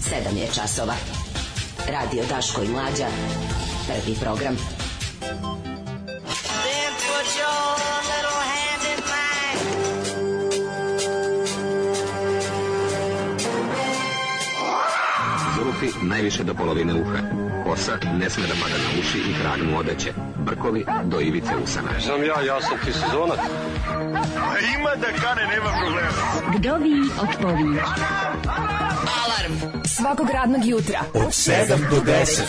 7 je časova. Radio Daško i Mlađa. Prvi program. Zulufi najviše do polovine uha. Kosa ne sme da pada na uši i trag mu odeće. Brkovi do ivice usana. Znam ja sam ti sezonac. Ima da kane, nema problema. Vdovi otpovi. Alarm svakog radnog jutra Od 7 do 10.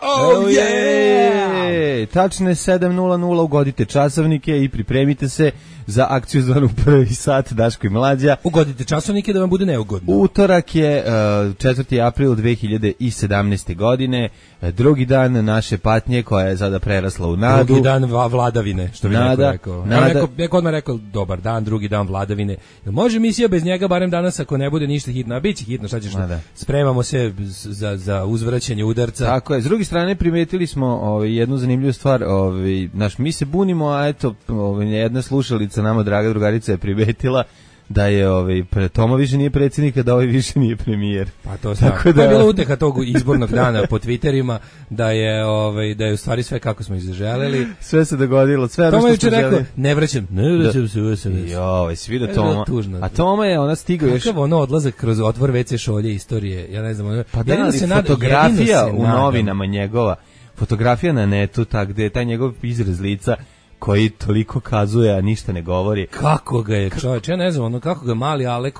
Oh yeah! Tačno je 7:00, ugodite časovnike i pripremite se za akciju zvanu Prvi sat Daško i Mlađa. Ugodite časovnike da vam bude neugodno. Utorak je 4. april 2017. godine, drugi dan naše patnje koja je sada prerasla u nadu. Drugi dan vladavine, što bi neko rekao. Neko odmah rekao, dobar dan, drugi dan vladavine. Može misija bez njega, barem danas, ako ne bude ništa hitno, a bit će hitno, šta ćeš, spremamo se za uzvraćanje udarca. Tako je, s druge strane primetili smo jednu zanimljivu stvar, mi se bunimo, a eto, jedna slušalica nama, draga drugarica, je primetila da je Toma više nije predsjednik, a da više nije premijer. Pa to je bila uteha tog izbornog dana po Twitterima, da je u stvari sve kako smo izželeli. Sve se dogodilo, sve Toma što smo želeli. Rekao, ne vraćam se u SNS. Joj, svi da Toma. A Toma je, ona stigao još... Kakav odlazak kroz otvor WC šolje istorije, ja ne znam. Pa da li fotografija u novinama njegova, fotografija na netu, gde je taj njegov izraz lica, koji toliko kazuje, a ništa ne govori. Kako ga je čovječ, ja ne znam, kako ga mali Alek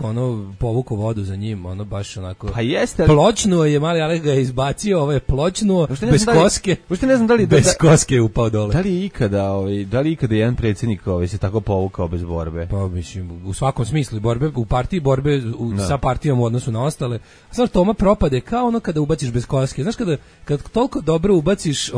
povuko vodu za njim, baš onako. Pa jeste. Pločnuo je, mali Alek ga je izbacio, ovo je pločnuo, bez koske. Ne znam da li bez koske je upao dole. Da li je ikada jedan predsjednik se tako povukao bez borbe? Pa mislim, u svakom smislu borbe, u partiji borbe sa partijom u odnosu na ostale. Znaš, Toma propade kao kada ubaciš bez koske. Znaš, kad toliko dobro ubaciš,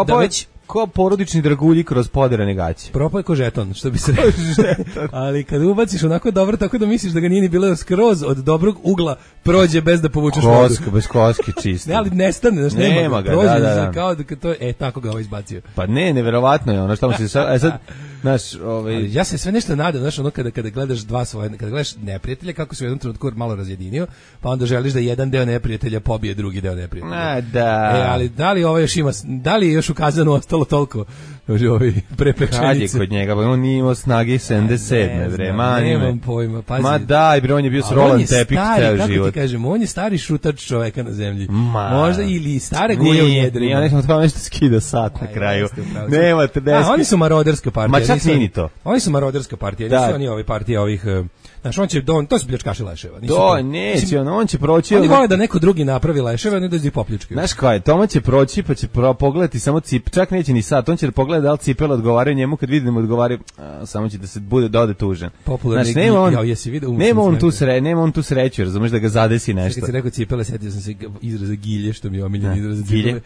da već ko porodični dragulji kroz poderane gaće. Propaj ko žeton, što bi se rekao. Ali kad ubaciš onako dobro, tako da misliš da ga nije ni bilo skroz od dobrog ugla, prođe bez da povučeš vodu. Bez koske čisto. Ne, ali nestane, nema ga. Prođe, kao da to je, tako ga izbacio. Pa ne, neverovatno je ono što mu se sad, ja se sve nešto nadam, znaš, kada gledaš kada gledaš neprijatelja, kako se u jednom trenutku malo razjedinio, pa onda želiš da jedan deo neprijatelja pobije drugi deo neprijatelja. Ali da li da li je još ukazano ostalo toliko prepečenice? Kad je kod njega, on nije imao snage 77. vrema. Nemam pojma, pazi. Ma daj, on je bio s Roland Tepik ceo život. Kako ti kažem, on je stari šutač čoveka na zemlji. Možda ili stare guje u njedrima. Ja nekam tamo nešto skida sat na kraju. Nema 30. Oni su maroderska partija. Ma čak nini to. Oni su maroderska partija, nisu oni partija ovih... Znaš, to su pljačkaši leševa. Neće, on će proći... Oni vole da neko drugi napravi leševa, a ne da ih popljučkaju. Znaš kao je, Toma će proći, pa će pogledati samo cip, čak neće ni sad, on će pogledati da li cipele odgovaraju njemu, kad vidi da mu odgovaraju, samo će da se bude dode tužan. Popularni nema on tu sreću, razumeš, da ga zadesi nešto. Kad si rekao cipele, setio sam se izraza gilje, što mi je omiljen izraz cipele.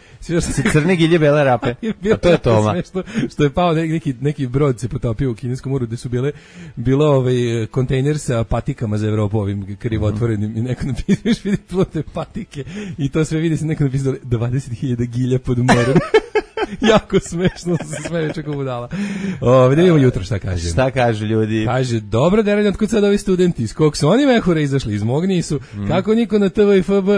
Crne gilje, bele rape, a to je Toma. Što je pao neki brod se potopio u kineskom moru, gde su bilo kontejner sa patikama za Evropu, ovim krivotvorenim, i neko napisao, vidi plute patike, i to sve vidi se neko napisao 20.000 gilja pod morom. Jako smešno, se smeju čako budala. Da vidimo jutro šta kaže. Šta kažu ljudi? Kaže, dobro da otkud sad ovi studenti, iz kog su oni mehure izašli, iz mog nisu, kako niko na TV i FB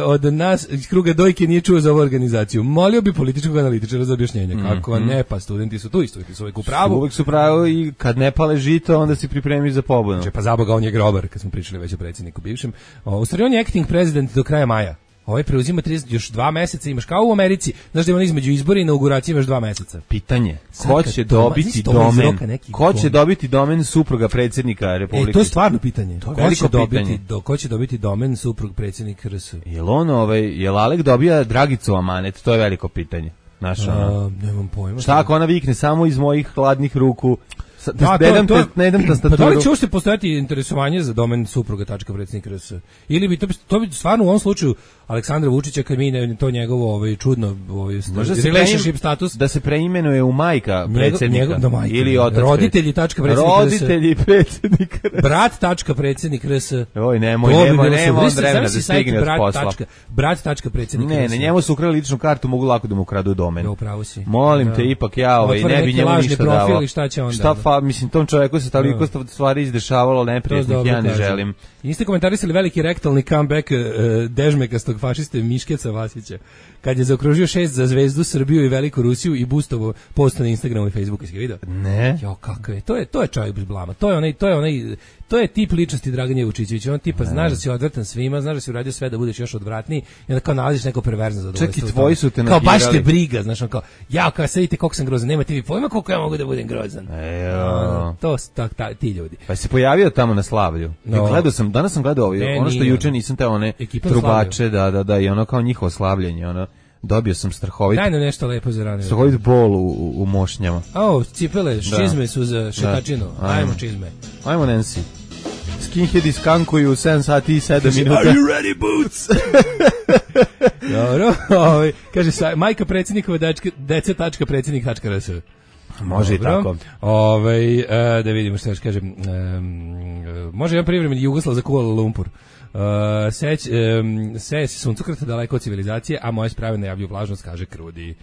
od nas, iz kruga dojke nije čuo za ovu organizaciju. Molio bi političkog analitičara za objašnjenje. Kako ne, pa studenti su tu i studenti su uvijek u pravu. Uvijek su pravu i kad ne pale žito, onda si pripremi za pobunu. Pa zaboga, on je grobar, kad smo pričali već o predsjedniku bivšem. U stvari on je acting president do kraja maja. Ovaj preuzima još 2 meseca, imaš kao u Americi, znaš da ima između izbora i inauguracije imaš 2 meseca. Pitanje, ko će dobiti domen? Ko će dobiti domen supruga predsjednika Republike? To je stvarno pitanje. Ko će dobiti domen suprug predsjednika RS? Jel Alek dobija Dragicu amanet? To je veliko pitanje. Nemam pojma. Šta ako ona vikne samo iz mojih hladnih ruku Ne idem tastaturu. Pa da li će uopšte postojati interesovanje za domen supruga.predsednik.rs? Ili bi to bi stvarno u ovom slučaju Aleksandra Vučića, kad mi to njegovo čudno relationship status, da se preimenuje u majka predsjednika ili otac roditelji.predsednik.rs, brat.predsednik.rs. Oj, nemoj on vremena da stigne od posla. Brat.predsednik.rs. Ne, njemu su ukrali ličnu kartu, mogu lako da mu kradu domen. Upravo si. Molim te, ipak ne bi njemu ništa davao. Mislim, tom čoveku se toliko stvari izdešavalo neprijatnih, ja ne želim. Niste komentarisali veliki rektalni comeback dežmekastog fašiste Miškeca Vasića, kad je zaokružio 6 za Zvezdu, Srbiju i Veliku Rusiju i boostovo post na Instagramu i Facebooku. Jesi ga vidio? Ne. Jo, kako je. To je čovjek bez blama. To je tip ličnosti Draganje Vučićevića. On tipa znaš da si odvratan svima, znaš da si uradio sve da budeš još odvratniji i onda kao nalaziš neko perverzno zadovoljstvo. Čak i tvoji su te nakirali. Kao baš te briga, znaš, on kao, kao sad vidite koliko sam grozan, nemate vi pojma koliko ja mogu da budem grozan. Ti ljudi. Pa se pojavio tamo na slavlju. Danas sam gledao ono što juče nisam te one trubače, da, i ono kao njihovo slavljenje, ono. Dobio sam strahovit. Daj nam nešto lepo za rane. Strahovit bol u mošnjama. Cipele, čizme su za šetačinu. Ajmo čizme. Ajmo, Nancy. Skinheadi skankuju 7 sati i 7 minuta. Are you ready, Boots? Dobro. Kaže, majka predsjednikove dece.predsednik.rs. Može i tako. Da vidimo što još kažem. Može jedan privremeni Jugoslav za Kuala Lumpur. Seje se suncokreta daleko od civilizacije, a moje sprave najavljuju vlažnost, kaže Krudi.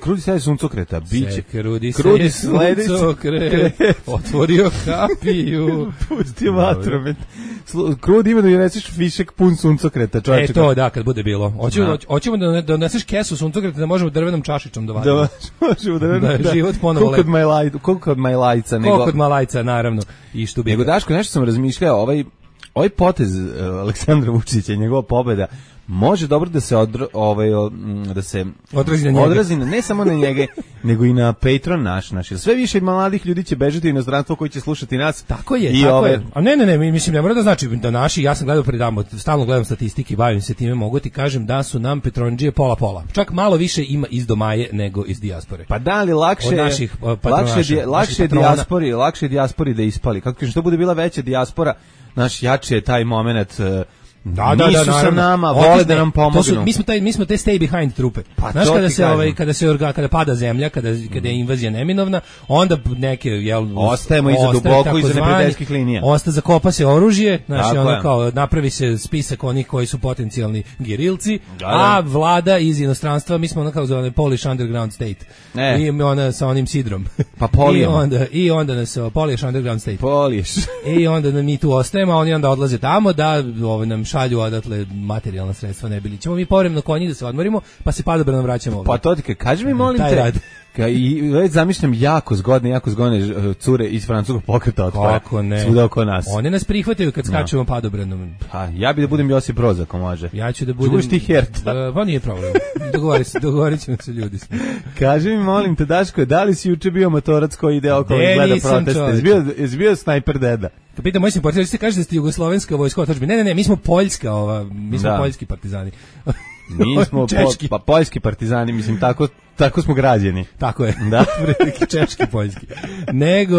Krudi seje suncokreta, biće. Krudi seje suncokret, otvorio kapiju. Pusti vatromet. Krudi ima da mi reciš fišek pun suncokreta, čovječe. To da, kad bude bilo. Hoćemo da doneseš kesu suncokreta, da možemo drvenom čašičom da vadimo. Da život ponovo lepo. Koliko kod Majlajca. Koliko kod Malajca, naravno. Nego, Daško, nešto sam razmišljao, ovaj potez Aleksandra Vučića i njegova pobeda može dobro da se odrazi na ne samo na njega, nego i na Patreon naš. Sve više mladih ljudi će bežati u inostranstvo koji će slušati nas. Tako je. A ne, mislim, ne mora da znači da naši, ja sam gledao stalno gledam statistike, bavim se time, mogu ti kažem da su nam Petronđije pola. Čak malo više ima iz domaje nego iz dijaspore. Pa da li lakše dijaspori da ispali? Kako što bude bila veća dijaspora, jači je taj moment. Nisu sa nama, vole da nam pomognu. Mi smo te stay behind trupe. Znaš, kada pada zemlja, kada je invazija neminovna, onda neke ostajemo iza duboko iza neprijateljskih linija. Zakopa se oružje, napravi se spisak onih koji su potencijalni gerilci, a vlada iz inostranstva, mi smo kao zove Polish underground state. I ona sa onim sidrom. Pa polijemo. I onda nas Polish underground state. Polish. I onda mi tu ostajemo, a oni onda odlaze tamo da nam šalju odatle materijalna sredstva, ne bili. Ćemo mi povremeno konji da se odmorimo, pa se padobranom vraćamo ovdje. Pa to ti kaži mi, molim te, i već zamišljam jako zgodne cure iz francuskog pokreta otpora. Kako ne? Svuda oko nas. One nas prihvataju kad skačemo padobranom. Pa, ja bi da budem Josip Broz, ako može. Ja ću da budem... Čuvaš ti Herta? Pa nije problem. Dogovorit ćemo se ljudi. Kaži mi, molim te, Daško, da li si juče bio motorac koji ide okolo i gleda proteste? Jesi bio snajper deda? Kad pitam moj simpatizan, vi kažete da ste jugoslovenska vojska otadžbina. Ne, mi smo poljska, mi smo poljski partizani. Mi smo poljski partizani, mislim, tako smo građeni. Tako je. Da. Češki, poljski. Nego,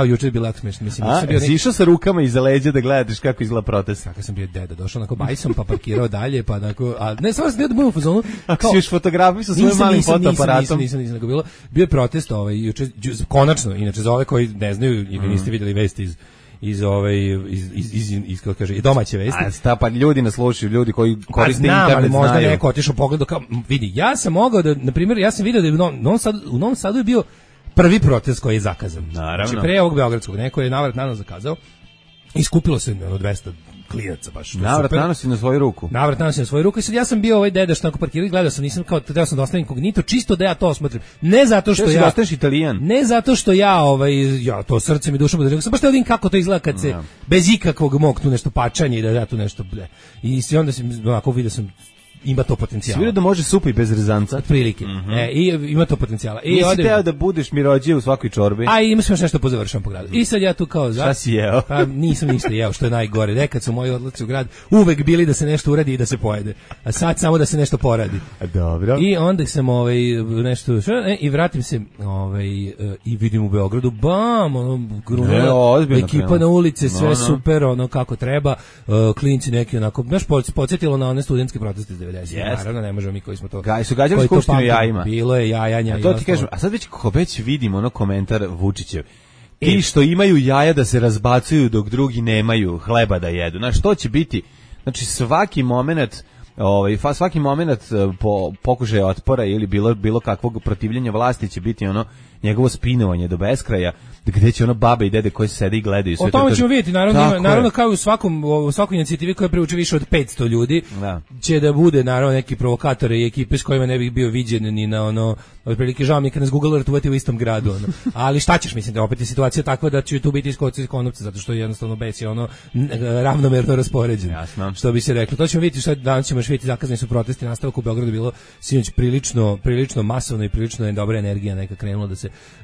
juče je bilo jako smiješno. Si išao sa rukama iza leđa da gledaš kako izgleda protest? Tako sam bio deda, došao onako bajsom, pa parkirao dalje, pa onako, ne, samo sam bio da budem u fazonu. Ako si još fotografiju sa svojim malim fotoaparatom. Nisam, nego bilo. Bio je protest, juče, konačno, inače za ove koji ne znaju ili niste vidjeli vesti iz kako kaže, domaće vesti. Pa ljudi nas slušaju, ljudi koji koriste internet znaju. Možda neko otišao pogledao kao, vidi, ja sam mogao da, na primjer, ja sam vidio da je u Novom Sadu je bio prvi protest koji je zakazan. Naravno. Znači, pre ovog beogradskog, neko je navrat nanos zakazao i skupilo se 200 klinaca baš. Navrat nanosi na svoju ruku. I sad ja sam bio ovaj deda što tako parkirao i gledao sam, nisam kao teo sam da ostavim inkognito, čisto da ja to osmotrim. Ne zato što ja ostaneš Italijan. Ne zato što ja to srcem i dušom da sam baš da vidim kako to izgleda kad se bez ikakvog mog tu nešto pačanje i da ja tu nešto I onda sam onako vidio sam ima to potencijala. Svi da može supa i bez rezanca. Otprilike. I ima to potencijala. I nisi teo da budeš mirođije u svakoj čorbi. A ima se još nešto pozavršam po gradu. I sad ja tu kao šta si jeo? Pa nisam ništa jeo, što je najgore. Nekad su moji odlaci u grad uvek bili da se nešto uradi i da se pojede. A sad samo da se nešto poradi. Dobro. I onda sam nešto i vratim se i vidim u Beogradu bam, ekipa na ulici, sve super, ono kako treba. Klinci neki onako, baš podsjetilo na one studentske proteste iz 90-ih. Naravno, ne možemo mi koji smo to. Su gađali skupštinu jajima. Bilo je jajanja. A to ti kažem, a sad već vidimo ono komentar Vučićev. Ti što imaju jaja da se razbacuju dok drugi nemaju hleba da jedu. Znaš, što će biti? Znači, svaki moment pokušaja otpora ili bilo kakvog protivljenja vlasti će biti ono njegovo spinovanje do beskraja, gde će ono babe i dede koji sede i gledaju sve. O tome ćemo vidjeti, naravno kao i u svakoj inicijativi koja privuče više od 500 ljudi, će da bude naravno neki provokatori i ekipe s kojima ne bih bio viđen ni na ono, otprilike žao mi kad nas Google Earth uvati u istom gradu, ono. Ali šta ćeš, mislim da opet je situacija takva da će tu biti iskoci iz konopca, zato što je jednostavno bes je ono ravnomerno raspoređen. Jasno. Što bi se reklo. To ćemo vidjeti, šta danas ćemo vidjeti, zakazani su protesti, nastavak u Beogradu bilo sinoć prilično masovno i prilično je dobra energija neka krenula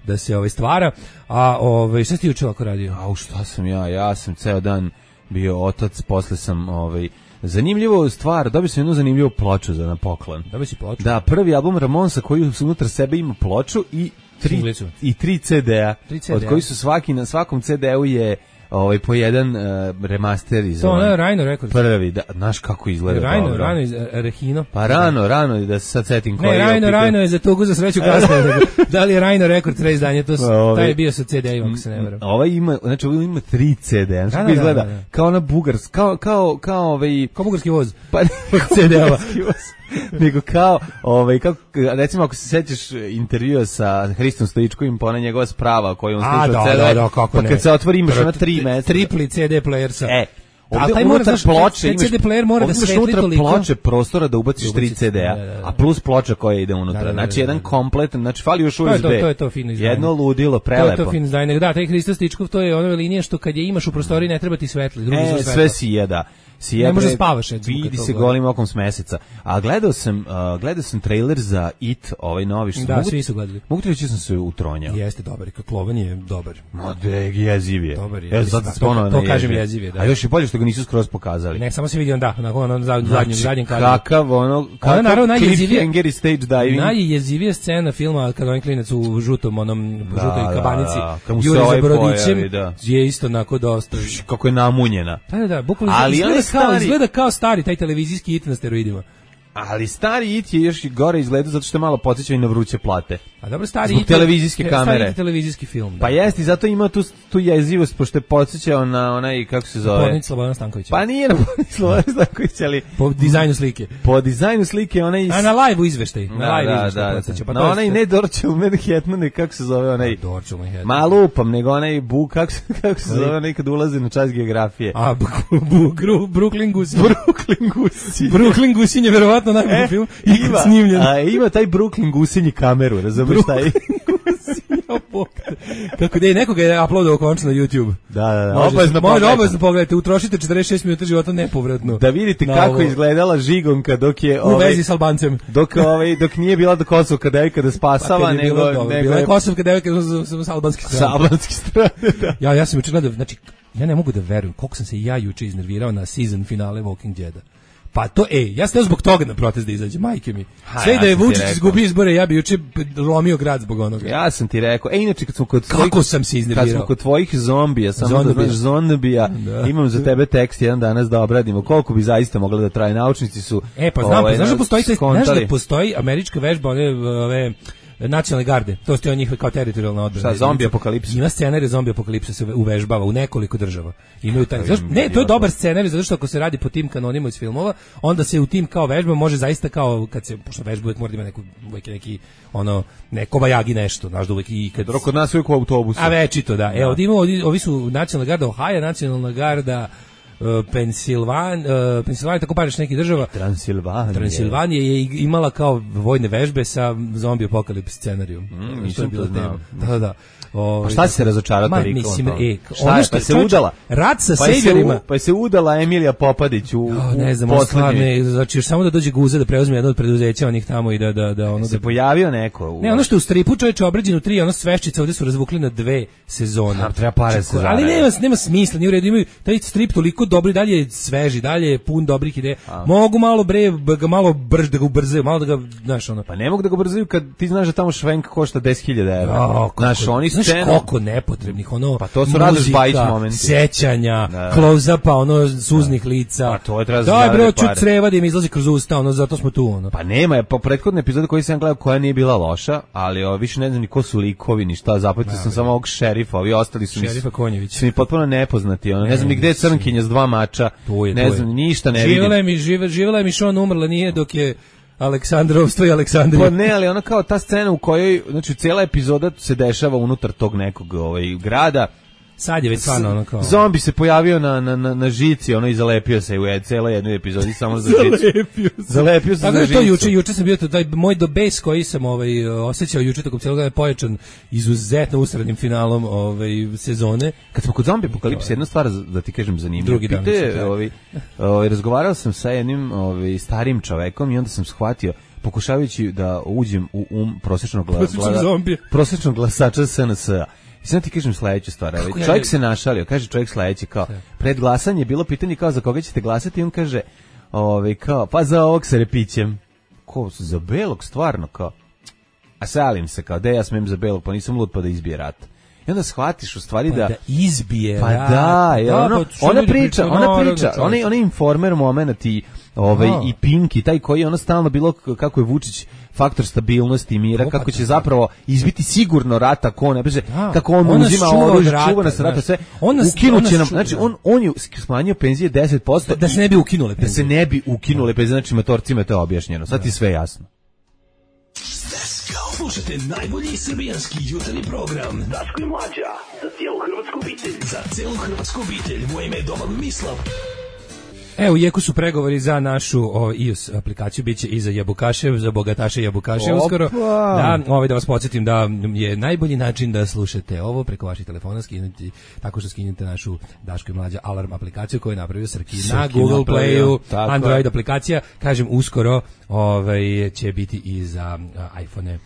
da se stvara. A šta si ti juče ovako radio? Šta sam ja sam ceo dan bio otac, posle sam zanimljivo stvar, dobio sam jednu zanimljivu ploču za na poklon. Dobio si ploču? Da, prvi album Ramonsa koji unutar sebe ima ploču i 3 CD-a, od koji su na svakom CD-u je po jedan remaster iz to je Rhino Records. Prvi, da, znaš kako izgleda. Rhino iz Rehino. Pa rano, da se sad setim koji je. Ne, Rhino je za tugu za sreću kasnije. Da li je Rhino Records reizdanje, taj je bio sa CD-ima, ako se ne varam. Ovaj ima 3 CD-a, znači izgleda kao ona bugarska, kao bugarski voz. Pa CD-ova. Nego kao recimo ako se sećaš intervjua sa Hristom Stojičkovim, pa ona njegova sprava koju on sluša CD, pa kad se otvori imaš ona 3 mesta. Tripli CD player sa. Ali taj mora ploče, CD player mora da svetli toliko. Ploče prostora da ubaciš 3 CD-a, a plus ploča koja ide unutra. Znači jedan kompletan, znači fali još USB. To je to fino izdanje. Jedno ludilo, prelepo. To je to fino izdanje. Da, taj Hristo Stojičkov, to je ona linija što kad je imaš u prostoriji ne treba ti svetli, drugi su svetla. Sve si da. Ne može spavaš. Vidi se golim okom s meseca. A gledao sam trailer za It, ovaj novi što. Da, svi su gledali. Mogu ti reći sam se utronjao. Jeste dobar, kako Lovan je dobar. Ma jeziv je. Dobar je. To kažem jeziv je, da. A još i bolje što ga nisu skroz pokazali. Ne, samo se vidi na zadnjem kadru. Kakav naravno najjezivije Angry stage diving. Najjezivija scena filma kad onaj klinac u žutoj kabanici juri za brodićem je isto onako dosta. Kako je namunjena. Da, bukvalno izgleda kao stari taj televizijski It na steroidima. Ali stari It je još gore izgleda zato što je malo podsjeća i na vruće plate. A dobro, stari It televizijske kamere. Stari televizijski film. Da. Pa jeste, zato ima tu jezivost, pošto je podsjećao na onaj, kako se zove? Podnić Slobodana Stankovića. Pa nije na Podnić Slobodana Stankovića, ali... Po dizajnu slike. Po dizajnu slike, onaj... A na live-u izveštaj. Da. Pa na onaj ne Dorčel Manhattan, kako se zove onaj... Dorčel Manhattan. Ma lupam, nego onaj kako se zove onaj kad ulazi na čas geografije. A, Brooklyn Gusinje. Brooklyn Gusinje, verovatno najbolji film ikad snimljen. Ima taj Brooklyn Gusinji kameru, razumiješ taj? Kako da je nekoga je uploadao končno na YouTube. Da. Obavezno pogledajte, utrošite 46 minuta života nepovratno. Da vidite kako izgledala žigonka dok je u vezi s Albancem. Dok nije bila do Kosovka devojka da spasava, nego bila je Kosovka devojka sa albanske strane. Sa albanske strane, da. Ja sam juče gledao, znači ja ne mogu da verujem koliko sam se ja juče iznervirao na season finale Walking Deada. Pa to, ja sam zbog toga na protest da izađe, majke mi. Sve da je Vučić izgubio izbore, ja bi juče lomio grad zbog onoga. Ja sam ti rekao, inače kad smo kod tvojih zombija, samo da znaš zombija, imam za tebe tekst jedan danas da obradimo, koliko bi zaista mogla da traje, naučnici su... Pa znaš da postoji američka vežba, ove nacionalne garde, to ste njihove kao teritorijalna odbrana. Šta, zombi apokalipsa? Ima scenarij zombi apokalipsa se uvežbava u nekoliko država. Imaju taj. To je dobar scenarij zato što ako se radi po tim kanonima iz filmova, onda se u tim kao vežba može zaista kao kad se pošto vežba uvek mora da ima neki neko bajagi nešto, znaš da uvek i kad kod nas uvek u autobusu. A večito da. Evo, ovi su nacionalna garda Ohio, nacionalna garda Pensilvanija, tako paraš neki država. Transilvanija je imala kao vojne vežbe sa zombi apokalips scenarijom. Što je bilo tema. Da. A šta si se razočarao toliko? Mislim, ono što se udala? Rat sa sejverima. Pa se udala Emilija Popadić u ne znam, stvarno, znači još samo da dođe Guza da preuzme jedno od preduzeća onih tamo i da ono se pojavio neko. Ne, ono što je u stripu čoveče obrađeno 3, ono sveščica ovde su razvukli na 2 sezone. Treba pare se zarade. Ali nema smisla, ni u redu, imaju taj strip toliko dobri, dalje je sveži, dalje je pun dobrih ideja. Mogu malo malo brž da ga ubrzaju, malo da ga, znaš, ono. Pa ne mogu da ga ubrzaju kad ti znaš da tamo švenk košta 10.000 €. Znaš, oni znaš koliko nepotrebnih, ono, pa to su Radoš Bajić momenti. Sećanja, close-upa, ono, suznih lica. Pa to je treba da, bre, ću creva da im izlazi kroz usta, ono, zato smo tu, ono. Pa nema je, po prethodne epizode koji sam gledao koja nije bila loša, ali više ne znam ni ko su likovi, ni šta, zapamtio sam samo ovog šerifa, ovi ostali su Šerifa Konjević. Su mi potpuno nepoznati, ono, ne znam ni gde je Crnkinja s 2 mača, ne znam, ništa ne vidim. Živela je mi što on umrla, nije dok je Aleksandrovstvo i Aleksandrija. Pa ne, ali ona kao ta scena u kojoj, znači cijela epizoda se dešava unutar tog nekog grada. Sad je već stvarno ono kao... Zombi se pojavio na žici, ono i zalepio se u cijela jednoj epizodi samo za žicu. Zalepio se za žicu. To juče sam bio, taj moj dobes koji sam osjećao juče tokom cijelog dana pojačan izuzetno usrednim finalom sezone. Kad smo kod zombi apokalipse, jedna stvar da ti kažem zanimljiva. Drugi dan razgovarao sam sa jednim starim čovekom i onda sam shvatio, pokušavajući da uđem u prosječnog glasača SNS-a. I sad ti kažem sledeću stvar. Čovjek se našalio, kaže čovjek sledeći kao, pred glasanje je bilo pitanje kao za koga ćete glasati i on kaže, kao, pa za ovog sa repićem. Ko, za belog stvarno kao? A salim se kao, ja smem za belog, pa nisam lud pa da izbije rat. I onda shvatiš u stvari da izbije rat. Pa ona priča, ona informer moment i i Pinki, taj koji je ono stalno bilo kako je Vučić faktor stabilnosti i mira, kako će zapravo izbiti sigurno rat ako on ne beže, kako on uzima oružje, čuva nas rata, sve. Ukinuće nam, znači on je smanjio penzije 10%. Da se ne bi ukinule penzije. Da se ne bi ukinule penzije, znači motorcima je to objašnjeno. Sad ti sve jasno. Slušajte najbolji srbijanski jutarnji program Daško i Mlađa, za cijelu hrvatsku obitelj. Za cijelu hrvatsku obitelj, moje ime je Domagoj Mislav. U jeku su pregovori za našu iOS aplikaciju, biće i za jabukaše, za bogataše jabukaše uskoro. Da vas podsjetim da je najbolji način da slušate ovo preko vaših telefona skinuti, tako što skinete našu Daško i Mlađa alarm aplikaciju koju je napravio Srki na Google Playu, Android aplikacija, kažem uskoro će biti i za iPhone-e.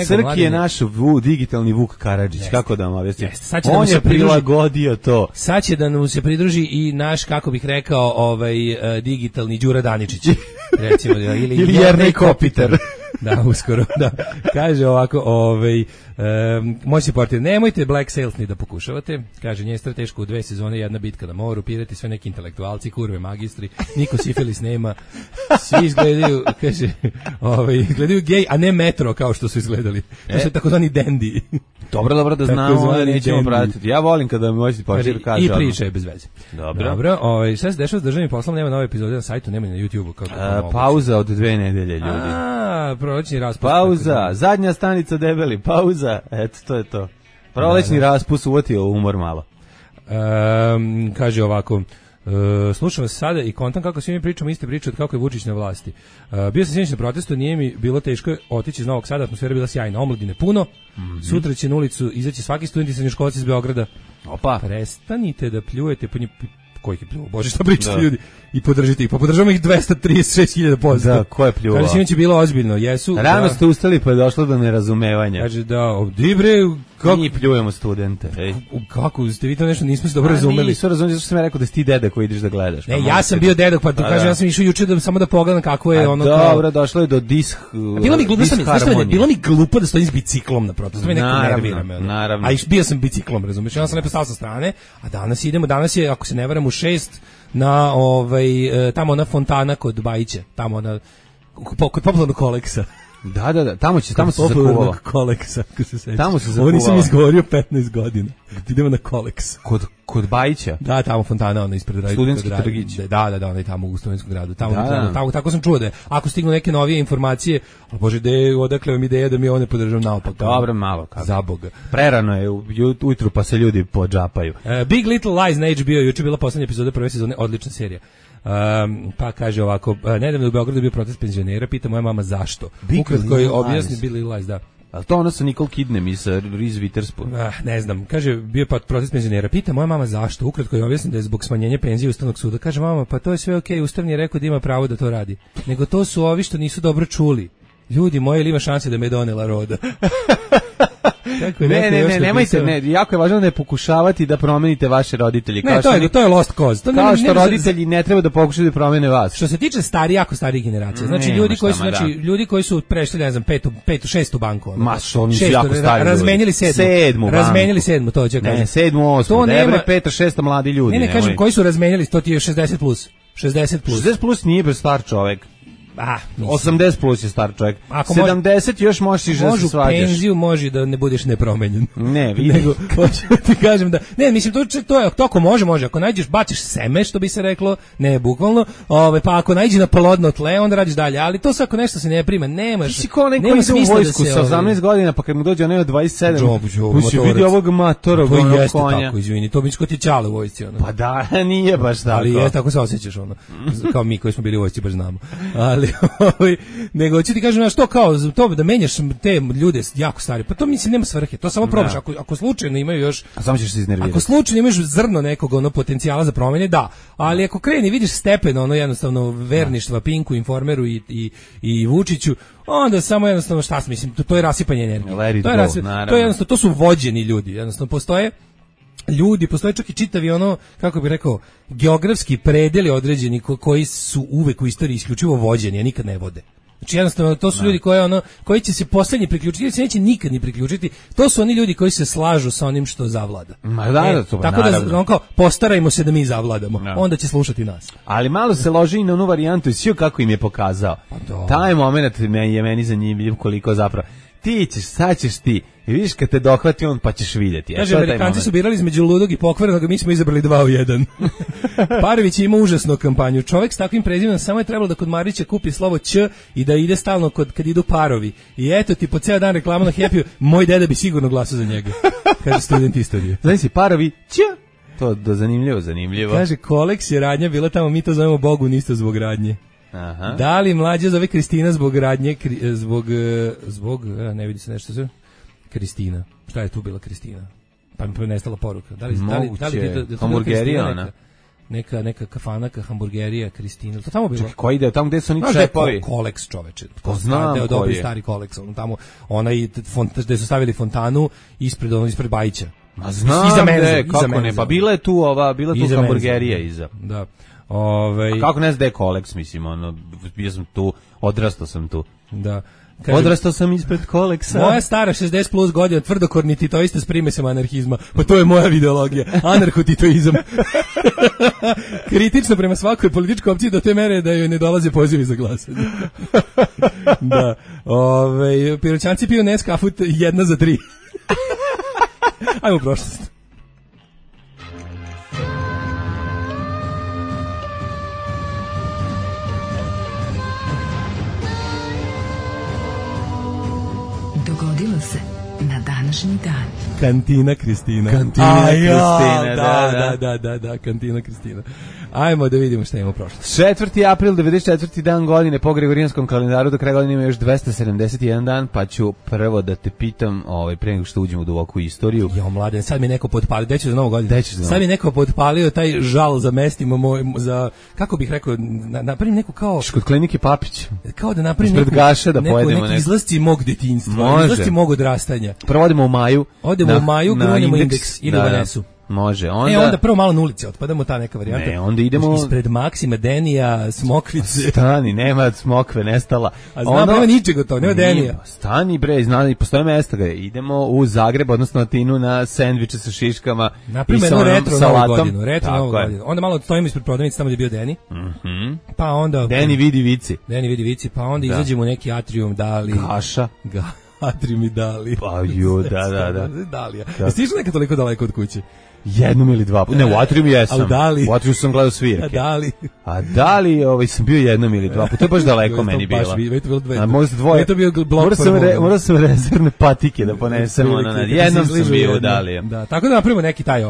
Srki je naš digitalni Vuk Karadžić, kako da vam objasnim? On je prilagodio to. Sad će da nam se pridruži i naš, kako bih rekao, digitalni Đura Daničić. Recimo, ili Jernej Kopiter. Da, uskoro, da. Kaže ovako, moj supporter, nemojte Black Sails ni da pokušavate. Kaže, nije strateško u 2 sezone, jedna bitka na moru, pirati sve neki intelektualci, kurve, magistri, niko sifilis nema, svi izgledaju, kaže, izgledaju gej, a ne metro kao što su izgledali. To su takozvani dendi. Dobro da znamo, nećemo pratiti. Ja volim kada moj supporter kaže. I priče je bez veze. Dobro, šta se dešava s državnim poslom, nema nove epizode na sajtu, nema na YouTubeu. Pauza od 2 nedelje, ljudi. Prolećni raspust. Pauza, zadnja stanica debeli, pauza, eto, to je to. Prolećni raspust uvotio umor malo. Kaže ovako, slušam vas sada i kontam kako svi mi pričamo iste priče od kako je Vučić na vlasti. Bio sam sinoć na protestu, nije mi bilo teško otići iz Novog Sada, atmosfera bila sjajna, omladine puno, sutra će na ulicu izaći svaki student i srednjoškolac iz Beograda. Opa. Prestanite da pljujete po kojih je pljuo, bože šta pričate ljudi, i podržite ih, pa podržavamo ih 236.000%. Da, ko je pljuvao? Kaže, sinoć je bilo ozbiljno, jesu. Rano ste ustali pa je došlo do nerazumevanja. Kaže, dibre, kako mi pljujemo studente, ej. Kako, ste vi to nešto nismo se dobro razumeli? Nisu razumeli, zašto sam ja rekao da si ti deda koji ideš da gledaš. Ne, ja sam bio deda, pa kažem, ja sam išao juče samo da pogledam kako je ono kao... Dobro, došlo je do bilo mi glupo da stojim s biciklom na protestu, to me neko nervira. Naravno. A bio sam biciklom, razumiješ, ja sam lepo stao sa strane, a danas je, ako se ne varam, u 6 na tamo ona fontana kod Bajića, tamo kod popularnog Koleksa. Da, tamo se zakuvalo. Koleksa, ako se sećaš. Tamo se zakuvalo. Ovo nisam izgovorio 15 godina. Idemo na Koleks. Kod Bajića? Da, tamo fontana, ona ispred Studentski trgić. Da, ona je tamo u Studentskom gradu. Tamo, tako sam čuo da je. Ako stignu neke novije informacije, bože, odakle vam ideja da mi ovo ne podržam naopak. Dobro, malo kako. Za Boga. Prerano je ujutru pa se ljudi podžapaju. Big Little Lies na HBO, juče bila poslednja epizoda prve sezone, odlična serija. Pa kaže ovako, nedavno u Beogradu bio protest penzionera, pita moja mama zašto. Ukratko je objasni Big Little Lies, da. Ali to ono sa Nicole Kidnem i sa Reese Witherspoon. Ne znam, kaže, bio je protest penzionera, pita moja mama zašto. Ukratko je objasni da je zbog smanjenja penzije Ustavnog suda. Kaže mama, pa to je sve okej, Ustavni je rekao da ima pravo da to radi. Nego to su ovi što nisu dobro čuli. Ljudi moji, ili ima šanse da me donela roda? Ne, nemojte, jako je važno da ne pokušavati da promenite vaše roditelje. To je lost cause. Kao što roditelji ne treba da pokušaju da promene vas. Što se tiče jako starih generacija, znači ljudi koji su prešli, ne znam, petu, šestu banku. Ma što oni su jako stari. Razmenili sedmu, to će kažem. Ne, sedmu, osmu, debre, peta, šesta mladi ljudi. Ne, kažem, koji su razmenili, to ti je 60 plus. 60 plus nije bez star čovek. 80 plus je star čovjek. 70 još možeš da se svađaš. Penziju može da ne budeš nepromenjen. Ne, vidi. Ti kažem da, ne, mislim, to je, ako može. Ako nađeš, baciš seme, što bi se reklo, ne bukvalno, pa ako nađi na plodno tle, onda radiš dalje. Ali to svako nešto se ne prima, nemaš. Ti si kao neko ide u vojsku sa 18 godina, pa kad mu dođe onaj od 27, puši vidi ovog matorog konja. Tako, izvini, to bi što ti čale u vojsci. Pa da, nije baš tako. Ali je, tako se osjećaš, kao mi koji smo bili u vojsci, baš znamo. Ali nego ću ti kažem na što kao to da menjaš te ljude jako stari, pa to mislim nema svrhe, to samo probaš ako slučajno imaju još, a samo ćeš se iznervirati. Ako slučajno imaš zrno nekog potencijala za promene, da, ali ako kreni vidiš stepen jednostavno verništva Pinku, Informeru i Vučiću, onda samo jednostavno šta mislim, to je rasipanje energije. To je jednostavno, to su vođeni ljudi, jednostavno postoje čak i čitavi kako bih rekao, geografski predeli određeni koji su uvek u istoriji isključivo vođeni, a nikad ne vode. Znači jednostavno to su ljudi koji će se poslednji priključiti, ili se neće nikad ni priključiti. To su oni ljudi koji se slažu sa onim što zavlada. Tako da kao postarajmo se da mi zavladamo. Onda će slušati nas. Ali malo se loži i na onu varijantu i sve kako im je pokazao. Taj moment je meni zanimljiv koliko zapravo. Ti ćeš, sad ćeš ti. I vidiš kad te dohvati on pa ćeš vidjeti. Kaže, Amerikanci su birali između ludog i pokvarenog, mi smo izabrali 2 u 1. Parović ima užasnu kampanju. Čovjek s takvim prezimenom samo je trebalo da kod Marića kupi slovo Ć i da ide stalno kad idu parovi. I eto ti po ceo dan reklama na Happy, moj deda bi sigurno glasao za njega. Kaže student istorije. Znači si parovi Ć. To je zanimljivo. Kaže, Koleks je radnja bila tamo, mi to zovemo Bogu nisto zbog radnje. Aha. Da li mlađa zove Kristina zbog radnje, ne vidi se nešto sve. Kristina. Šta je tu bila Kristina? Pa mi nestala poruka. Da li hamburgerija ona? Neka kafanaka, hamburgerija, Kristina. To tamo bilo. Čekaj, koji ide tamo gde su oni čepovi? Koleks, čoveče. Ko znam dobri stari Koleks. Tamo onaj gde su stavili fontanu ispred Bajića. Ma znam kako ne, pa bila je tu hamburgerija iza. Da. A kako ne znam da je Koleks, mislim, bio sam tu, odrastao sam tu. Da. Odrastao sam ispred Koleksa. Moja stara 60 plus godina, tvrdokorni titoista s primesama anarhizma. Pa to je moja ideologija. Anarhotitoizam. Kritično prema svakoj političkoj opciji do te mere da joj ne dolaze pozivi za glasanje. Da. Piroćanci piju Nescafu 1 za 3. Ajmo u prošlost. Dogodilo se na današnji dan. Kantina Kristina. Da, Kantina Kristina. Ajmo da vidimo šta imamo prošlo. 4. april, 94. dan godine po Gregorijanskom kalendaru, do kraja godine ima još 271 dan, pa ću prvo da te pitam, pre nego što uđemo u duboku istoriju. Jo, mladen, sad mi neko podpalio, deću za novu godinu. Sad mi neko podpalio taj žal za mestima za, kako bih rekao, napravim neku kao... Kod klinike Papić. Kao da napravim neki izlasci mog detinjstva, izlasci mog odrastanja. Prvo odemo u Maju. Odemo u Maju, grunemo indeks, ili u Vanesu. Može. Onda prvo malo na ulici otpadamo, ta neka varijanta. Ne, onda idemo ispred Maksima, Denija, Smokvice. Stani, nema Smokve, nestala. A znam, nema ničega to, nema Denija. Stani bre, zna, postoje mesta gde idemo u Zagreb, odnosno Atinu na sendviče sa šiškama i sa retro salatom. Retro novu godinu. Onda malo stojimo ispred prodavnice tamo gde je bio Deni. Pa onda Deni vidi vici, pa onda izađemo u neki atrium, Dali. Gaša. Atrium i Dali. Pa ju, da. Dalija. Jesi išao nekad toliko daleko od kuće? Jednom ili dva. Ne, u Atriumu jesam. A u Dali? U Atriumu sam gledao svirke. A Dali sam bio jednom ili dva. To je baš daleko meni bilo. A možda dvoje. To bio blok morao sam rezervne patike da ponesem. Jednom sam bio u Dali. Da, tako da napravimo neki taj,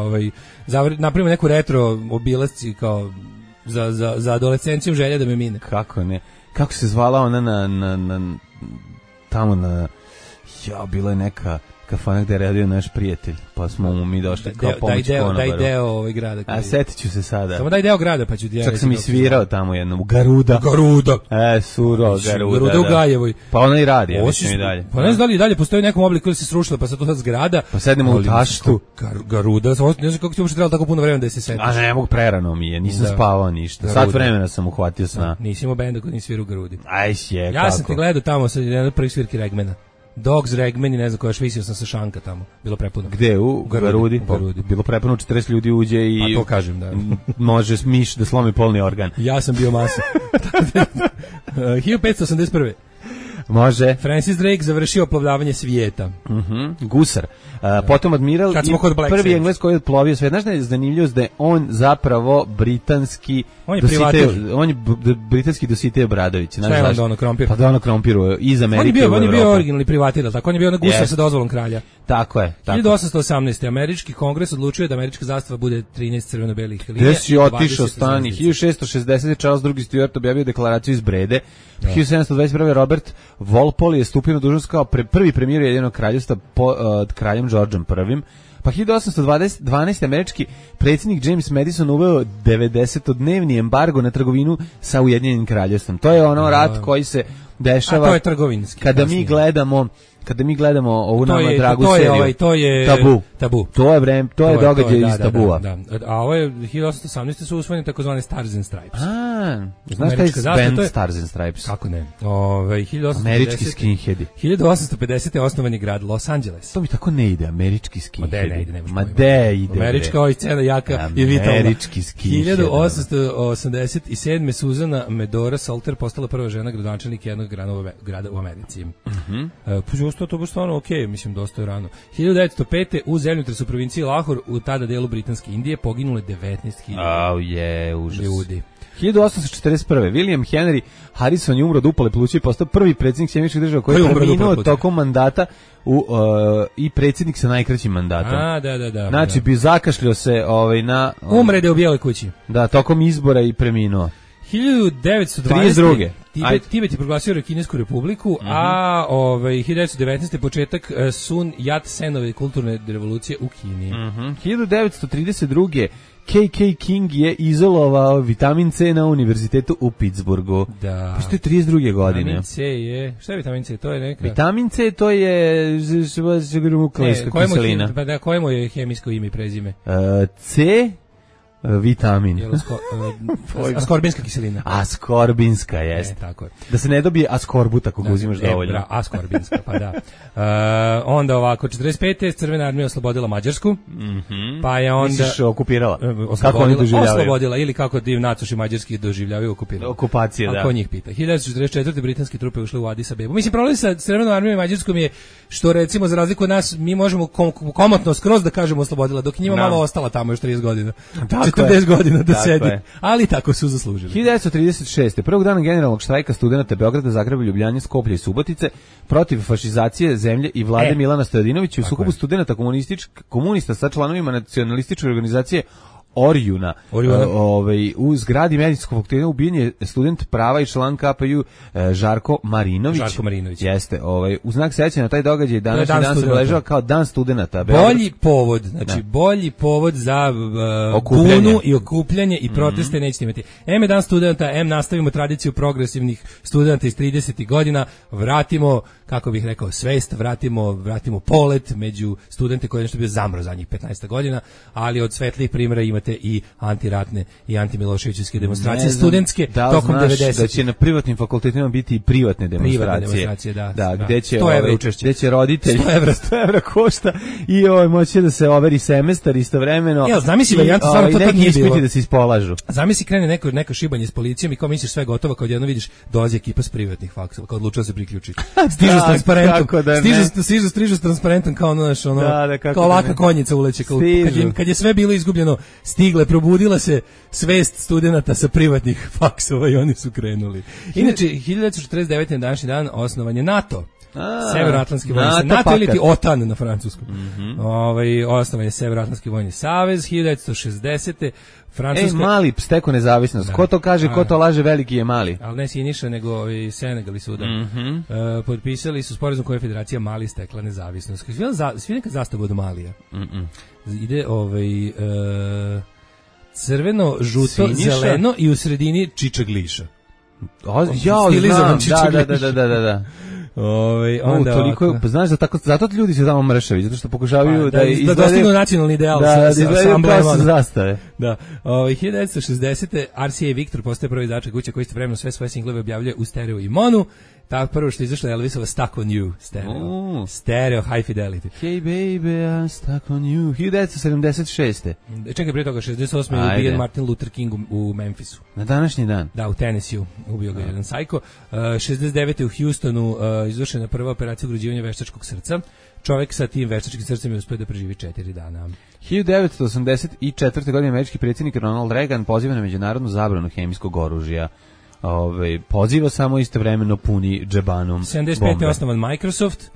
napravimo neku retro obilasci kao za adolescenciju želja da me mine. Kako ne? Kako se zvala ona tamo bila je neka kafana gde je radio naš prijatelj, pa smo mu mi došli kao pomoć konobaru. Daj deo grada. A setit ću se sada. Samo daj deo grada, pa ću ti ja. Čak sam i svirao tamo jednom, u Garuda. Suro, Garuda u Gajevoj. Pa ona i radi, ja mislim i dalje. Pa ne znam da li i dalje postoji nekom obliku ili se srušila, pa sad to sad zgrada. Pa sednemo u Taštu. Garuda, ne znam kako ti uopšte trebalo tako puno vremena da se setiš. A ne mogu, prerano mi je, nisam spavao ništa. Sat vremena sam uhvatio sna. Nisi imao benda koji nisi svirao u Garudi. Aj je, ja sam te gledao tamo sa jedan prvi svirki Regmana. Dogs, Regman i ne znam koja, visio sam sa šanka tamo. Bilo prepuno. Gde? U Garudi? Bilo prepuno, 40 ljudi uđe i... Pa to kažem, da. Može miš da slomi polni organ. Ja sam bio masa. 1581. Može. Francis Drake završio oplovljavanje svijeta. Gusar. Potom admiral i prvi Englez koji je odplovio svijet. Znaš da je zanimljivost da je on zapravo britanski... On je britanski Dositej Obradović. Šta je on Dono Krompir? Pa Dono Krompiru iz Amerike u Evropu. On je bio originalni privatir, tako? On je bio na gusar sa dozvolom kralja. Tako je. 1818. Američki kongres odlučio da američka zastava bude 13 crveno-belih linija. Gde si otišao stani? 1660. Charles II. Stuart objavio deklaraciju iz Brede. 1721. Robert Walpole je stupio na dužnost kao prvi premijer Ujedinjenog kraljevstva pod kraljem Georgeom I. Pa 1812. američki predsjednik James Madison uveo 90-dnevni embargo na trgovinu sa Ujedinjenim kraljevstvom. To je rat koji se dešava. A to je trgovinski. Kada mi gledamo ovu nama dragu seriju. To je tabu. To je događaj iz Tabua. Da. A ovo je 1818. su usvojeni takozvane Stars and Stripes. Znaš šta je band Stars and Stripes? Kako ne? Američki skinheadi. 1850. osnovan je grad Los Angeles. To mi tako ne ide, američki skinheadi. Ma de ide. Američka scena jaka i vitalna. Američki skinheadi. 1887. Suzana Medora Salter postala prva žena gradonačelnik jednog grada u Americi. To baš stvarno okej, mislim, dosta je rano. 1905. u zemljotresu u provinciji Lahore, u tada delu Britanske Indije, poginule 19.000 užas. Ljudi. 1841. William Henry Harrison je umro od upale pluća i postao prvi predsjednik Sjedinjenih Država koji je preminuo tokom mandata i predsjednik sa najkraćim mandatom. Da. Znači, bi zakašljao se na... Umrede u Bijeloj kući. Da, tokom izbora i preminuo. 1920. Tibet je proglasio Kinesku republiku, a 1919. početak Sun Yat-senove kulturne revolucije u Kini. 1932. KK King je izolovao vitamin C na univerzitetu u Pittsburghu. Da. Pa što je 32. godine. Vitamin C je... Šta je vitamin C? To je neka... Vitamin C to je nukleiska kiselina. Kojemu je hemijsko ime i prezime? C... vitamin. Askorbinska kiselina. Askorbinska, jest. Tako je. Da se ne dobije askorbut ako ga uzimaš dovoljno. Askorbinska, pa da. Onda ovako, 45. Crvena armija oslobodila Mađarsku, pa je onda... Misliš okupirala? Kako oni doživljavaju? Oslobodila, ili kako nacoši mađarski doživljavaju okupirala. Okupacija, da. Ako njih pita. 1944. britanske trupe ušle u Addis Abebu. Mislim, problem sa Crvenom armijom i Mađarskom je što, recimo, za razliku od nas, mi možemo komotno skroz da kažemo oslobodila, dok njima malo ostala tamo još 30 godina. 40 godina da sedi, ali tako su zaslužili. 1936. Prvog dana generalnog štrajka studenata Beograda, Zagreba, Ljubljane, Skoplja i Subotice protiv fašizacije zemlje i vlade Milana Stojadinovića u sukobu studenata komunista sa članovima nacionalističke organizacije Orjuna. U zgradi medicinskog fakulteta ubijen je student prava i član KPU Žarko Marinović. Jeste, u znak sećanja na taj događaj današnji dan se obeležava kao dan studenata. Bolji povod, znači bolji povod za bunu i okupljanje i proteste nećete imati. M je dan studenta, nastavimo tradiciju progresivnih studenta iz 30. godina, vratimo, kako bih rekao, svest, vratimo polet među studente koji je nešto bio zamro zadnjih 15 godina, ali od svetlih primjera imate i antiratne i antimiloševićevske demonstracije studentske tokom 90. Da će na privatnim fakultetima biti i privatne demonstracije. Da, gde će roditelji 100 evra košta i moći da se overi semestar istovremeno. Zamisli varijanta, stvarno to nije bilo. Da se ispolažu. Zamisli krene neko šibanje s policijom i kao misliš sve gotovo, kad jedno vidiš dolazi ekipa s privatnih faksova, kao odlučila se priključiti. Stižu s transparentom. Stižu s transparentom kao kao laka konjica uleće. Kad je sve bilo izgubljeno, stigle, probudila se svest studenata sa privatnih faksova i oni su krenuli. Inače, 1949. na današnji dan osnovan je NATO. Severnoatlantski vojni savez, NATO ili ti OTAN na francuskom. Osnovan je Severnoatlantski vojni savez 1960. Francuska... Mali steko nezavisnost. Ko to kaže, ko to laže, veliki je Mali. Ali ne Siniša, nego i Senegal i Sudan. Potpisali su sporazum koje je Federacija Mali stekla nezavisnost. Svi neka zastava od Malija. Ide crveno, žuto, zeleno i u sredini čičak liša. Znam, da. Onda toliko, znaš, zato ljudi se tamo mršavi, zato što pokušavaju da dostignu nacionalni ideal sa amblemom zastave. Da. 1960. RCA Victor postaje prvi izdavač kuće koji istovremeno sve svoje singlove objavljuje u stereo i mono. Tako prvo što je izašlo Elvisova Stuck on You stereo. Stereo high fidelity. Hey baby, I'm stuck on you. 1976. Čekaj, prije toga 68. je ubijen Martin Luther King u Memphisu. Na današnji dan? Da, u Tennessee ubio ga jedan sajko. 69. u Houstonu izvršena prva operacija ugrađivanja veštačkog srca. Čovjek sa tim veštačkim srcem je uspio da preživi 4 dana. 1984. godine američki predsjednik Ronald Reagan poziva na međunarodnu zabranu hemijskog oružja. Poziva samo istovremeno puni džebanom 75. bombe. je osnovan Microsoft,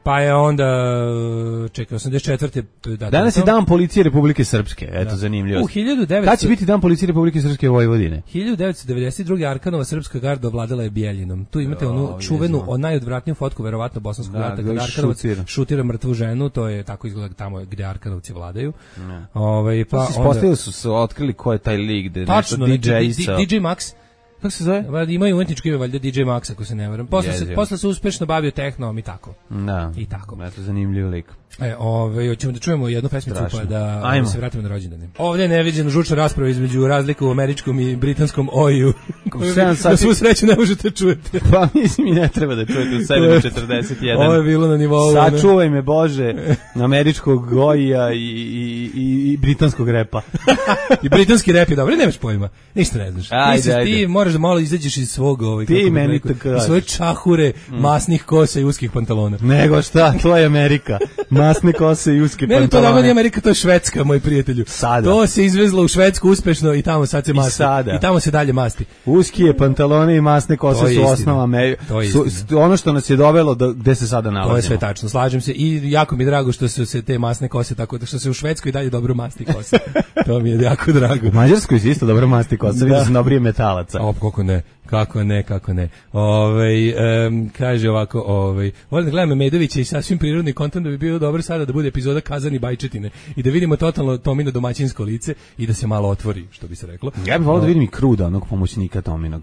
pa je onda 84. Danas je dan policije Republike Srpske, eto zanimljivo. Kada će biti dan policije Republike Srpske u Vojvodine? 1992. Arkanova srpska garda ovladala je Bijeljinom. Tu imate onu čuvenu, najodvratniju fotku, verovatno bosanskog rata, kada Arkanovac šutira mrtvu ženu, to je tako izgleda tamo gde Arkanovci vladaju. Ispostavili su otkrili ko je taj lik, DJ Max. Kako se zove? Imaju umetničko ime, valjda DJ Max, ako se ne varam. Posle se uspešno bavio tehnom i tako. Da. I tako. Eto, zanimljiv lik. Hoćemo da čujemo jednu pesmicu pa da se vratimo na rođendane. Ovdje je neviđena žučna rasprava između razlika u američkom i britanskom OI-u. Na svu sreću ne možete čujete. Pa mislim i ne treba da čujete u 7.41. Ovo je bilo na nivou. Sačuvaj me Bože američkog OI-a i britanskog repa. I britanski rep je dobro, nemaš pojma. Ništa ne znaš. Ti moraš da malo izađeš iz svog svoje čahure, masnih kosa i uskih pantalona. Nego šta, to je Amerika. Masne kose i uske pantalone. Ne, to dobro nije Amerika, to je Švedska, moj prijatelju. Sada. To se izvezlo u Švedsku uspešno i tamo sad se masti. I tamo se dalje masti. Uskije pantalone i masne kose su osnova Amerike. Ono što nas je dovelo gde se sada nalazimo. To je sve tačno, slažem se. I jako mi je drago što su se te masne kose, tako da što se u Švedskoj dalje dobro masti kose. To mi je jako drago. U Mađarskoj se isto dobro masti kose, vidio sam dobrije metalaca. Kako ne. Kaže ovako, volim da gledam Medovića i sasvim prirodni kontent, da bi bilo dobro sada da bude epizoda Kazani bajčetine i da vidimo totalno Tomino domaćinsko lice i da se malo otvori, što bi se reklo. Ja bih volio da vidim i Kruda, onog pomoćnika Tominog.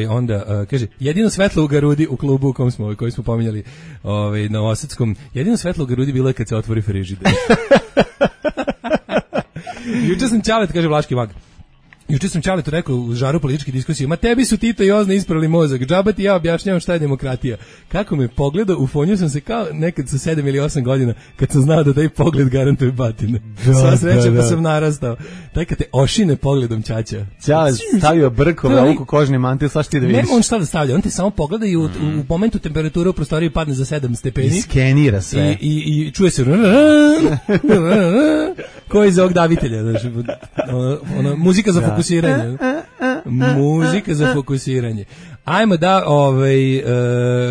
Onda kaže, jedino svetlo u Garudi u klubu u koji smo pominjali na Osadskom, jedino svetlo u Garudi bilo je kad se otvori frižider. Juče sam Ćalet, kaže Vlaški mag. Juče sam Ćaletu rekao u žaru političke diskusije, ma tebi su Tito i Ozna isprali mozak, džaba ti ja objašnjavam šta je demokratija. Kako me pogledao, ufonio sam se kao nekad sa 7 ili 8 godina, kad sam znao da taj pogled garantuje batine. Sva sreća pa sam narastao. Taj kad te ošine pogledom Ćaća. Ćale stavio brkove, ovu kožni mantil, sva ti da vidiš. Ne on šta da stavlja, on te samo pogleda i u momentu temperatura u prostoriji padne za 7 stepeni. I skenira sve. I čuje se ko iz ovog davitelja, znači, muzika za fokusiranje. Muzika za fokusiranje. Ajmo da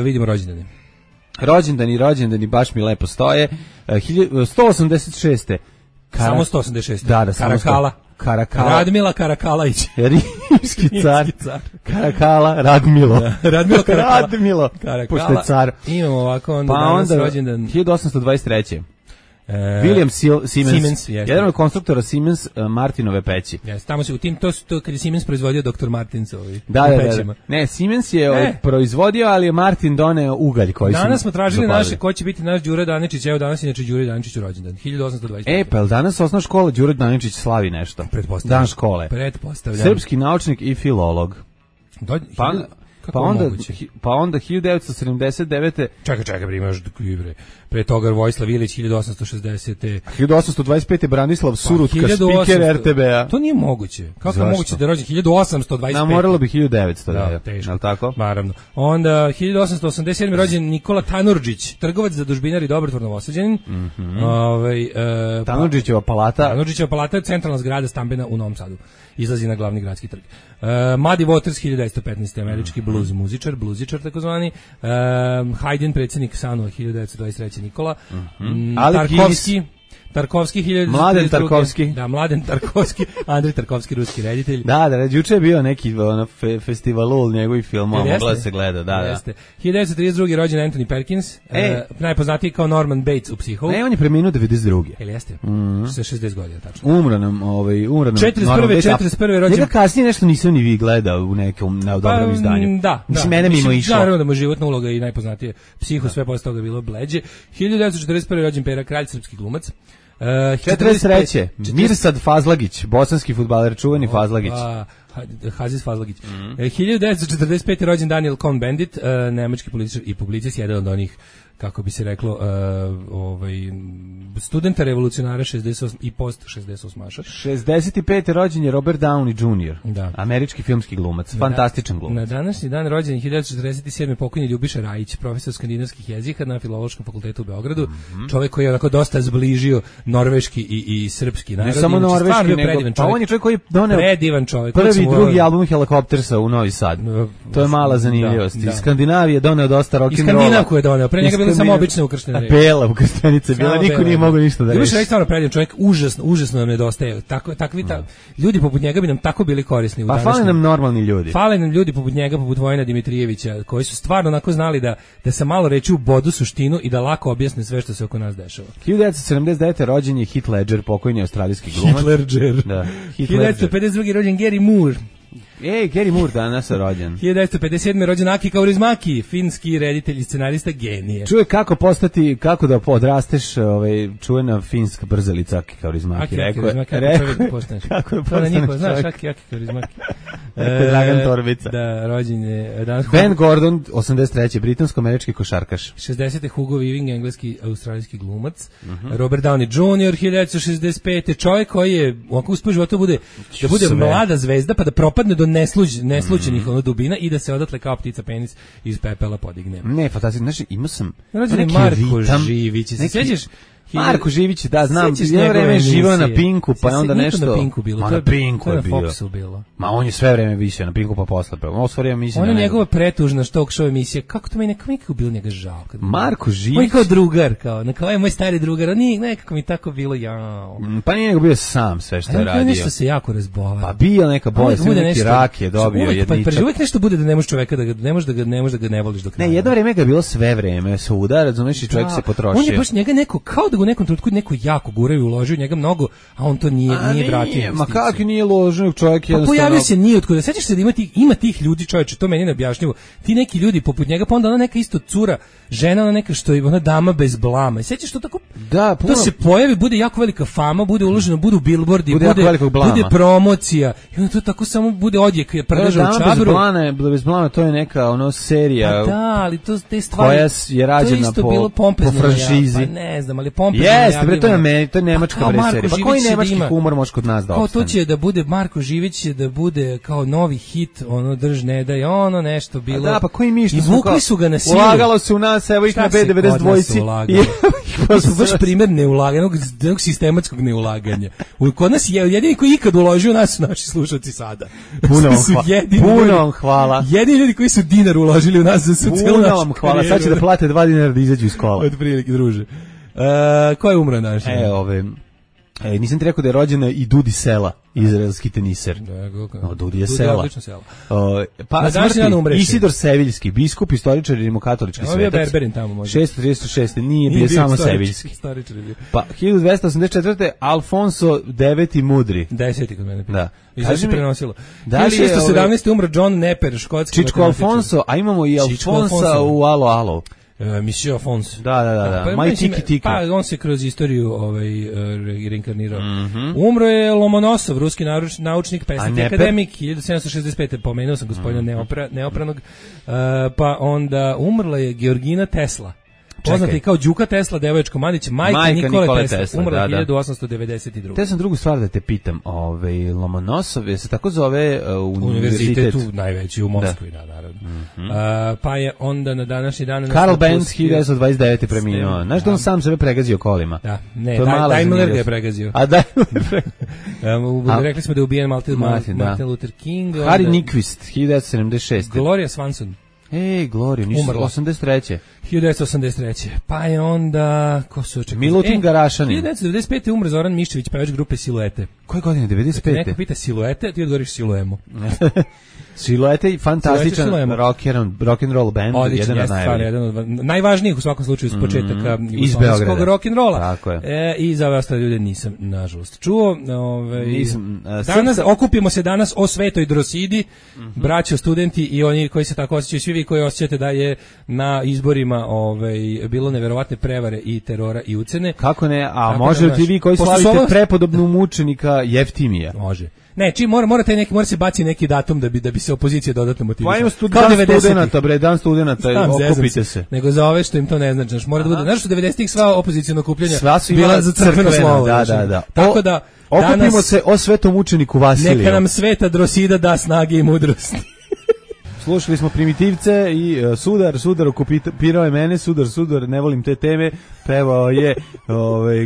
vidimo rođendane. Rođendani baš mi lepo stoje. 186. Samo 186. Da, Karakala. Radmila Karakalajić. Rimski car. Karakala, Radmilo. Radmilo Karakala. Radmilo, pošto je car. Imamo ovako onda danas rođendan. 1823. William Siemens, jedan od konstruktora Siemens Martinove peći. Tamo se u tim, to kad je Siemens proizvodio Dr. Martins da. Ne, Siemens je proizvodio, ali je Martin doneo ugalj koji su danas smo tražili naše, ko će biti naš Đuro Daničić, evo danas inače Đuro Daničić u rođendan, 1825. Pa je danas osnovna škola Đuro Daničić slavi nešto? Dan škole. Pretpostavljam. Srpski naučnik i filolog. Pa onda 1979. Čekaj, imaš pre toga Vojislav Ilić 1860. 1825. Branislav Surutka, spiker RTB-a. To nije moguće. Kako je moguće da je rođen 1825? Moralo bi 1900, da, teško. Je li tako? Naravno. Onda 1887. rođen Nikola Tanurdžić, trgovac, zadužbinar i dobrotvorno Novosađanin. Tanurdžićeva palata. Tanurdžićeva palata je centralna zgrada stambena u Novom Sadu. Izlazi na glavni gradski trg. Muddy Waters 1915. američki bluzičar takozvani. Haydn, predsjednik SANU 1923. Nikola. Tarkovski 1932. Mladen Tarkovski. Da, Mladen Tarkovski, Andrej Tarkovski, ruski reditelj. Da, juče je bio neki festivalul njegovih filmova, mogla se gleda, da. 1932. rođen Anthony Perkins, najpoznatiji kao Norman Bates u Psihovu. On je preminuo 92. Ili jeste? Sa 60 godina, tačno. Umro nam 41. rođen. Njega kasnije nešto nisam ni vi gledao u nekom dobrom izdanju. Da. Mislim, mene mimo išlo. Naravno da mu životna uloga i najpoznatije Psiho, sve posle toga bilo bleđe. 1941. rođen Pera Kralj, srpski glumac. 43. Mirsad Fazlagić, bosanski fudbaler, čuveni Fazlagić. Hazis Fazlagić. 1945. rođen Daniel Cohn-Bendit, nemački političar i publicist, jedan od onih, kako bi se reklo, studenta revolucionara 68 i post 68-aša. 65. rođen je Robert Downey Jr., da. Američki filmski glumac, fantastičan glumac. Na današnji dan rođen 1947. pokojni Ljubiša Rajić, profesor skandinavskih jezika na Filološkom fakultetu u Beogradu, čovjek koji je onako dosta zbližio norveški i srpski narod. Ne samo norveški, nego pa on je čovjek koji je doneo predivan čovjek. Prvi i drugi album Helikoptersa u Novi Sad. To je mala zanimljivost. Iz Skandinavije je doneo dosta rock'n'rolla. Iz Skandinavku je doneo, pre njega bile samo obične ukrštene reči. Bela ukrštenica bila, niko nije mogao ništa da reši. Ljubiša Rajić stvarno predivan čovjek, užasno nam nedostaje. Ljudi poput njega bi nam tako bili korisni u današnjem. Pa fale nam normalni ljudi. Fale nam ljudi poput njega, poput Vojina Dimitrijevića, koji su stvarno onako znali da sa malo reči u bodu suštinu i da lako objasne sve što se oko nas dešava. 1979. rođen je Heath Ledger, pokojni australijski glumac. Heath Ledger. Da. 1952. rođen Gary Moore. Gary Moore danas je rođen. 1957. rođen Aki Kaurismäki, finski reditelj i scenarista, genije. Čuje kako da odrasteš, čuvena finska brzalica Aki Kaurismäki. Aki Kaurismäki, kako da postaneš čovjek. Znaš, Aki Kaurismäki. Dragan Torbica. Da, rođen je danas. Ben Gordon, 83. britansko-američki košarkaš. 60. Hugo Weaving, engleski, australijski glumac. Robert Downey Jr. 1965. Čovjek koji je ovako uspio životu da bude mlada zvezda, pa da propadne do neslućenih dubina i da se odatle kao ptica penis iz pepela podigne. Ne, fantastično. Znači, imao sam neki Marko Živić. Se sjećaš? Marko Živić, da, znam, jedno vreme je živao na Pinku, pa je onda nešto... Na Pinku bilo. Na Pinku je bio. Na Foxu bilo. Ma on je sve vreme više na Pinku, pa posle. On je njegova pretužna talk show emisija. Kako to meni nekako bilo njega žao? Marko Živić... On je kao drugar, kao je moj stari drugar, a nije nekako mi tako bilo jao. Pa nije nego bio sam sve što je radio. Nešto se jako razbolao. Pa bio neka bolest, neki rak je dobio jedničak. Pa uvijek nešto bude da ne možeš čoveka, da ne možeš da ga ne voliš do kraja. Ne, jedno vreme ga je bilo sve vreme, svuda, razumeš, i čovjek se potrošio. On je baš njega neko, kao da ga u nekom trenutku neko jako guraju, uložio njega mnogo, a on to nije vratio. Ma kako nije uložio, čovjek jednostavno... Pa pojavio se nije otkuda. Sećaš se da ima tih ljudi, čovječe, to meni neobjašnjivo. Ti neki ljudi poput njega, pa onda ona neka isto cura, žena, ona neka što je ona dama bez blama. I sećaš to tako? Da, to se pojavi, bude jako velika fama, bude uloženo, budu billboardi, bude promocija. I onda to tako samo bude odjek, prdeža u čabru. Bez blama, to je neka serija. Pa da, ali to te stvari. Koja je rađena po franšizi. Pa ne znam, ali pompezno. Jeste, bre, to je nemačka serija. Pa koji nemački humor može kod nas da opstane? Kao to će da bude, Marko Živić će da bude kao novi hit, ono drž ne daj, ono nešto bilo. Da, pa koji mi što i vukli su ga na silu. Ulagalo se u nas, evo ih na B92. To su baš primjer neulaganog, sistematskog neulaganja. Kod nas je jedini koji ikad uložio nas su naši slušalci sada. Puno vam hvala. Jedini ljudi koji su dinar uložili u nas za su celu našu. Puno vam hvala, sad će da plate 2 dinara da izađu iz kola. Od prilike, druže. Ko je umro naš? Nisam ti rekao da je rođena i Dudi Sela, izraelski teniser. Dudi je Sela. Pa smrti Isidor Seviljski, biskup, istoričar i rimokatolički svetac. Ovo je Berberin tamo možda. 636. Nije bio samo Seviljski. Pa 1284. Alfonso IX Mudri. 10. kod mene. Da. I sad se prenosilo. 1617. umro John Neper, škotski. Čičko Alfonso, a imamo i Alfonsa u Alo Alo. Monsieur Afonso. Da. Maj tiki. Pa on se kroz istoriju reinkarnirao. Umro je Lomonosov, ruski naučnik, pesnik i akademik, 1765. Pomenuo sam gospodina Neopranog. Pa onda umrla je Georgina Tesla. Poznati kao Đuka Tesla, devojačko Mandić, majka Nikole Tesla, umrla 1892. Te sam drugu stvar da te pitam, Lomonosov je se tako zove univerzitet u najveći u Moskvi, da, naravno. Pa je onda na današnji dan Karl Benz 1929. preminuo. Znaš da on sam sebe pregazio kolima? Da, ne, Daimler ga je pregazio. A Daimler. Rekli smo da je ubijen Martin Luther King. Harry Nyquist 1976. Gloria Swanson. Gloria, nisu 83. 1983. Pa je onda... Ko su očekali? Milutin Garašanin. 1995. umre Zoran Miščević, pevač grupe Siluete. Koje godine? 95. Neko pita Siluete, ti odgovoriš Siluemo. Siluete i fantastičan rock and roll band, jedan od najvažnijih u svakom slučaju s početaka jugoslovenskog rock and rolla. Tako je. I za ove ostale ljude nisam nažalost čuo. Danas okupimo se danas o Svetoj Drosidi, braćo studenti i oni koji se tako osjećaju, svi vi koji osjećate da je na izborima bilo neverovatne prevare i terora i ucene. Kako ne? A može li ti vi koji slavite prepodobnu mučenika Jeftimija? Može. Ne, mora se baci neki datum da bi se opozicija dodatno motivisala. Pa ima dan studenata, okupite se. Nego za ove što im to ne znači, mora da bude. Znaš što 90-ih sva opozicijona okupljanja bila za crkveno slovo. Da. Tako da okupimo se o svetom učeniku Vasiliju. Neka nam Sveta Drosida da snage i mudrosti. Slušali smo Primitivce i Sudar okupirao je mene, Sudar, ne volim te teme, pevao je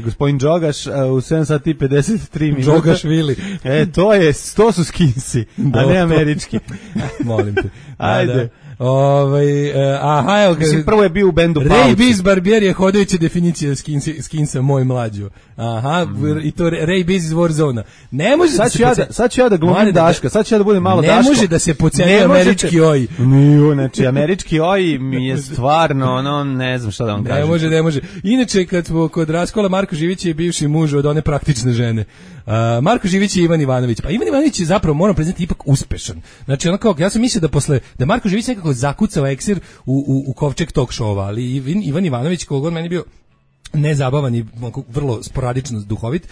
gospodin Đogaš u 7 sati 53 minuta. Đogaš Vili. To su Skinsi, a ne američki. Molim te. Ajde. Prvo je bio u bendu Pauci. Ray Biz Barbier je hodajuća definicija skinsa moj mlađo. I to Ray Biz iz Warzone. Ne može sad ću ja da glumim Daška, sad ću ja da budem malo Daško. Ne može da se podceni američki OI. Znači, američki OI mi je stvarno, ne znam šta da vam kažem. Ne može. Inače, kad smo kod raskola, Marko Živić je bivši muž od one praktične žene. Marko Živić i Ivan Ivanović. Pa Ivan Ivanović je zapravo, moram priznati, ipak uspešan. Znači, ja sam mislio da Marko Živić nekako zakucao eksir u kovčeg talk showa, ali Ivan Ivanović, kogod meni bio nezabavan i vrlo sporadično duhovit,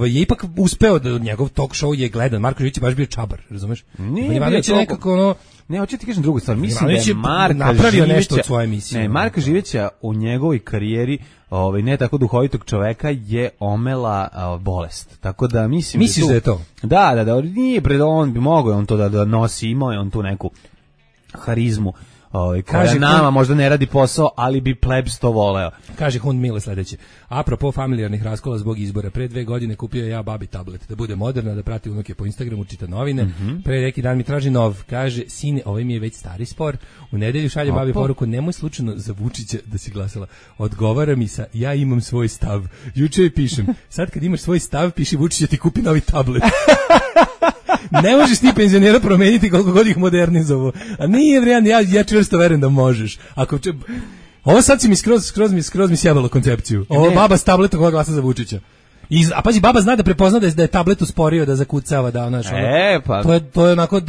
je ipak uspeo da njegov talk show je gledan. Marko Živić je baš bio čabar, razumeš? Ivan Ivanović je nekako Ne, hoću ti kažem drugu stvar. Mislim da je Marka napravio nešto od svoje emisije. Ne, Marka Živića u njegovoj karijeri, ne tako duhovitog čoveka, je omela bolest. Tako da mislim misliš da je to? Da, nije pred on bi mogao on to da nosi, imao je on tu neku harizmu. Koja nama možda ne radi posao, ali bi plebs to voleo. Kaže Hund Mile sledeće. Apropo familijarnih raskola zbog izbora, pre 2 godine kupio ja babi tablet, da bude moderna, da prati unuke po Instagramu, čita novine. Pre neki dan mi traži nov. Kaže, sine, ovaj mi je već stari spor. U nedelju šalje babi poruku, nemoj slučajno za Vučića da si glasala. Odgovara mi sa, ja imam svoj stav. Juče joj pišem, sad kad imaš svoj stav, piši Vučića ti kupi novi tablet. Ne možeš ti penzionera promeniti koliko god ih modernizovo. A nije vrijedno, ja čvrsto verujem da možeš. Ovo sad si mi skroz mi sjebalo koncepciju. Ovo baba s tabletom koja glasa za Vučića. A pazi, baba zna da prepozna da je tablet usporio, da zakucava, da onaš. To je onako,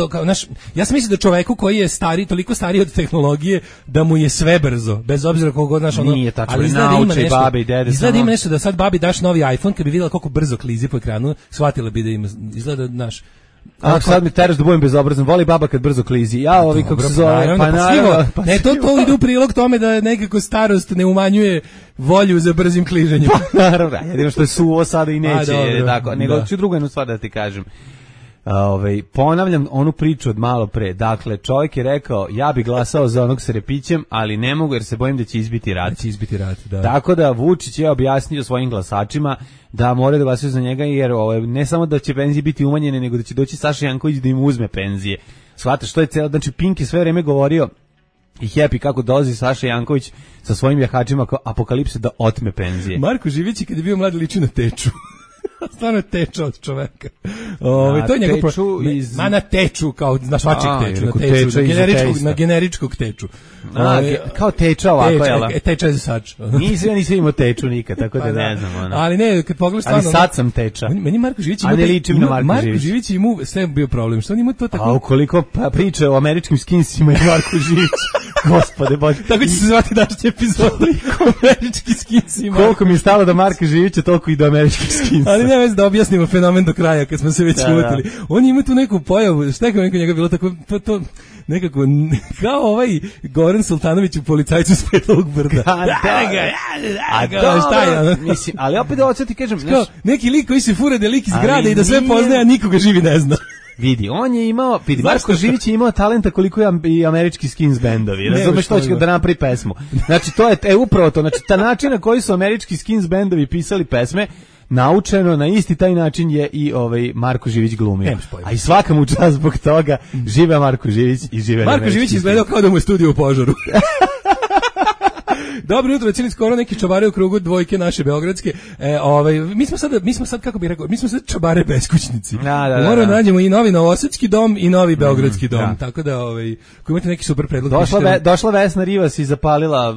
ja sam mislio da čoveku koji je stari, toliko stariji od tehnologije, da mu je sve brzo, bez obzira koliko god naš ono. Nije tačno, ali nauče babe i dede. Izgleda ima nešto da sad babi daš novi iPhone, kad bi vidjela koliko brzo klizi po ekranu, shvatila bi da ima, izgleda naš. Sad mi teraš da budem bezobrazan, voli baba kad brzo klizi. Ja ovi kako se zove, naravno. Ne, to ide u prilog tome da nekako starost ne umanjuje volju za brzim kliženjem. Naravno, jedino što je suvo sada i neće, tako. Nego ću drugu jednu stvar da ti kažem. Ponavljam onu priču od malo pre. Dakle, čovjek je rekao, ja bi glasao za onog s repićem, ali ne mogu jer se bojim da će izbiti rat. Da. Tako da Vučić je objasnio svojim glasačima da moraju da glasaju za njega, jer ne samo da će penzije biti umanjene, nego da će doći Saša Janković da im uzme penzije. Shvataš, što je celo, znači Pink je sve vreme govorio i Happy kako dolazi Saša Janković sa svojim jahačima kao apokalipse da otme penzije. Marko Živić kad je bio mlad liči na Teču. Stvarno teča od čoveka. To je njegov na teču, kao na svačeg teču, na generičkog teču. Kao teča ovako, jel? Teča je za sač. Nisam imao teču nikad, tako da ne znam. Ali ne, kad pogledaš stvarno... Ali sad sam teča. Meni Marko Živić ima... A ne ličim na Marko Živić. Marko Živić ima sve bio problem. Što on ima to tako... A ukoliko priče o američkim skinsima i Marko Živić, gospode Bože. Tako će se zvati današnji epizod. Američki skinsi. Koliko mi je stalo do Marka Živića, toliko i do američkih skinsa. Ali ne već da objasnimo fenomen do kraja, kad smo se već lutili. On ima tu neku pojavu, šta je kao njega bilo tako... nekako, kao ovaj Goran Sultanović u Policajcu s Petovog brda. Šta je? Mislim, ali opet da odsjeti, kažem... Neki lik koji se fura da lik iz grada i da sve poznaje, a nikoga živi ne zna. Vidi, on je imao, Marko Živić je imao talenta koliko i američki skins bendovi. Razumeš što će da napravi pesmu. Znači, to je upravo to. Znači, ta način na koji su američki skins bendovi pisali pesme, naučeno na isti taj način je i Marko Živić glumio. A i svaka mu čast zbog toga. Žive Marko Živić i žive Marko Živić izgledao kao da mu je studio u požaru. Dobro jutro, cijeli skoro neki čabare u krugu dvojke naše beogradske. Mi smo sad kako bih rekao, mi smo sad čabare beskućnici. Moramo da nađemo i novi novosadski dom i novi beogradski dom. Tako da ako imate neki super predlog. Došla Vesna Rivas i zapalila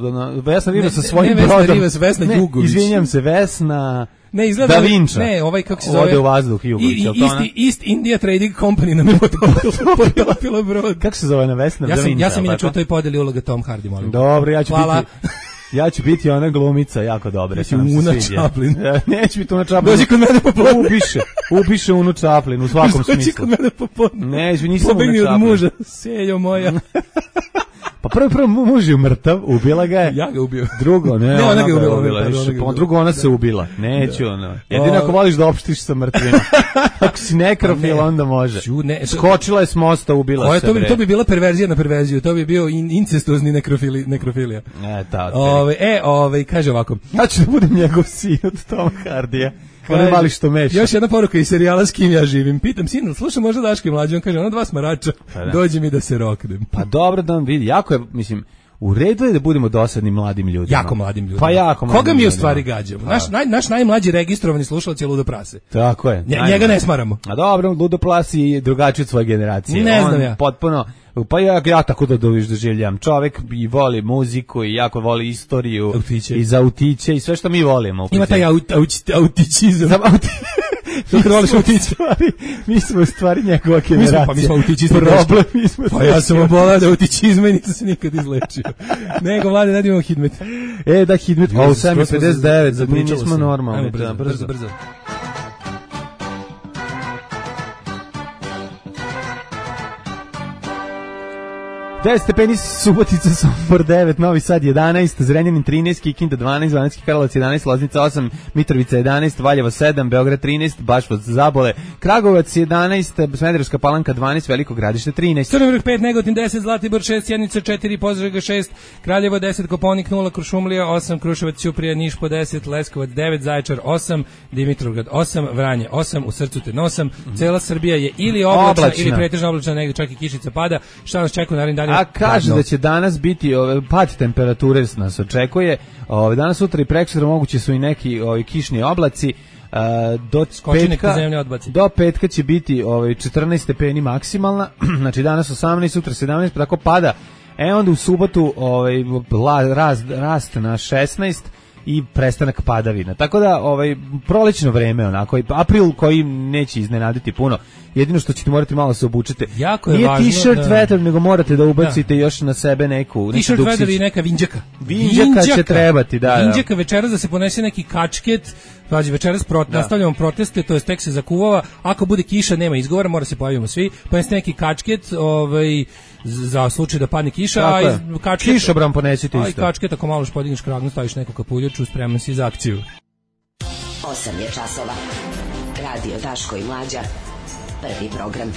Vesna Rivas sa svojim brodom. Vesna Rivas, Vesna Jugović. Izvinjam se, Vesna Ne, izgleda Da Vinča. Ne, ovaj kako se zove. Ode u vazduh Jugović, je li to ona? East India Trading Company nam je potopilo brod. Kako se zove na Vesna Da Vinča? Ja sam inače u toj podeli uloga Tom Hardy, molim. Dobro, ja ću biti ona glumica, jako dobra. Una Chaplin. Neće biti Una Chaplin. Dođi kod mene popodne. Upiše Unu Chaplin u svakom smislu. Dođi kod mene popodne. Neće, nisam Una Chaplin. Chaplin. Od muža, sejo moja. Pa prvo muž je mrtav, ubila ga je. Ja ga ubio. Drugo, ne, ona ga ubila. Drugo, ona se ubila. Neću, ono. Jedino ako voliš da opštiš sa mrtvima. Ako si nekrofil, onda može. Skočila je s mosta, ubila se. To bi bila perverzija na perverziju. To bi bio incestuozni nekrofilija. Kaže ovako. Ja ću da budem njegov sin od Toma Hardija. Ono mali što meša. Još jedna poruka iz serijala S kim ja živim. Pitam sina, slušam možda Daško i Mlađe, on kaže, ono dva smarača, dođe mi da se roknem. Pa dobro da on vidi, jako je, mislim, u redu je da budemo dosadni mladim ljudima. Jako mladim ljudima. Pa jako mladim Koga mi u stvari gađamo? Naš najmlađi registrovani slušalac je Ludo Prase. Tako je. Njega ne smaramo. A dobro, Ludo Prase je drugačiji od svoje generacije. Ne znam ja. Potpuno, pa ja tako da doživljam. Čovek i voli muziku i jako voli istoriju. Autiće. I za autiće i sve što mi volimo. Ima taj autićizam. Kako voliš autiće? Mi smo u stvari njegova generacija. Pa mi smo autićizmi. Problem, mi smo. Pa ja sam obolao da autićizma i nisam se nikad izlečio. Nego, Vlade, da imamo Hidmet. Da, Hidmet. O, 7:59, za mi nismo normalni. Brzo. 10 stepeni, Subotica, Sombor 9, Novi Sad 11, Zrenjanin 13, Kikinda 12, Banatski Karlovac 11, Loznica 8, Mitrovica 11, Valjevo 7, Beograd 13, Baškov Zabole, Kragujevac 11, Smederevska Palanka 12, Veliko Gradište 13. Crni Vrh 5, Negotin 10, Zlatibor 6, Sjenica 4, Požega 6, Kraljevo 10, Koponik 0, Kuršumlija 8, Kruševac, Ćuprija, Niš po 10, Leskovac 9, Zaječar 8, Dimitrovgrad 8, Vranje 8, u srcu te nosam. Cela Srbija je ili oblačna ili pretežno oblačna, negde čak i kišica pada. Šta nas čeka u narednim danima? A kaže da će danas biti pad temperature nas očekuje. Danas, sutra i preksutra moguće su i neki kišni oblaci. Do petka će biti 14 stepeni maksimalna. Znači danas 18, sutra 17, pa tako pada. Onda u subotu rast na 16 i prestanak padavina. Tako da prolećno vreme, onako, april koji neće iznenaditi puno. Jedino što ćete morati malo se obučete. Nije t-shirt vetar, nego morate da ubacite još na sebe neku t-shirt vetar i neka vinđaka. Vinđaka će trebati, da. Vinđaka večeras da se ponese neki kačket. Pađi, večeras nastavljamo proteste, to jest tek se zakuvava. Ako bude kiša, nema izgovora, mora se pojavimo svi. Poneste neki kačket, za slučaj da padne kiša, kišobran ponesite isto. I kačket, ako malo podigneš kragnu, staviš neku kapuljaču, spreman si za akciju. 8 je časova. Radio Daško i Mlađa. Prvi program.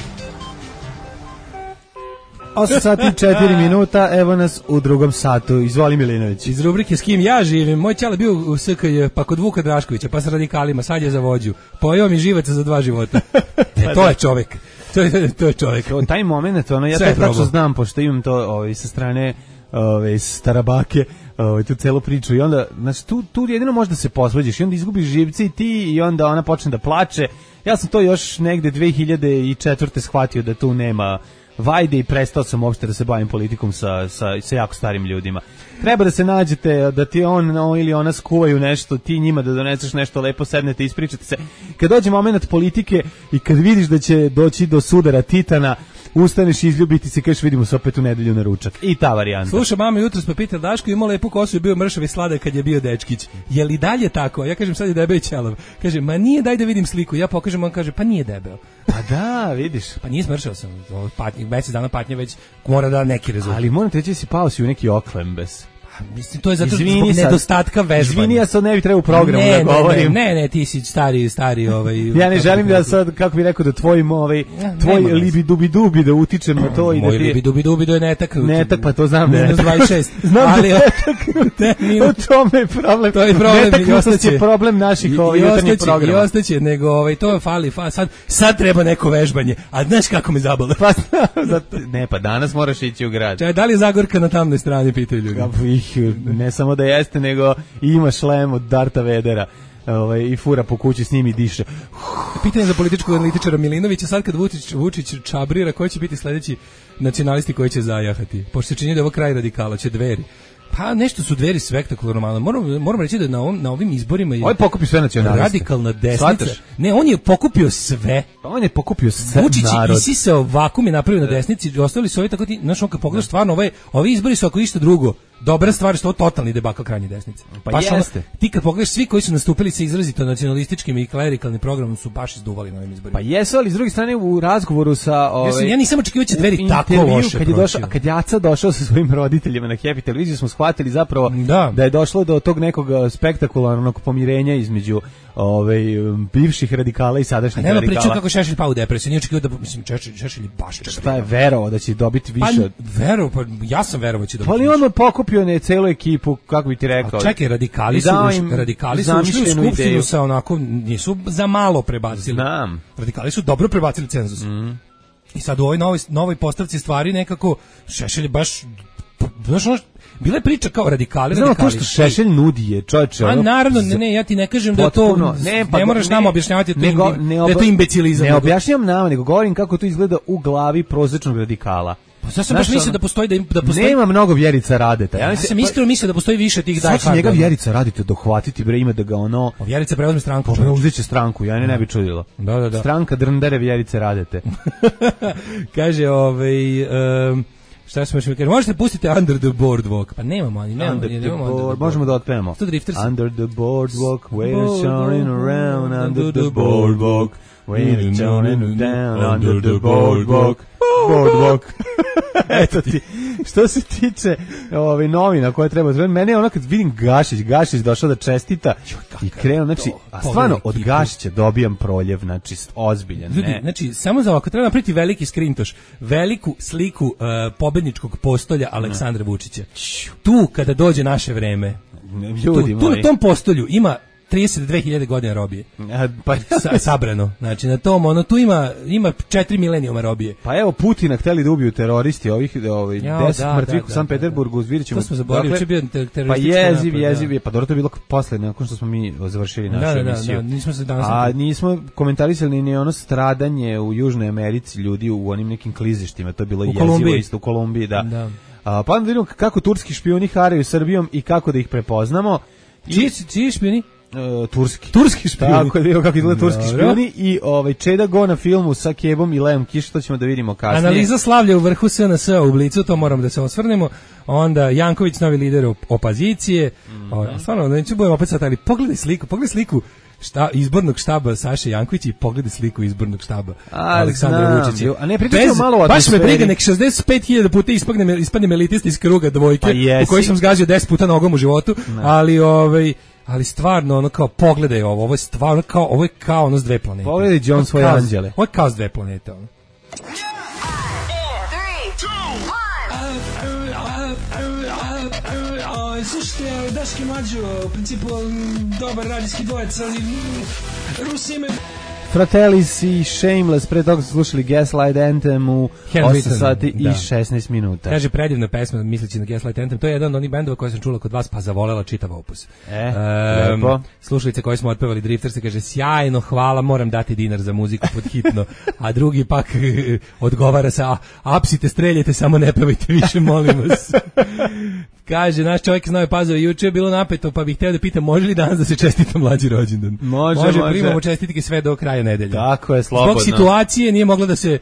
8 sati 4 minuta, evo nas u drugom satu. Izvoli Milinović. Iz rubrike S kim ja živim, moj ćale bio u SKJ, pa kod Vuka Draškovića, pa sa radikalima, sad je za vođu. Pojeo mi živaca za 2 života. To je čovek. To je čovek. Taj moment, ja to tačno znam, pošto imam to sa strane Starabake, tu celu priču i onda, znači, tu jedino možda se posvađaš i onda izgubiš živce i ti i onda ona počne da plače. Ja sam to još negde 2004. shvatio da tu nema vajde i prestao sam uopšte da se bavim politikom sa jako starim ljudima. Treba da se nađete, da ti on ili ona skuvaju nešto, ti njima da doneseš nešto lepo, sednete, ispričate se. Kad dođe moment politike i kad vidiš da će doći do sudara titana, ustaneš i izljubiti se, kažeš vidimo se opet u nedelju na ručak. I ta varijanta. Sluša, mama jutros pa pita Daško, imao lepu kosu i bio mršav i sladak kad je bio dečkić. Je li dalje tako? Ja kažem sad je debel i ćelav. Kaže, ma nije, daj da vidim sliku. Ja pokažem, on kaže, pa nije debel. Pa da, vidiš. Pa nije smršao sam. Mesec dana patnje već mora da neki rezultat. Ali moram te reći si pao si u neki oklembes. Mislim, to je zato zbog nedostatka vežbanja. Izvini, ja sad ne bih trebao u programu da govorim. Ne, ti si stari ja ne želim da sad, kako bih rekao, da tvoj libidubi da utičem na to i da ti... Moj libidubi da je netaknut. Netak, pa to znam. Minus 26. Znam ali da netaknut. U tome je problem. To je problem. Netaknutost je problem naših jutarnjih programa. I ostaće, nego to fali. Sad treba neko vežbanje. A znaš kako me zabole? Ne, pa danas moraš ići u grad. Da li je Zagorka na tamnoj strani, pitaju ljudi. Ne samo da jeste, nego i ima šlem od Darta Vedera i fura po kući s njim i diše. Pitanje za političkog analitičara Milinovića, sad kad Vučić čabrira, koji će biti sledeći nacionalisti koji će zajahati? Pošto se čini da je ovo kraj radikala, će Dveri. Pa nešto su Dveri spektakularno. Moram reći da na ovim izborima je pokupio sve nacionaliste. Radikalna desnica. Ne, on je pokupio sve. On je pokupio sve Vučić narod. Vučić isisao vakum i napravio na desnici, ostali su ovi tako ti, znaš, on kad pogledaš stvarno ovi izbori su ako isto drugo. Dobra stvar što je totalni debakl krajnje desnice. Pa jeste. Ti kad pogledaš svi koji su nastupili sa izrazito nacionalističkim i klerikalnim programom su baš izduvali na ovim izborima. Pa jesu, ali s druge strane u razgovoru sa ja nisam očekivao će Dveri tako loše proći. Kad je Aca došao sa svojim roditeljima na Happy televiziju smo shvatili zapravo da je došlo do tog nekog spektakularnog pomirenja između bivših radikala i sadašnjih radikala. Nema priča kako Šešelj pao u depresiju, nije očekivao da mislim Šešelj je baš šta je verovao da će dobiti više ja sam verovao da će dobiti. Ali on pokupio ne celu ekipu, kako bi ti rekao. Čekaj, radikali su ušli u skupštinu sa onako, nisu za malo prebacili. Znam. Radikali su dobro prebacili cenzus. I sad u ovoj novoj postavci stvari nekako Šešelj baš, znaš, bila je priča kao radikali. Znamo to što Šešelj nudi je, čovječe. A naravno, ne, ja ti ne kažem da to, ne moraš nama objašnjavati da je to imbecilizam. Ne objašnjavam nama, nego govorim kako to izgleda u glavi prosječnog radikala. Ja sam baš mislio da postoji nema mnogo Vjerica Radeta. Ja sam iskreno mislio da postoji više tih daj. Sad njega Vjerica Radeta dohvatiti bre, ima da ga ono. Vjerica preuzme stranku. Preuzeće stranku, ja ne bi čudilo. Da. Stranka Drndere Vjerice Radete. Kaže šta smo još mi kažemo, možete pustiti Under the Boardwalk. Pa nemamo možemo da otpevamo. Under the boardwalk, we're shining around under the boardwalk. We're shining down under the boardwalk. Eto ti, što se tiče novina koje treba, mene je ono kad vidim Gašić došao da čestita i krenuo, znači, a stvarno od Gašića dobijam proljev, znači, ozbiljan. Ljudi, znači, samo za ovako, treba napraviti veliki skrintoš, veliku sliku pobedničkog postolja Aleksandra Vučića. Tu, kada dođe naše vreme, tu na tom postolju ima 32.000 godina robije. Pa sabrano. Znači na tom tu ima 4 milenijuma robije. Pa evo Putina hteli da ubiju teroristi ovih 10 mrtvih u Sankt Peterburgu, vidjećemo. To smo zaboravili, će bio teroristički. Pa jeziv, pa dobro to je bilo posle nakon što smo mi završili našu emisiju. Da, nismo se danas. A nismo komentarisali ni ono stradanje u Južnoj Americi ljudi u onim nekim klizištima, to je bilo jezivo isto u Kolumbiji, da. Pa onda vidimo kako turski špijuni haraju Srbijom i kako da ih prepoznamo. Čiji špijuni? Turski špijuni. Tako je bilo kako izgleda turski špijuni i Čeda Go na filmu sa Kebom i Leom Kiš, to ćemo da vidimo kasnije. Analiza slavlja u vrhu SNS u Blicu, to moramo da se osvrnemo. Onda Janković, novi lider opozicije. Stvarno, neću budem opet sad, ali pogledaj sliku izbornog štaba Saše Jankovića i pogledaj sliku izbornog štaba Aleksandra Vučića. A ne pričamo malo o baš me briga, nek 65.000 puta ispadnem elitist iz kruga dvojke, u kojoj sam zgazio 10 puta nogom u životu, ali stvarno, ono kao, pogledaj ovo je stvarno kao, ovo je kao ono s dve planete. Pogledaj John svoje anđele. Ovo je kao s dve planete, ono. Slušajte, Daški Mlađo, u principu dobar radijski dvojec, ali Rusi imaju Fratellis i Shameless, pre toga su slušali Gaslight Anthem u 8 sati i 16 minuta. Kaže, predivna pesma, misleći na Gaslight Anthem, to je jedan od onih bendova koje sam čula kod vas, pa zavolela čitav opus. Lepo. Slušalice koje smo otpevali, Drifter se kaže, sjajno, hvala, moram dati dinar za muziku pod hitno, a drugi pak odgovara sa, apsite, streljajte, samo ne pevajte više, molim vas. Kaže, naš čovjek iz Nove Pazove, juče je bilo napeto, pa bih hteo da pitam, može li danas da se čestita mlađi rođendan? Može. Primamo čestitke sve do kraja nedelje. Tako je, slobodno. Zbog situacije nije moglo da se,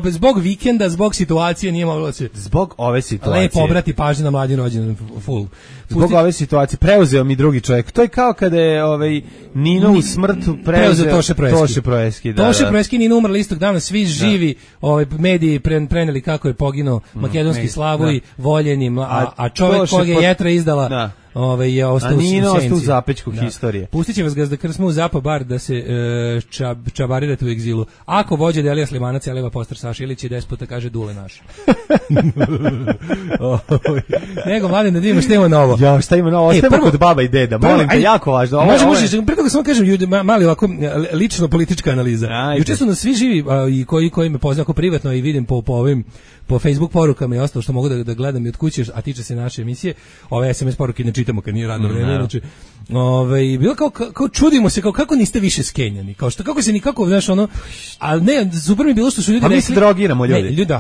zbog vikenda, zbog situacije nije moglo da se... Zbog ove situacije. Lepo obrati pažnju na mlađi rođendan, full. Zbog ove situacije, preuzeo mi drugi čovjek. To je kao kada je Nino u smrtu preuzeo Toše Proeski. Toše Proeski i Nino umrli istog dana, svi živi mediji preneli kako je poginuo makedonski Slavuj, voljenim, a čovjek koga je Jetra izdala je ostao u senci. A ostao u zapećku historije. Pustit će vas Gazda Krsma u Zapa bar da se čabarirate u egzilu. Ako vođe Delija Slimanac, Eleva Postar Saša Ilić i despota kaže Dule naš. Nego, mladen, da vidimo šta ima novo. Ja, šta ima novo? Ostajemo kod baba i deda. Molim te, jako važno. Može, pre toga samo kažem, mali ovako lično politička analiza. Juče su nas svi živi i koji me poznaju ako privatno i vidim po Facebook porukama i ostalo što mogu da gledam i od kuće, a tiče se naše emisije, ove SMS poruke ne čitamo kad nije radno vreme, znači bilo kao čudimo se, kao kako niste više skenjani, kao što kako se nikako, znaš, ali ne, super mi je bilo što su ljudi rekli. A mi se drogiramo, ljudi. Ne, ljudi,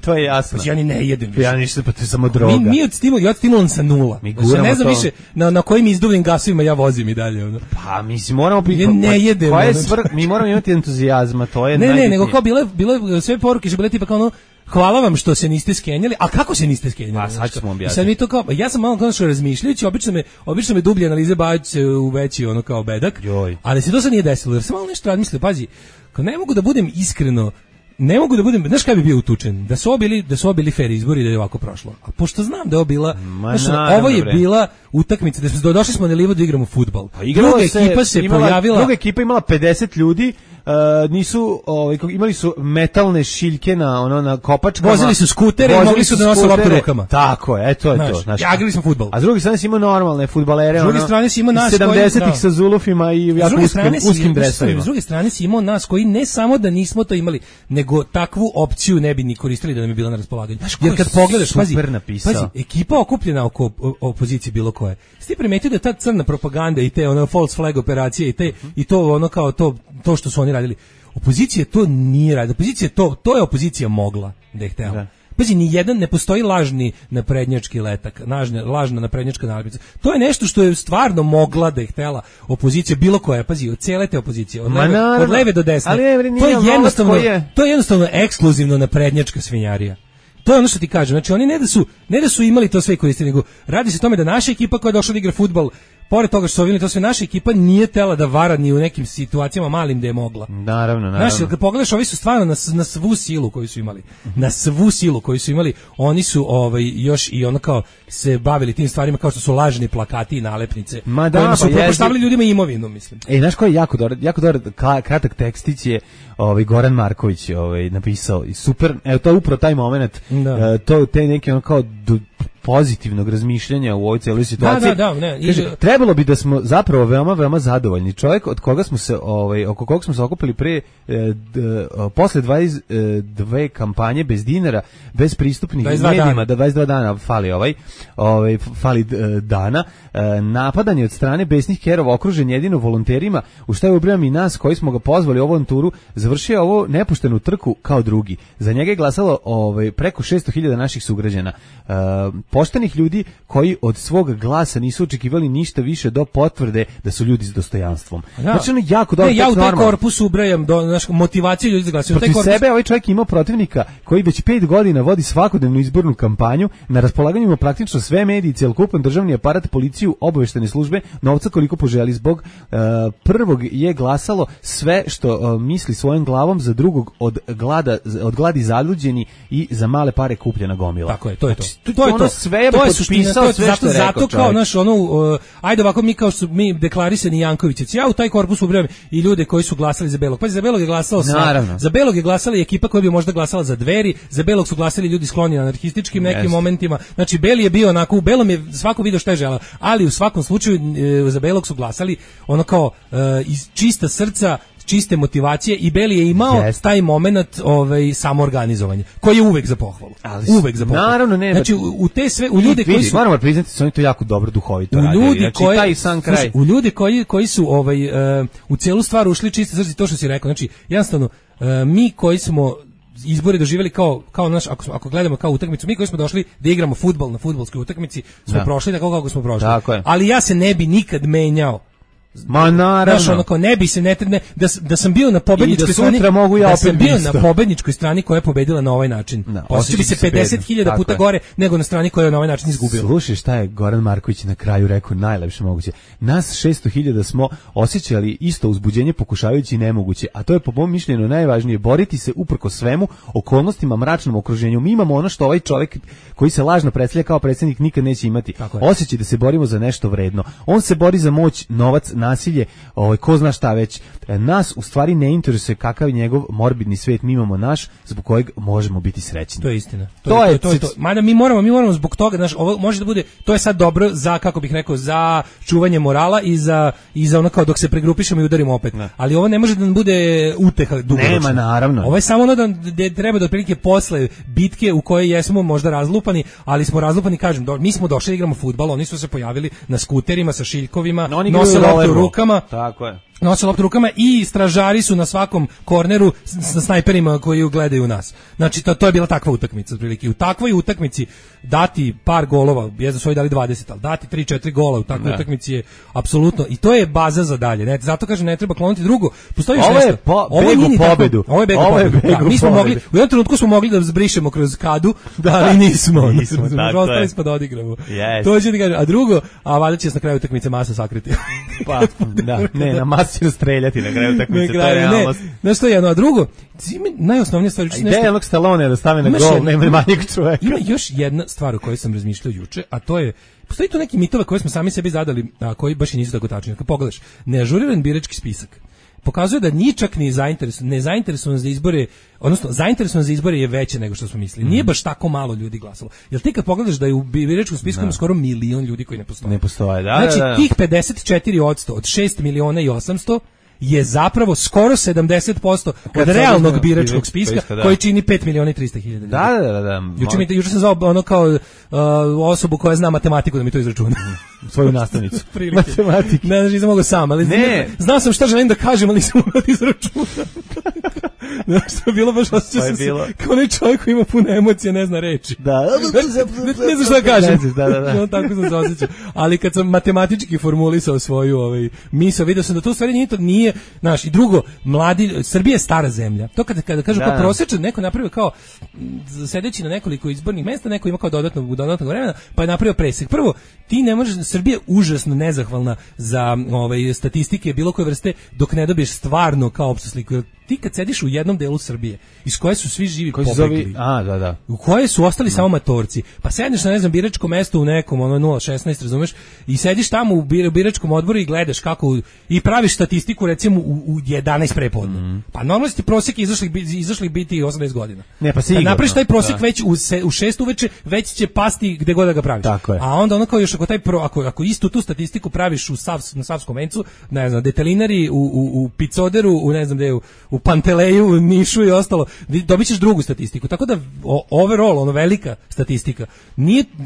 to je jasno. Ja ni ne jedem više. Ja ništa, pa to je samo droga. Mi od stimulansa nula. Znači, ne znam više na kojim izduvnim gasovima ja vozim i dalje. Pa mislim, moramo biti... Ne jedem. Mi moramo imati entuzijazma, to je najbitnije. Ne, nego kao bile sve poruke, što bile tipa kao hvala vam što se niste skenjali, a kako se niste skenjali? Pa sad ćemo objasniti. Sad mi to kao, ja sam malo konačno razmišljajući, obično me dublje analize baviće u veći kao bedak, ali se to sad nije desilo, jer sam malo nešto razmislio, pazi, kao ne mogu da budem iskreno, znaš kaj bi bio utučen? Da su ovo bili fair izbori i da je ovako prošlo. A pošto znam da je ovo bila, ovo je bila utakmica, došli smo na livo da igramo fudbal. Druga ekipa imala 50 ljudi, nisu imali su metalne šiljke na kopačkama, vozili su skutere i mogli su da nose loptu rukama. Tako je, to je to. Znači, igrali smo fudbal. A s druge strane si imao normalne fudbalere, s druge strane si imao nas 70-ih sa zulufima i jako uskim dresovima. S druge strane si imao nas koji ne samo da nismo to imali, nego takvu opciju ne bi ni koristili da nam je bila na raspolaganju. Jer kad pogledaš, pazi, ekipa okupljena oko opozicije bilo koje. Ti primetio da ta crna propaganda i te false flag operacije i to kao to što su oni radili. Opozicija to nije radila. Opozicija to je opozicija mogla da je htela. Pazi, ne postoji lažni naprednjački letak, lažna naprednjačka nalepnica. To je nešto što je stvarno mogla da je htela opozicija, bilo koja, pazi, od cijele te opozicije, od leve do desne. To je jednostavno ekskluzivno naprednjačka svinjarija. To je ono što ti kažem, znači oni ne da su imali to sve koristili, nego radi se o tome da naša ekipa koja je došla da igra fudbal, pored toga što su ovili to sve, naša ekipa nije tela da vara ni u nekim situacijama malim da je mogla. Naravno. Znaš, kad pogledaš, ovi su stvarno na svu silu koju su imali. Na svu silu koju su imali, oni su još i ono kao se bavili tim stvarima kao što su lažni plakati i nalepnice. Kojima su propostavili ljudima imovinu, mislim. Znaš ko je jako dobar kratak tekstić je Goran Marković napisao i super, evo to je upravo taj moment, to te neke ono kao pozitivnog razmišljanja u ovoj cijeloj situaciji. Kaže, trebalo bi da smo zapravo veoma, veoma zadovoljni. Čovjek od koga smo se, oko koga smo se okupili posle 22 kampanje bez dinara, bez pristupnih medijima, da 22 dana fali dana, napadanje od strane besnih kerova, okružen jedino volonterima, u šta je ubrajam i nas koji smo ga pozvali u ovom turu, završio ovo nepuštenu trku kao drugi. Za njega je glasalo preko 600.000 naših sugrađana. Poštenih ljudi koji od svog glasa nisu očekivali ništa više do potvrde da su ljudi s dostojanstvom. Znači ono jako dobro. Ja u taj korpus ubrajam motivaciju ljudi za glasanje. Protiv sebe ovaj čovjek imao protivnika koji već 5 godina vodi svakodnevnu izbornu kampanju, na raspolaganju ima praktično sve mediji, cjelokupan državni aparat, policiju, obaveštene službe, novca koliko poželi. Zbog prvog je glasalo sve što misli svojom glavom, za drugog od gladi zaluđeni i za male pare kupljena gomila. Tako je, to je to. To je to. To je suština, zato kao naš ajde ovako mi kao što mi deklarisani Jankovićevci, ja u taj korpus ubrajam i ljude koji su glasali za Belog. Pa za Belog je glasalo za Belog je glasala i ekipa koja bi možda glasala za Dveri, za Belog su glasali ljudi skloni anarhističkim nekim momentima. Znači Beli je bio onako, u Belom je svako video šta je želeo, ali u svakom slučaju za Belog su glasali ono kao iz čista srca, čiste motivacije i Beli je imao taj momenat samoorganizovanja koji je uvek za pohvalu. Uvek za pohvalu. Naravno, ne. Znači u te sve u ljude koji su moramo priznati su oni to jako dobro duhovito radili. Znači taj sam kraj. U ljudi koji su u celu stvar ušli čiste srce, to što si rekao. Znači jednostavno mi koji smo izbori doživjeli kao naš, ako gledamo kao utakmicu, mi koji smo došli da igramo fudbal na fudbalskoj utakmici, smo prošli tako kako smo prošli. Ali ja se ne bi nikad menjao. Ma naravno. Znaš, onako, ne bi se da sam bio na pobedničkoj strani, da sam bio na pobedničkoj strani koja je pobedila na ovaj način. Osjeća bi se 50.000 puta gore nego na strani koja je na ovaj način izgubila. Slušaj šta je Goran Marković na kraju rekao najlepše moguće. Nas 600.000 smo osjećali isto uzbuđenje pokušavajući nemoguće, a to je po mom mišljenju najvažnije, boriti se uprkos svemu, okolnostima, mračnom okruženju. Mi imamo ono što ovaj čovjek koji se lažno predstavlja kao predsjednik nikad neće imati. Osjećaj da se borimo za nešto vredno. On se bori za moć, novac, nasilje, ko zna šta već. Nas u stvari ne interesuje kakav je njegov morbidni svet, mi imamo naš zbog kojeg možemo biti srećni. To je istina. To je to. Mada mi moramo zbog toga, znaš, ovo može da bude, to je sad dobro za, kako bih rekao, za čuvanje morala i za ono kao dok se pregrupišemo i udarimo opet. Ne. Ali ovo ne može da nam bude uteha dugoročno. Nema, naravno. Ovo je samo ono da treba da otprilike posle bitke u kojoj jesmo možda razlupani, ali smo razlupani, kažem, mi smo došli da igramo fudbal, oni su se pojavili na skuterima sa šiljkovima, nose loptu u rukama. Tako je. Nose loptu rukama i stražari su na svakom korneru sa snajperima koji gledaju nas. Znači, to je bila takva utakmica, otprilike. U takvoj utakmici dati par golova, da su ovi dali 20, ali dati 3-4 gola u takvoj utakmici je apsolutno, i to je baza za dalje. Ne, zato kažem, ne treba kloniti drugo. Postoji ovo je pobedu. Ovo je beg u pobedu. Mi smo mogli, u jednom trenutku smo mogli da zbrišemo kroz kadu, ali nismo. Ostali smo da odigramo. To će ti kažem. A drugo, valjda će se na kraju utakmice masa sakriti. Pa, da, ne, na masu će streljati na kraju utakmice, to je realnost. Znaš što je jedno, a drugo, najosnovnija stvar... Ideja jednog Stallone da stave na gol, nema manjeg čoveka. Ima još jedna stvar o kojoj sam razmišljao juče, a to je, postoji tu neki mitove koje smo sami sebi zadali, a koji baš i nisu tako tačni. Kad pogledaš, neažuriran birački spisak pokazuje da ni čak ni nezainteresovan za izbore, odnosno zainteresovan za izbore je veće nego što smo mislili. Nije baš tako malo ljudi glasalo. Jel ti kad pogledaš da je u biračkom spisku ima skoro 1 milion ljudi koji ne postoje? Ne postoje, da. Znači, tih 54% od 6.800.000 je zapravo skoro 70% od realnog biračkog spiska koji čini 5.300.000. Da. Juče sam zvao ono kao osobu koja zna matematiku da mi to izračuna. Svoju nastavnicu. Matematike. Ne, znači, nisam mogao sam, ali znao sam šta želim da kažem, ali nisam mogao da izračunam. Znači, to je bilo baš osjećao sam se kao onaj čovjek koji ima puno emocija, ne zna reči. Ne znam šta da kažem. Da. Tako sam se osjećao. Ali kad sam matematički formulisao svoju misao, vidio sam da to u stvari nije, znaš, i drugo, Srbija je stara zemlja. To kada kažu kao prosječan, neko napravio kao sedeći na nekoliko izbornih mesta, neko ima kao dodatnog vremena, pa je napravio presek. Prvo, ti ne možeš, Srbija je užasno nezahvalna za statistike bilo koje vrste dok ne dobiješ stvarno kao opštu sliku. Ti kad sediš u jednom delu Srbije iz koje su svi živi pobegli, u koje su ostali samo matorci, pa sedneš na, ne znam, biračko mesto u nekom 016, razumeš, i sediš tamo u biračkom odboru i gledaš kako i praviš statistiku recimo u 11 prepodne. Pa normalno ti prosjek izašli biti 80 godina. Ne, pa sigurno. Napraviš taj prosjek već u 6 uveče, već će pasti gde god da ga praviš. A onda ono kao još ako istu tu statistiku praviš na Savskom vencu, ne znam, detelinari u Picoderu, u ne znam gde, u Panteleju, u Nišu i ostalo, dobit ćeš drugu statistiku. Tako da overall, velika statistika,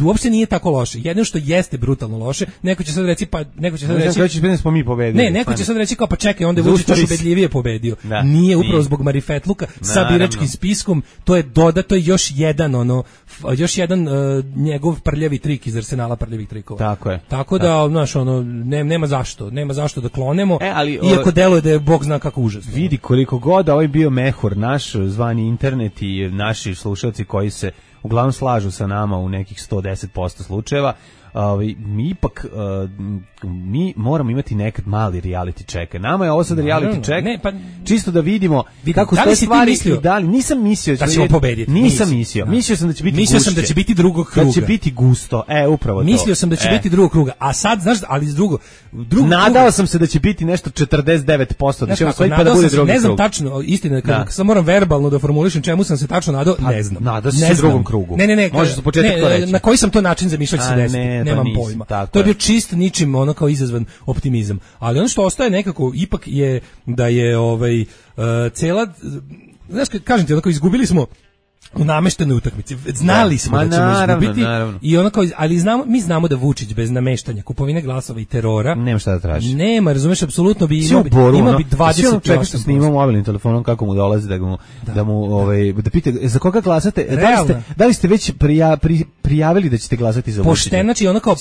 uopšte nije tako loše. Jedino što jeste brutalno loše, neko će sad reći, neko će sad reći kao, pa čekaj, onda je Vučić još ubedljivije pobedio. Nije, upravo zbog marifetluka sa biračkim spiskom, to je dodato još jedan njegov prljavi trik iz arsenala prljavih trikova. Tako je. Tako da, znaš, nema zašto da klonemo, iako deluje da je Bog zna kako užasno. Vidi koliko god ovaj bio mehur naš zvani internet i naši slušalci koji se uglavnom slažu sa nama u nekih 110% slučajeva, mi moramo imati nekad mali reality check. Nama je ovo sad reality check, čisto da vidimo kako ste stvari i dali. Nisam mislio da ćemo pobediti. Mislio sam da će biti gušće. Mislio sam da će biti drugog kruga. Da će biti gusto. Upravo to. Mislio sam da će biti drugog kruga. A sad, znaš, ali drugo nadao sam se da će biti nešto 49%, da će osvojiti pa da bude drugi krug. Ne znam tačno, istina, kad sam moram verbalno da formulišem čemu sam se tačno nadao, ne znam. Nadao se drugom krugu. Ne. Možeš za početak to reći. Na koji sam to način zamišljao će se desiti? nemam pojma. To je bio čist ničim ono kao izazvan optimizam. Ali ono što ostaje nekako ipak je da je cela, znaš, kažem ti, onako izgubili smo u nameštenoj utakmici. Znali smo da ćemo izgubiti. I onako, ali mi znamo da Vučić bez nameštanja, kupovine glasova i terora nema šta da traži. Nema, razumeš, apsolutno bi imao bi 20. Čekaj što snimamo mobilnim telefonom kako mu dolazi da mu da pita za koga glasate. Da li ste već prijavili da ćete glasati za Vučića? Pošteno, znači onako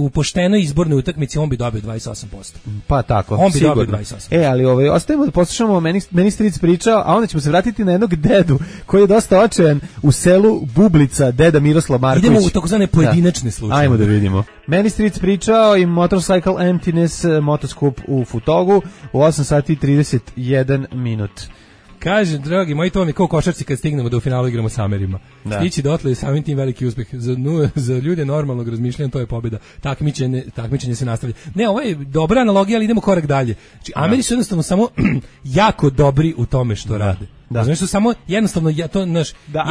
u poštenoj izbornoj utakmici on bi dobio 28%. Pa tako. On bi dobio 28%. Ali ostajemo da poslušamo, meni stric pričao, a onda ćemo se vratiti na jednog dedu koji je dosta očajan u selu Bublica, deda Miroslav Marković. Idemo u takozvane pojedinačne slučaje. Ajmo da vidimo. Meni stric pričao i Motorcycle Emptiness motoskup u Futogu u 8 sati 31 minut. Kaže, dragi moji, to vam je kao košarci kad stignemo da u finalu igramo s Amerima. Stići dotle je samim tim veliki uspeh. Za ljude normalnog razmišljanja to je pobjeda. Takmičenje se nastavlja. Ne, ovo je dobra analogija, ali idemo korak dalje. Znači, Ameri su jednostavno samo jako dobri u tome što rade. Znači su samo jednostavno to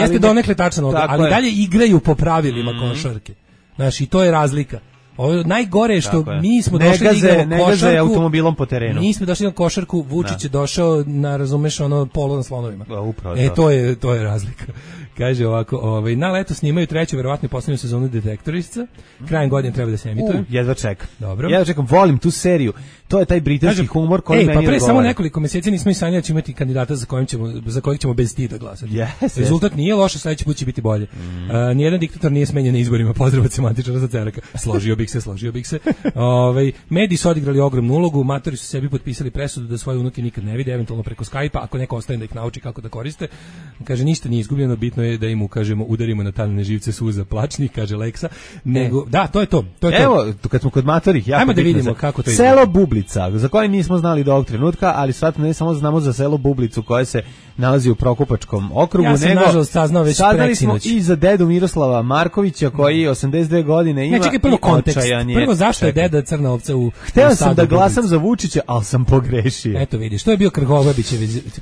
jeste donekle tačno, ali dalje igraju po pravilima košarke. Znači, i to je razlika. Ovo najgore je što mi smo došli da igramo košarku automobilom po terenu. Mi smo došli na košarku, Vučić je došao na, razumeš, polo na slonovima. Upravo to je razlika. Kaže ovako, na leto snimaju treću, verovatno i poslednju sezonu Detektorisca. Krajem godine treba da se emituje. Jedva čekam. Dobro. Jedva čekam, volim tu seriju. To je taj britanski humor koji meni odgovara. Samo nekoliko meseci nismo i sanjali da ćemo imati kandidata za kojeg ćemo bez stida glasati. Rezultat nije loš, sledeći put će biti bolje. Nijedan diktator nije smenjen na izborima, pozdrav od semantičara za Ceraka. Složio bih se. Mediji su odigrali ogromnu ulogu, matori su sebi potpisali presudu da svoje unuke nikad ne vide, eventualno preko Skype-a, ako neko ostane da ih nauči kako da koriste. Kaže, ništa nije izgubljeno, bitno je da im ukažemo, udarimo na taljne živce suza plačnih, kaže Leksa. To je to. Evo, kad smo kod matorih, ajmo da vidimo kako to izgleda. Selo Bublica, za koje nismo znali do ovog trenutka, ali sad ne samo znamo za selo Bublicu koje se nalazi u Prokupačkom okrugu, nažalost saznao već preksinoć. I za dedu Miroslava Markovića koji 82 godine ima. Čekaj, prvo kontekst. Prvo zašto je deda crna ovca u Hteo sam da glasam za Vučića, ali sam pogrešio. Eto vidiš, to je bio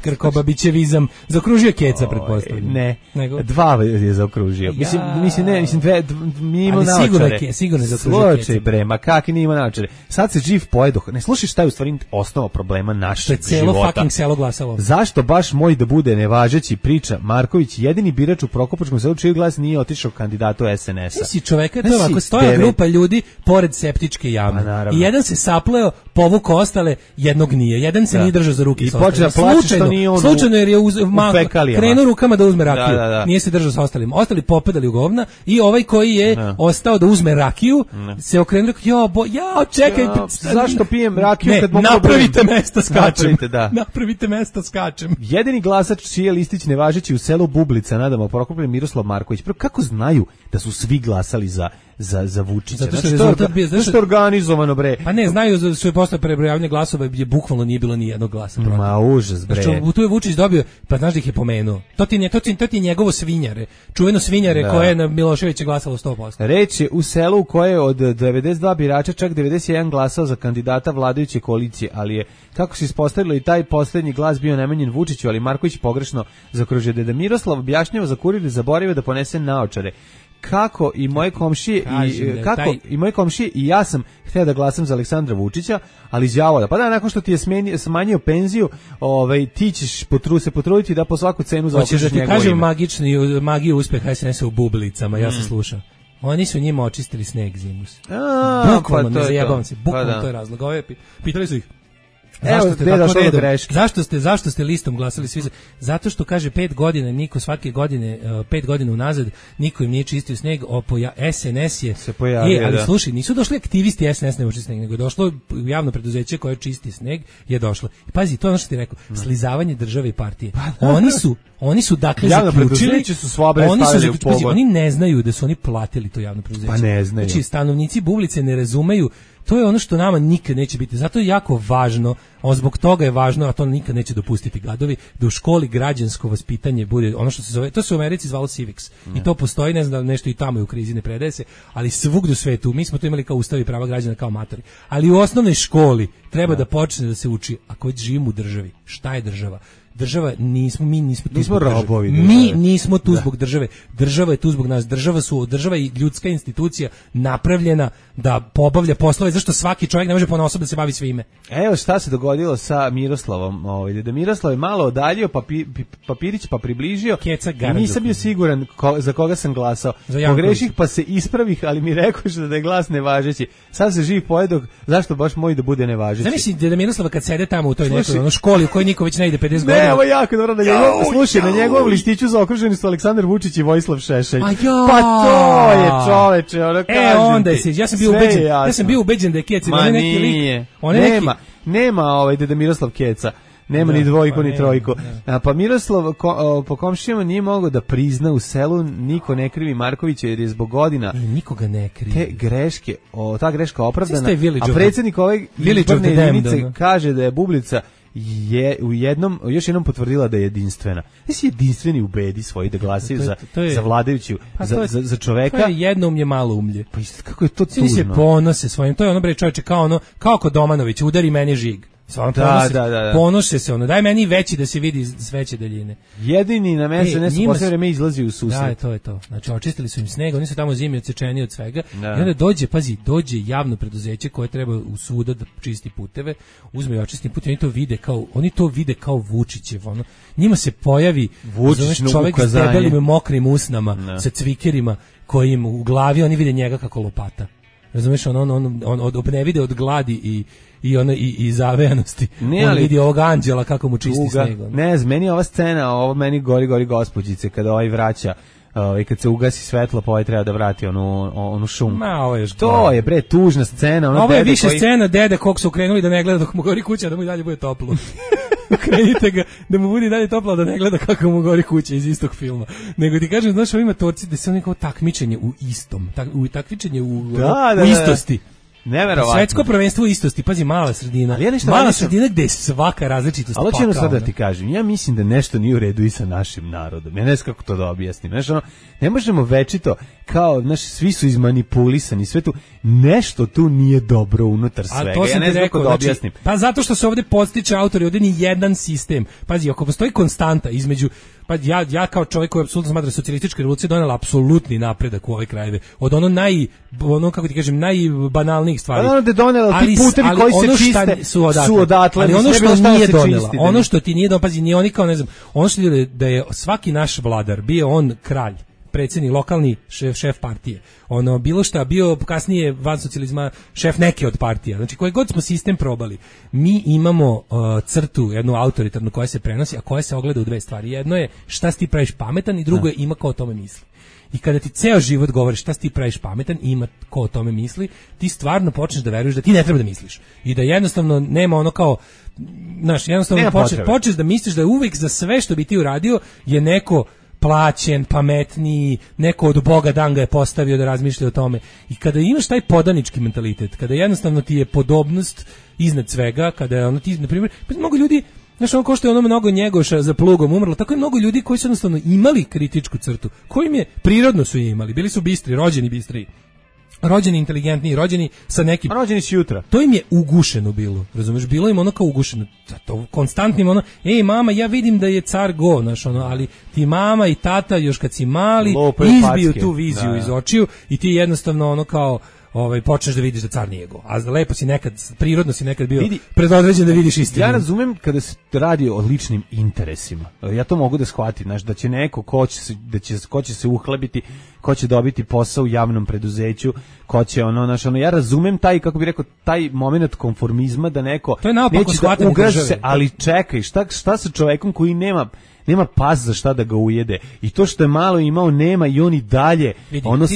Krkobabićevizam. Zaokružio Keca, pretpostavljam. Ne, dva je zaokružio. Mislim dve, mi imamo naočare. Sigurno je zaokružio Keca. Slučaj bre, ma kakvi nije ima naočare. Sad se živ pojedoh. Ne slušaj šta je u stvari osnova problema našeg života. Celo fucking selo glasalo. Zašto baš moj da bude nevažeći, priča Marković, jedini birač u Prokupačkom selu čiji glas nije otišao kandidatu SNS-a. Si čoveka, to je ovako, stoja grupa ljudi pored septičke jame. I jedan se sapleo, povukao ostale, jednog nije. Jedan se nije držao za ruke. I počeo da plače što nije on slučajno jer je krenuo rukama da uzme rakiju. Nije se držao sa ostalim. Ostali popedali u govna i ovaj koji je ostao da uzme rakiju se okrenuo, čekaj, zašto pijem rakiju kad mogu napravite mesta skačem. Jedini glasač čiji je listić nevažeći u selu Bublica, nadamo Prokopije, Miroslav Marković. Kako znaju da su svi glasali za Vučića? Zato što je organizovano, bre. Pa ne, znaju da su je posle prebrojavanja glasova je bukvalno nije bilo ni jednog glasa protiv. Ma užas, bre. Znači, tu je Vučić dobio, pa znaš da ih je pomenuo. To ti je njegovo svinjare. Čuveno svinjare koje je na Miloševića glasalo 100%. Reč je u selu koje je od 92 birača čak 91 glasao za kandidata vladajuće koalicije, ali je, kako se ispostavilo, i taj poslednji glas bio namenjen Vučiću, ali Marković pogrešno zaokružio. Deda Miroslav objašnjava za Kurir zaboravio da ponese naočare. Kako i moje komšije i ja sam htio da glasam za Aleksandra Vučića, ali đavola. Pa da, nakon što ti je smanjio penziju, ti ćeš se potruditi da po svaku cenu zaokružiš njegovo ime. Hoćeš da ti kažem magiju uspeha SNS-a u Bublicama, ja sam slušao. Oni su njima očistili sneg zimus. Bukvalno, ne zajebavam se, bukvalno to je razlog. Pitali su ih, Zašto ste listom glasali svi? Zato što kaže 5 godina niko svake godine 5 godina unazad niko im nije čistio sneg, SNS je se pojavio. Ali slušaj, nisu došli aktivisti SNS ne uči sneg, nego je došlo javno preduzeće koje čisti sneg je došlo. I pazi, to je ono što ti rekao, slizavanje države i partije. Oni su dakle zaključili, oni ne znaju da su oni platili to javno preduzeće. Pa ne znaju. Znači stanovnici Bublice ne razumeju. To je ono što nama nikad neće biti. Zato je jako važno, zbog toga je važno, a to nikad neće dopustiti gadovi, da u školi građansko vaspitanje bude ono što se zove, to se u Americi zvalo civics. I to postoji, ne znam da nešto i tamo je u krizi, ne predaje se, ali svugdje u svetu, mi smo to imali kao ustavi prava građana kao amatori. Ali u osnovnoj školi treba da počne da se uči, ako već živimo u državi, šta je država? država nismo tu nismo robovi. Mi nismo tu zbog države. Država je tu zbog nas. Država i ljudska institucija napravljena da pobavlja poslove, zašto svaki čovjek ne može ponaosob da se bavi svime. Evo šta se dogodilo sa Miroslavom. Da Miroslav je malo odaljio papirić pa približio. I nisam bio siguran za koga sam glasao. Pogreših pa se ispravih, ali mi rekoš da je glas nevažeći. Sad se živ pojedog, zašto baš moj da bude nevažeći? Zamisli da Miroslava kad sede tamo u toj nekoj školi u kojoj niko već ne ide 50 godina. Ne, ovo je jako dobro da slušaj, na njegovom listiću zaokruženi su Aleksandar Vučić i Vojislav Šešelj. Pa to je čoveče, ono kažem. Onda ja sam bio ubeđen da je Keca. Ma nije, nema Deda Miroslav Keca. Nema ni dvojku ni trojku. Pa Miroslav po komšijama nije mogao da prizna u selu, niko ne krivi Markovića jer je zbog godina nikoga ne krivi. Te greške, ta greška opravdana, a predsjednik ove izborne jedinice kaže da je Bublica još jednom potvrdila da je jedinstvena. Jesi jedinstveni u bedi svoji da glasaju za vladajuću, za čoveka. To je jednoumlje, malo umlje. Pa kako je to tužno. Svi se ponose svojim, to je ono bre čovječe kao kod Domanović, udari meni žig. Ponoše se daj meni veći da se vidi s veće daljine. Jedini na SNS u poslednje vreme izlazi u susret. Da, to je to. Znači očistili su im sneg, oni su tamo zimi odsečeni od svega. I onda dođe javno preduzeće koje treba u suda da čisti puteve, uzme i očisti put, oni to vide kao Vučićev, njima se pojavi čovjek s debelim mokrim usnama, sa cvikerima kojim u glavi oni vide njega kako lopata. Razumeš, on ne vide od gladi i zavejanosti. On vidi ovog anđela kako mu čisti sneg. Ne znam, meni ova scena, ovo meni gori gospođice, kada vraća, kad se ugasi svetlo, pa treba da vrati onu šunku. To je bre tužna scena. Ovo je više scena dede kog su krenuli da ne gleda dok mu gori kuća, da mu i dalje bude toplo. Krenite ga da mu bude dalje toplo, da ne gleda kako mu gori kuća iz istog filma. Nego ti kažem, znaš, ovima torci da se neko takmičenje u istom, takmičenje u istosti. Neverovatno. Svetsko prvenstvo istosti, pazi, mala sredina. Mala sredina gde je svaka različitost. Ali ćemo sad da ti kažem, ja mislim da nešto nije u redu i sa našim narodom. Ja ne znam kako to da objasnim. Ne možemo večito kao, svi su izmanipulisani, sve tu, nešto tu nije dobro unutar svega. Ja ne znam kako da objasnim. Pa zato što se ovdje podstiče autori, ovdje ni jedan sistem. Pazi, ako postoji konstanta između, pa ja kao čovjek koji apsolutno smatra socijalistička revolucija donela apsolutni napredak u ove krajeve. Od kako ti kažem, najbanalnijih stvari. Ono da je donela ti putevi koji se čiste su odatle. Ali ono što nije donela, ono što ti nije donela, pazi, nije oni kao, ne znam, ono što je da je svaki naš vladar, bio on kralj, predsjednik, lokalni šef partije, bilo šta, bio kasnije van socijalizma šef neke od partija, znači koji god smo sistem probali, mi imamo crtu, jednu autoritarnu koja se prenosi, a koja se ogleda u dve stvari. Jedno je šta si ti praviš pametan i drugo je ima ko o tome misli. I kada ti ceo život govoriš šta si ti praviš pametan i ima ko o tome misli, ti stvarno počneš da veruješ da ti ne treba da misliš. I da jednostavno nema kao, jednostavno počneš da misliš da je uvijek za sve što bi ti uradio je neko plaćen, pametniji, neko od Boga dan ga je postavio da razmišlja o tome. I kada imaš taj podanički mentalitet, kada jednostavno ti je podobnost iznad svega, kada je ti, na primjer, mnogo ljudi, ko što je mnogo Njegoša za plugom umrlo, tako je mnogo ljudi koji su jednostavno imali kritičku crtu, kojim je, prirodno su je imali, bili su bistri, rođeni bistri, rođeni inteligentni, rođeni sa nekim... Rođeni si jutra. To im je ugušeno bilo, razumeš, bilo im kao ugušeno, to konstantnim ej mama, ja vidim da je car go, ali ti mama i tata još kad si mali izbiju tu viziju iz očiju i ti jednostavno kao počneš da vidiš da car nije go. A lepo si nekad, prirodno si nekad bio predodređen da vidiš istinu. Ja razumem kada se radi o ličnim interesima. Ja to mogu da shvatim, da će neko ko će se uhlebiti, ko će dobiti posao u javnom preduzeću, ko će ja razumem taj, kako bih rekao, taj moment konformizma da neko neće da ugaži se, ali čekaj, šta sa čovekom koji nema pas za šta da ga ujede. I to što je malo imao nema i on i dalje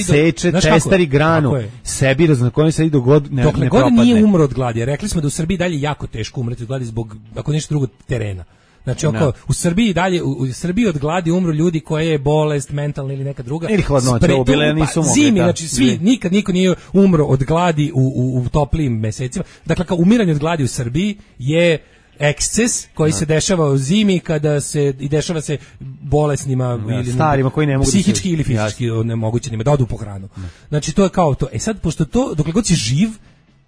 seče, testari granu sebi, na kojem se ne dokle god nije umro od gladi. Rekli smo da u Srbiji dalje jako teško umreti od gladi zbog, ako nešto drugo, terena. Znači, u Srbiji dalje, u Srbiji od gladi umru ljudi koje je bolest, mentalna ili neka druga. Ili hladnoća, ubile nisu mogli. Zimi, znači nikad niko nije umro od gladi u toplijim mesecima. Dakle, kao umiranje od gladi u Srbiji je eksces koji se dešava u zimi kada se i dešava se bolesnima ili starima koji ne mogu psihički ili fizički nemogućnima da odu po hranu. Znači to je kao to. Sad pošto to dokle god si živ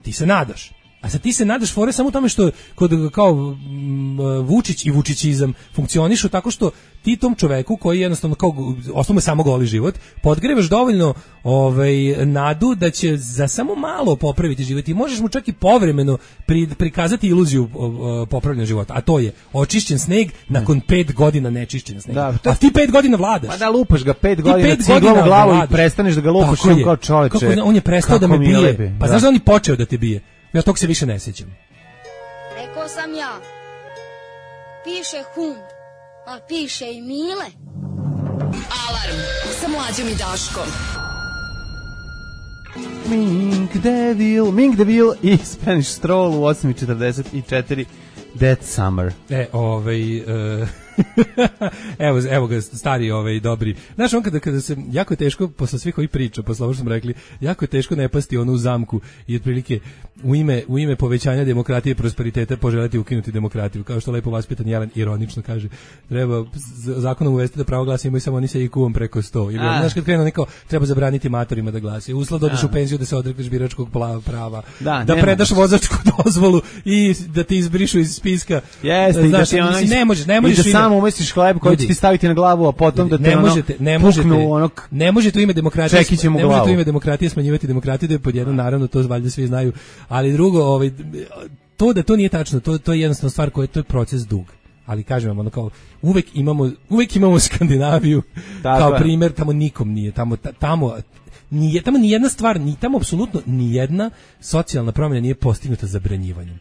ti se nadaš. A sad ti se nadaš fore samo u tome što kod kao Vučić i vučićizam funkcionišu tako što ti tom čoveku koji jednostavno kao osnovno samo goli život, podgrevaš dovoljno nadu da će za samo malo popraviti život i možeš mu čak i povremeno prikazati iluziju popravljanja života, a to je očišćen sneg nakon 5 godina nečišćenja snega. Da, a ti 5 godina vladaš. Pa da lupaš ga 5 godina ciglom u glavu i prestaneš da ga lupaš kao čoveče. Kako on je prestao da me bije. Pa znaš da on je počeo da te bije? Ja tog se više ne sjećam. Rekao sam ja, piše hum, a piše i Mile. Alarm sa Mlađom i Daškom. Mink Devil i Spanish Stroll u 8:44 Dead Summer. Evo ga stari dobri. Znaš, on kada se jako je teško posle svih ovih priča, posle ovo što smo rekli, jako je teško ne pasti onu zamku i otprilike u ime povećanja demokratije i prosperiteta poželjeti ukinuti demokratiju, kao što lepo vaspitan Jelen ironično kaže. Treba zakonom uvesti da pravo glasa imaju samo oni sa IQ-om preko 100. Ili znaš kad krenu neko treba zabraniti matorima da glase. Uslov da odeš u penziju da se odrekneš biračkog prava. Da predaš vozačku dozvolu i da te izbrišu iz spiska. Jeste, znaš, ne možeš samo umestiš hleb koji će ti staviti na glavu, a potom da te ne možete u ime demokratije smanjivati demokratiju, da je pod jedno, naravno, to valjda svi znaju, ali drugo, to da to nije tačno, to je jednostavno stvar koja to je proces dug. Ali kažem vam, kao uvek imamo Skandinaviju kao primjer, tamo nikom nije, tamo nijedna stvar, tamo apsolutno nijedna socijalna promjena nije postignuta zabranjivanjem.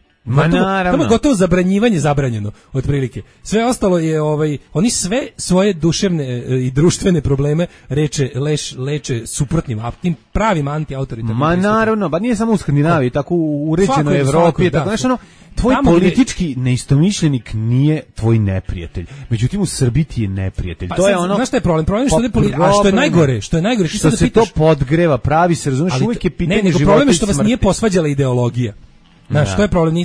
Tamo je gotovo zabranjivanje zabranjeno, otprilike. Sve ostalo je, oni sve svoje duševne i društvene probleme leče suprotnim, tim pravim antiautoritarnim. Ma naravno, ba nije samo u Skandinaviji, tako u uređenoj Evropi, tako znaš ono, tvoj politički neistomišljenik nije tvoj neprijatelj. Međutim u Srbiji ti je neprijatelj. To je ono. Znaš šta je problem? Problem što je najgore, što se to podgreva, pravi se, razumeš, uvijek je pitanje života i smrti. Problem je što vas nije posvađala ideologija. Znaš, to je problem,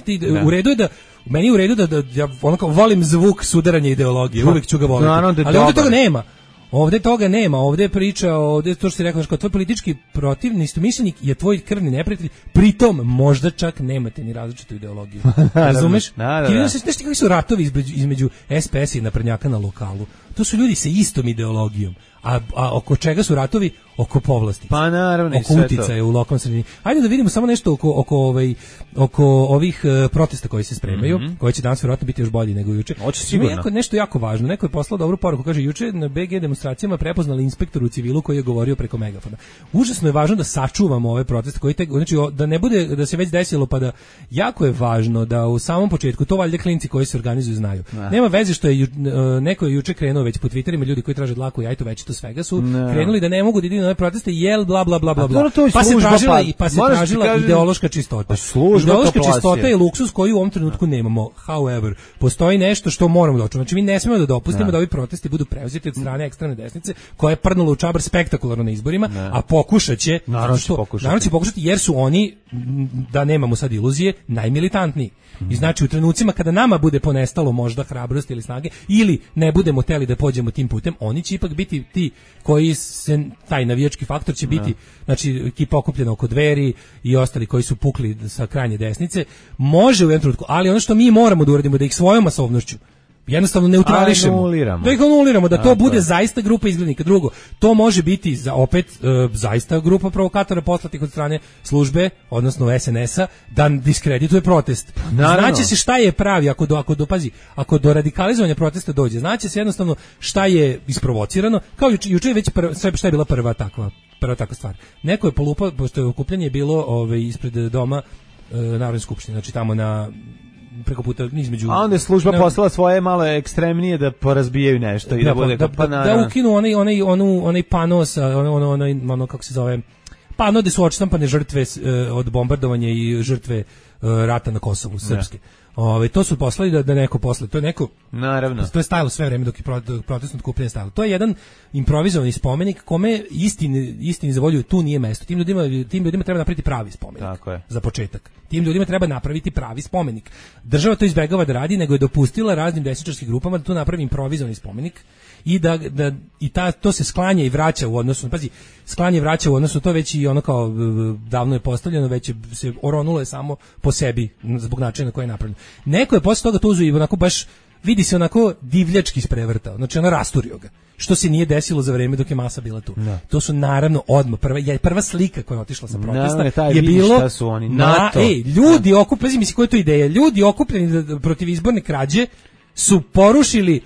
u redu je da meni je u redu da ja volim zvuk sudaranja ideologije, uvijek ću ga voliti. Ali ovdje toga nema. Ovdje je priča, ovdje to što si rekao, tvoj politički protivnik, istomišljenik je tvoj krvni neprijatelj, pritom možda čak nemate ni različitu ideologiju. Razumeš? Ti vidiš kakvi su ratovi između SPS i naprednjaka na lokalu. To su ljudi sa istom ideologijom. A oko čega su ratovi? Oko povlastice. Pa naravno, oko uticaja u lokalnoj sredini. Ajde da vidimo samo nešto oko ovih protesta koji se spremaju, koji će danas vjerojatno biti još bolji nego juče. Hoće sigurno. Nešto jako važno. Neko je poslao dobru poruku, kaže juče na BG demonstracijama prepoznali inspektor u civilu koji je govorio preko megafona. Užasno je važno da sačuvamo ove proteste koji znači da ne bude da se već desilo, pa da jako je važno da u samom početku to valjda klinci koji se organizuju znaju. Nema veze što je neko je juče krenuo već po Twitterima, ljudi koji traže dlaku jajto već to svega su krenuli da ne mogu da idu na ove proteste bla bla bla bla bla. Pa se tražila ideološka čistota. Ideološka čistota je luksuz koji u ovom trenutku nemamo. However, postoji nešto što moramo doći. Znači mi ne smemo da dopustimo da ovi protesti budu preuzeti od strane ekstremne desnice koja je prdnula u čabar spektakularno na izborima, a pokušaće, naravno će pokušati jer su oni, da nemamo sad iluzije, najmilitantniji. I znači u trenucima kada nama bude ponestalo možda hrabrosti ili snage ili ne budemo teli da pođemo tim putem, oni će ipak biti ti koji se, taj navijački faktor će biti, znači ekipa okupljena oko Dveri i ostali koji su pukli sa krajnje desnice, može u jednom trenutku, ali ono što mi moramo da uradimo da ih svojom masovnošću jednostavno neutrališemo. Da ih anuliramo, da to bude zaista grupa izglednika. Drugo, to može biti zaista grupa provokatora poslatih od strane službe, odnosno SNS-a, da diskredituje protest. Znaće se šta je pravi, ako do radikalizovanja protesta dođe. Znaće se jednostavno šta je isprovocirano, kao juče već šta je bila prva takva stvar. Neko je polupao, pošto je okupljanje bilo ispred doma Narodne skupštine, znači tamo na preko puta između. A onda je služba poslala svoje malo ekstremnije da porazbijaju nešto i da bude da ukinu onaj pano sa ono kako se zove pano gde su odštampane žrtve od bombardovanja i žrtve rata na Kosovu srpske. To su poslali da neko posle, to je neko, naravno. To je stajalo sve vreme dok je protestno okupljanje stajalo. To je jedan improvizovani spomenik kome istini za volju tu nije mesto. Tim ljudima treba napraviti pravi spomenik. Tako je. Za početak. Tim ljudima treba napraviti pravi spomenik. Država to izbegava da radi, nego je dopustila raznim desničarskim grupama da tu napravi improvizovani spomenik i to se sklanja i vraća u odnosu, sklanje vraća u odnosu, to već i ono kao davno je postavljeno, već se oronulo je samo po sebi, zbog načina na koji je napravljeno. Neko je posle toga to uzeo i onako baš, vidi se onako divljački isprevrtao, znači ona rasturio ga. Što se nije desilo za vreme dok je masa bila tu. Da. To su naravno odmah prva slika koja je otišla sa protesta je bilo NATO. Ljudi okupljeni, mislim koja je to ideja? Ljudi okupljeni protiv izborne krađe su porušili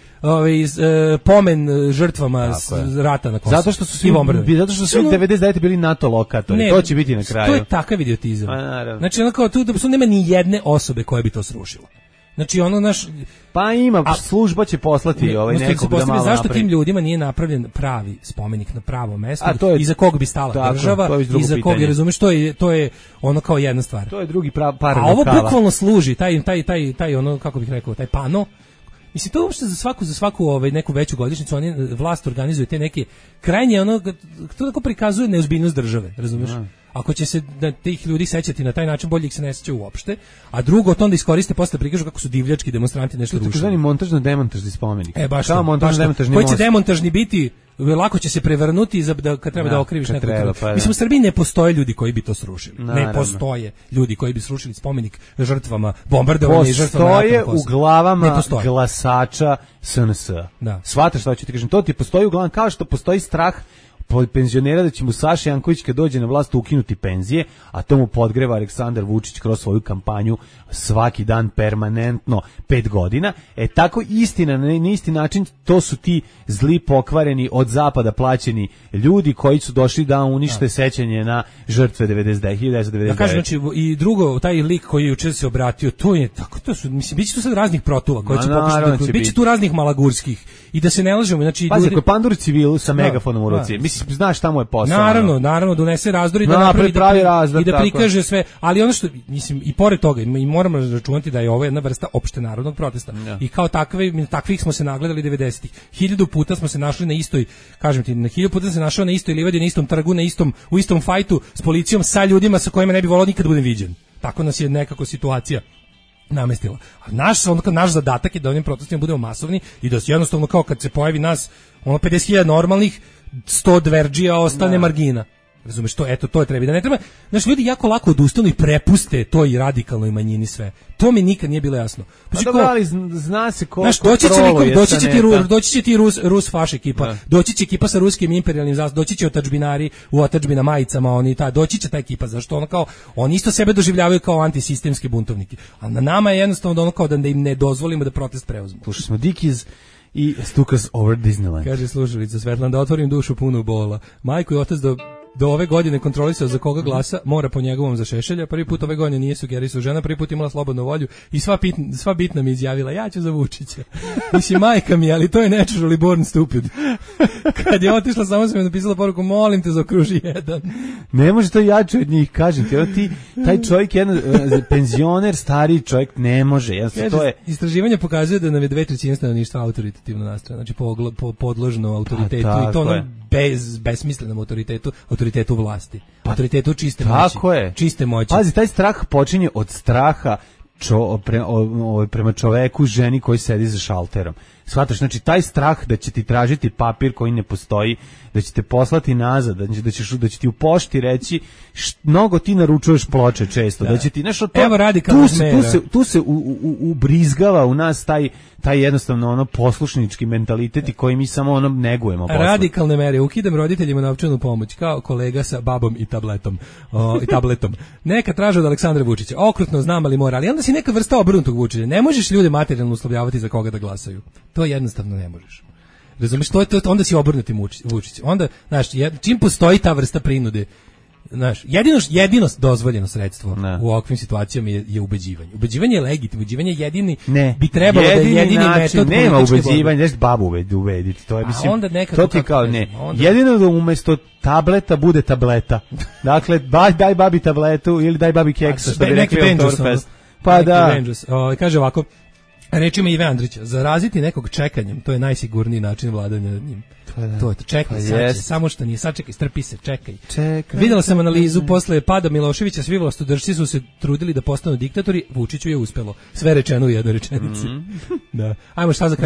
pomen žrtvama rata na Kosovu. Zato što su svi 99 bili NATO lokatori. To će biti na kraju. To je takav idiotizam. Znači onako tu da nema ni jedne osobe koja bi to srušila. Znači ono naš pa ima služba će poslati nekog da malo zašto tim ljudima nije napravljen pravi spomenik na pravom mestu i za kog bi stala država i za kog je, razumeš, to je ono kao jedna stvar. To je drugi par. A ovo bukvalno služi taj ono kako bih rekao taj pano. Mislim, to uopšte za svaku neku veću godišnjicu vlast organizuje te neke krajnje ono, to tako prikazuje neozbiljnost države, razumiješ? Ako će se tih ljudi sećati na taj način, bolje ih se ne seća uopšte, a drugo to onda iskoriste posle prikažu kako su divljački demonstranti nešto rušili. To je takozvani montažno-demontažni spomenik. Baš montažno-demontažni most. Koji će demontažni biti, lako će se prevrnuti kad treba da okriviš nekog. Mislim, u Srbiji ne postoje ljudi koji bi to srušili. Naravno. Ne postoje ljudi koji bi srušili spomenik žrtvama bombardovanja i žrtvama rata. Postoje u glavama glasača SNS. Shvataš šta ću ti kažem? To ti postoji u glavama kao što postoji strah penzionera da će mu Saša Janković kad dođe na vlast ukinuti penzije, a to mu podgreva Aleksandar Vučić kroz svoju kampanju svaki dan permanentno 5 godina. Tako istina, na isti način to su ti zli pokvareni od zapada plaćeni ljudi koji su došli da unište sećanje na žrtve 1999. Ja kažem, znači i drugo, taj lik koji juče se obratio, to je tako, to su, mislim, biće tu sad raznih protuva koji će pokušati, biće tu raznih malagurskih i da se ne lažemo, znači pazi, ako Pandur civilu sa megafonom u ruci, mislim, znaš šta mu je posao. Naravno, donese razdor i da napravi i da prikaže sve, ali ono što, mislim, i pored toga, i moramo računati da je ovo jedna vrsta opštenarodnog protesta. I kao takvih smo se nagledali 90-ih. 1000 puta smo se našli na istoj, kažem ti, 1000 puta se našao na istoj livadi, na istom trgu, u istom fajtu s policijom, sa ljudima sa kojima ne bi volao nikad budem viđen. Tako nas je nekako situacija namestila. A naš zadatak je da ovim protestima budemo masovni i da se jednostavno kao kad se pojavi nas 50.000 normalnih, 100 dverđija ostane margina. Razumeš, to je treba da ne treba. Znači, ljudi jako lako odustanu i prepuste to i radikalnoj manjini sve. To mi nikad nije bilo jasno. Ali zna se ko doći će ti Rus faš ekipa, doći će ekipa sa ruskim imperijalnim zastavom, doći će otadžbinari u otadžbina majicama, doći će ta ekipa, zašto ono kao, oni isto sebe doživljavaju kao antisistemski buntovniki. A na nama je jednostavno da ono kao da im ne dozvolimo da protest preuzmu. Slušali smo Dickies i Stukas over Disneyland. Kaže slušalica Svetlana, da otvorim dušu punu bola. Majko i otac do ove godine kontrolisao za koga glasa, mora po njegovom za Šešelja. Prvi put ove godine nije sugerisao žena, prvi put imala slobodnu volju i sva bitna mi izjavila, ja ću za Vučića. Mislim, majka mi, ali to je naturally born stupid. Kad je otišla, samo sam joj napisala poruku, molim te zaokruži jedan. Ne može to jače od njih, kažem ti, taj čovjek, jedan penzioner, stariji čovjek, ne može. To je... Istraživanje pokazuje da nam je 2/3 stanovništva autoritativno nastrojeno, znači podložno autoritetu i to ono besmislenom autoritetu vlasti, autoritetu čiste moći. Tako je. Čiste moći. Pazi, taj strah počinje od straha prema čoveku, ženi koji sedi za šalterom. Shvataš, znači taj strah da će ti tražiti papir koji ne postoji, da će te poslati nazad, da će ti u pošti reći mnogo ti naručuješ ploče često, da će ti nešto to. Evo radikalna mera. Tu se ubrizgava u nas taj jednostavno ono poslušnički mentalitet i koji mi samo ono negujemo. Radikalne mere, ukidam roditeljima novčanu pomoć kao kolega sa babom i tabletom. Neka traže od Aleksandra Vučića. Okrutno znam, ali mora, ali onda si neka vrsta obrnutog Vučića. Ne možeš ljude materijalno uslovljavati za koga da glasaju. To jednostavno ne možeš. Razumeš, onda si obrnuti Vučić. Onda, znaš, čim postoji ta vrsta prinude, znaš, jedino dozvoljeno sredstvo u ovakvim situacijama je ubeđivanje. Ubeđivanje je legitimno, ubeđivanje jedini bi trebalo da je jedini metod. Nema ubeđivanja, nešto babu ubediti. To je, mislim, to ti kao ne. Jedino da umesto tableta bude tableta. Dakle, daj babi tabletu ili daj babi keksa, što bi rekli u Torfest. Pa da. Kaže ovako, rečima Ive Andrića, zaraziti nekog čekanjem, to je najsigurniji način vladanja nad njim. To je to, čekaj, samo što nije, sačekaj, strpi se, čekaj. Videla sam analizu, posle pada Miloševića, svi vlastodršci su se trudili da postanu diktatori, Vučiću je uspelo. Sve rečeno u jednoj rečenici. Da. Ajmo šta za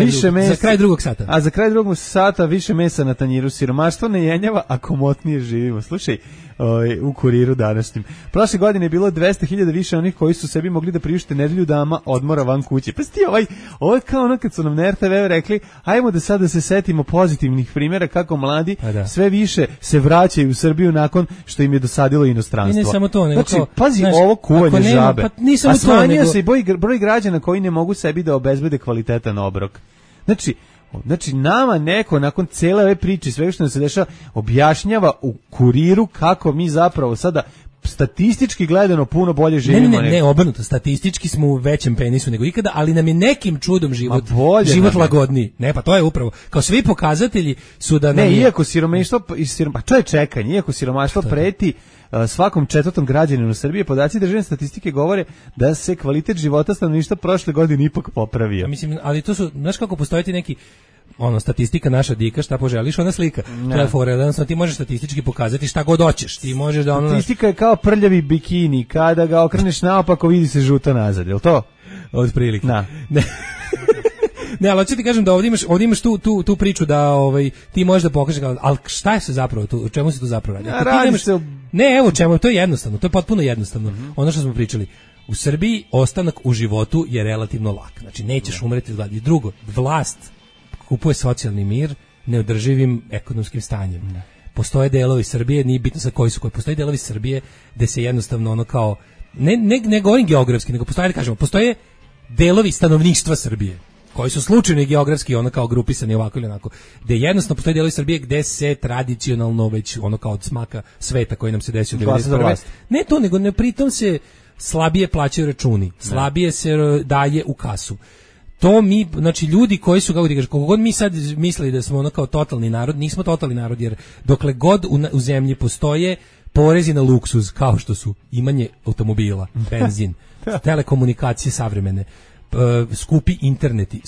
kraj drugog sata. A za kraj drugog sata više mesa na tanjiru, siromaštvo ne jenjava, a komotnije živimo. Slušaj, u Kuriru današnjim. Prošle godine je bilo 200.000 više onih koji su sebi mogli da priušte nedelju dama odmora van kuće. Pa sti ovo je kao ono kad su nam na RTV rekli, ajmo da sada se setimo pozitivnih primjera kako mladi sve više se vraćaju u Srbiju nakon što im je dosadilo inostranstvo. I ne samo to, nego znači, pazi, ovo kuvanje žabe. Pa a smanjio se i broj građana koji ne mogu sebi da obezbede kvalitetan obrok. Znači, nama neko, nakon cele ove priče, sve što nam se dešava, objašnjava u Kuriru kako mi zapravo sada statistički gledano puno bolje živimo. Ne, obrnuto, statistički smo u većem penisu nego ikada, ali nam je nekim čudom život lagodniji. Ne, pa to je upravo, kao svi pokazatelji su da nam ne, iako siromaštvo, pa to je čekanje, iako siromaštvo preti svakom četvrtom građaninu Srbije, podaci državne statistike govore da se kvalitet života stanovništva prošle godine ipak popravio. Mislim, ali to su, znaš kako postoji neki statistika naša dika, šta poželiš, ona slika. To je fora, jednostavno ti možeš statistički pokazati šta god hoćeš. Ti možeš da statistika je kao prljavi bikini, kada ga okreneš naopako vidi se žuto nazad, je li to? Od prilike. Da. Ne, ali hoću ti kažem da ovdje imaš tu priču da ti možeš da pokažeš, ali šta je se zapravo tu, o čemu se tu zapravo radi? Ne, evo čemu, to je jednostavno, to je potpuno jednostavno. Ono što smo pričali, u Srbiji ostanak u životu je relativno lak, znači nećeš umreti od gladi. Drugo, vlast kupuje socijalni mir neodrživim ekonomskim stanjem. Postoje delovi Srbije, nije bitno sa koji su koji, postoje delovi Srbije gde se jednostavno ono kao, ne govorim geografski, nego postoje delovi stanovništva Srbije koji su slučajno i geografski ono kao grupisani ovako ili onako, gde jednostavno postoje delovi Srbije gde se tradicionalno već ono kao od smaka sveta koji nam se desio 1991. Ne to, nego ne pritom se slabije plaćaju računi, slabije se daje u kasu. To mi, znači ljudi koji su, kako ti kažeš, koliko god mi sad mislili da smo ono kao totalni narod, nismo totalni narod, jer dokle god u zemlji postoje porezi na luksuz, kao što su imanje automobila, benzin, telekomunikacije savremene, skupi interneti,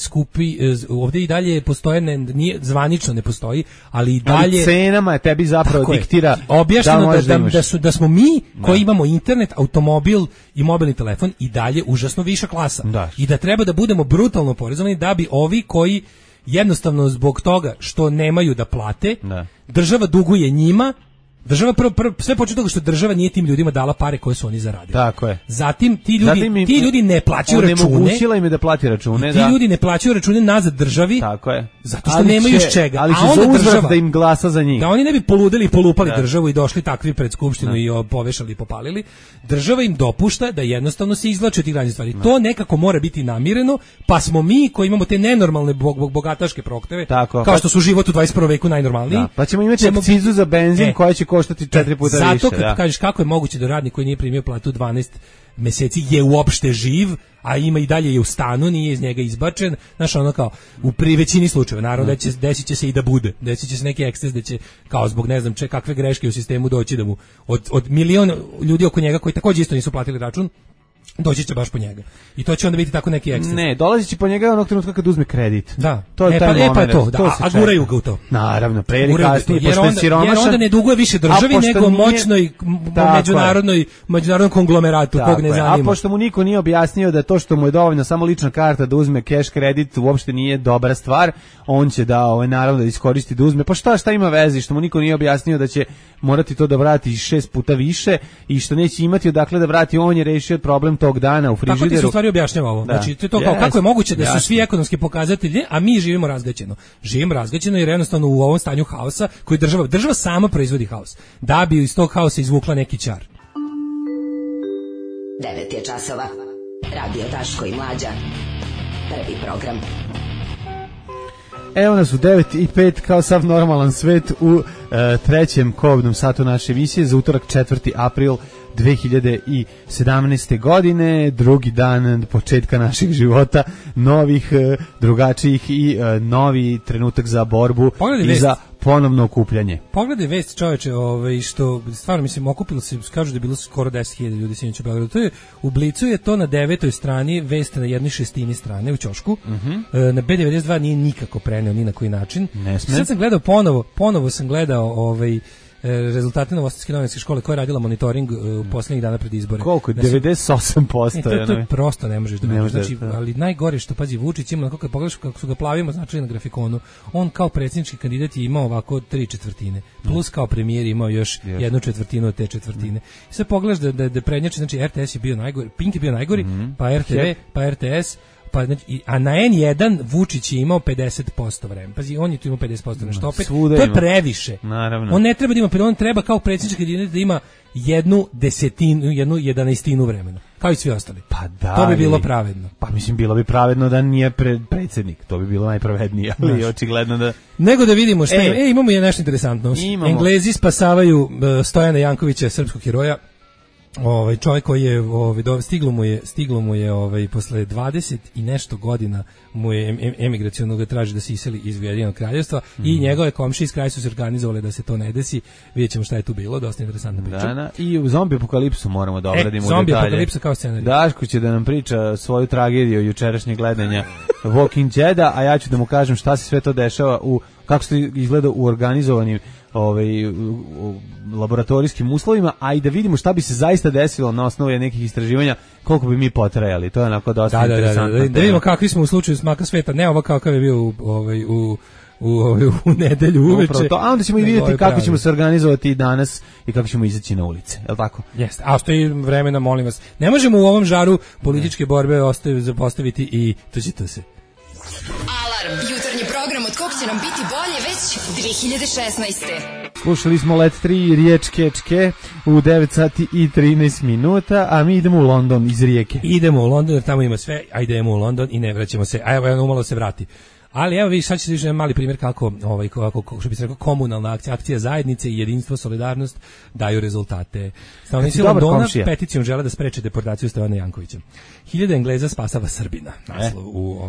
ovdje i dalje postoje, nije zvanično ne postoji, ali i dalje ali cenama tebi zapravo diktira objašnjeno da smo mi koji imamo internet, automobil i mobilni telefon i dalje užasno viša klasa i da treba da budemo brutalno porezovani da bi ovi koji jednostavno zbog toga što nemaju da plate, država duguje njima. Država sve počeo toga što država nije tim ljudima dala pare koje su oni zaradili. Tako je. Zatim ti ljudi ne plaćaju račune. Onemogućila im je da plati račune, ti ljudi ne plaćaju račune nazad državi. Tako je. Zato što nemaju iz čega. Ali će za uzvrat da im glasa za njih. Da oni ne bi poludeli i polupali državu i došli takvi pred skupštinu i povešali i popalili. Država im dopušta da jednostavno se izvlače od tih raznih stvari. To nekako mora biti namireno, pa smo mi koji imamo te nenormalne bogataške prohteve, kao što su život u 21. veku najnormalniji. Pa ćemo imati akcizu za benzin koja će koštati 4 puta više. Zato kad kažeš kako je moguće da radnik koji nije primio platu 12 meseci je uopšte živ, a ima i dalje je u stanu, nije iz njega izbačen, znaš ono kao, u većini slučajeva, naravno desit će se i da bude, desit će se neki eksces da će, kao zbog ne znam kakve greške u sistemu doći da mu, od miliona ljudi oko njega koji također isto nisu platili račun, doći će baš po njega. I to će onda biti tako neki eksces. Ne, dolazi će po njega onog trenutka kad uzme kredit. Da. To je taj moment. Pa je to, a guraju ga u to. Naravno, pre ili kasnije, pošto je siromašan. Jer onda ne duguje više državi, nego moćnoj međunarodnom konglomeratu, kog ne zanima. A pošto mu niko nije objasnio da to što mu je dovoljno samo lična karta da uzme cash kredit uopšte nije dobra stvar, on će da naravno da iskoristi da uzme. Pa šta ima veze, što mu niko nije objasnio da će morati to da vrati 6 puta više i što neće imati odakle da vrati, on je rešio problem tog dana u frižideru. Tako ti se u stvari objašnjava ovo. Znači, to je to kao, kako je moguće da su svi ekonomski pokazatelji, a mi živimo razgaćeno. Živimo razgaćeno jer jednostavno u ovom stanju haosa koji država sama proizvodi haos. Da bi iz tog haosa izvukla neki čar. 9 je časova. Radio Daško i Mlađa. Prvi program. Evo nas u 9:05 kao sav normalan svet u trećem kobnom satu naše emisije za utorak 4. april 2017. godine, drugi dan početka naših života, novih, drugačijih i novi trenutak za borbu i za ponovno okupljanje. Pogledaj vest, čoveče, što stvarno mislim okupilo se, kažu da je bilo skoro 10.000 ljudi sinoć u Beogradu. To je u Blicu, je to na 9. strani, vest na 1/6 strane u ćošku. Na B92 nije nikako preneo ni na koji način. Ne sme. Sad sam gledao ponovo sam gledao rezultate Novosadske novinske škole koja je radila monitoring u poslednjih dana pred izbore. Koliko? 98%. To je prosto ne možeš da vidiš. Znači, ali najgore što, pazi, Vučić ima, kako pogledaš kako su ga plavima značili na grafikonu, on kao predsjednički kandidat je imao ovako 3/4, plus kao premijer imao još 1/4 od te četvrtine. I sve pogledaš da prednjači, znači RTS je bio najgori, Pink je bio najgori, pa RTV, pa RTS, pa znači, a na N1 Vučić je imao 50% vremena. Pazi, on je tu imao 50% nešto opet. To je previše. Naravno. On ne treba da ima, on treba kao predsjednički kandidat da ima 1/11 vremena. Kao i svi ostali. Pa da. To bi bilo pravedno. Pa mislim, bilo bi pravedno da nije predsjednik. To bi bilo najpravednije, ali očigledno da... Nego da vidimo šta je. Imamo je nešto interesantno. Englezi spasavaju Stojana Jankovića, srpskog heroja. Čovjek koji je stiglo mu je posle 20 i nešto godina mu je emigraciono ga traži da se iseli iz Ujedinjenog Kraljevstva i njegove komšije iz kraja su se organizovali da se to ne desi. Vidjet ćemo šta je tu bilo, dosta interesantna priča. I u Zombi apokalipsu moramo da obradimo detalje. Zombi apokalipsa kao scenarij. Daško će da nam priča svoju tragediju jučerašnjeg gledanja Walking Deada, a ja ću da mu kažem šta se sve to dešava kako se izgleda u organizovanim laboratorijskim uslovima, a i da vidimo šta bi se zaista desilo na osnovu nekih istraživanja, koliko bi mi potrajali. To je onako dosta interesantno. Da vidimo kakvi smo u slučaju smaka sveta, ne ovo kakav je bio u nedelju uveče. A onda ćemo i vidjeti kako ćemo se organizovati danas i kako ćemo izaći na ulice, je li tako? Jeste, a ostaje vremena, molim vas. Ne možemo u ovom žaru političke borbe zapostaviti i tuđito se. Alarm, jutarnji program od kog će nam biti bolje već 2016. Slušali smo Let 3 Riječke u 9 sati i 13 minuta, a mi idemo u London iz Rijeke. Idemo u London jer tamo ima sve, a idemo u London i ne vraćamo se, a evo umalo se vrati. Ali evo vi sad ćete vidjeti mali primjer kako što bi se rekao komunalna akcija zajednice i jedinstvo, solidarnost daju rezultate. Stanovnici Londona peticijom žele da spreče deportaciju Stojana Jankovića. 1000 Engleza spasava Srbina. Naslov u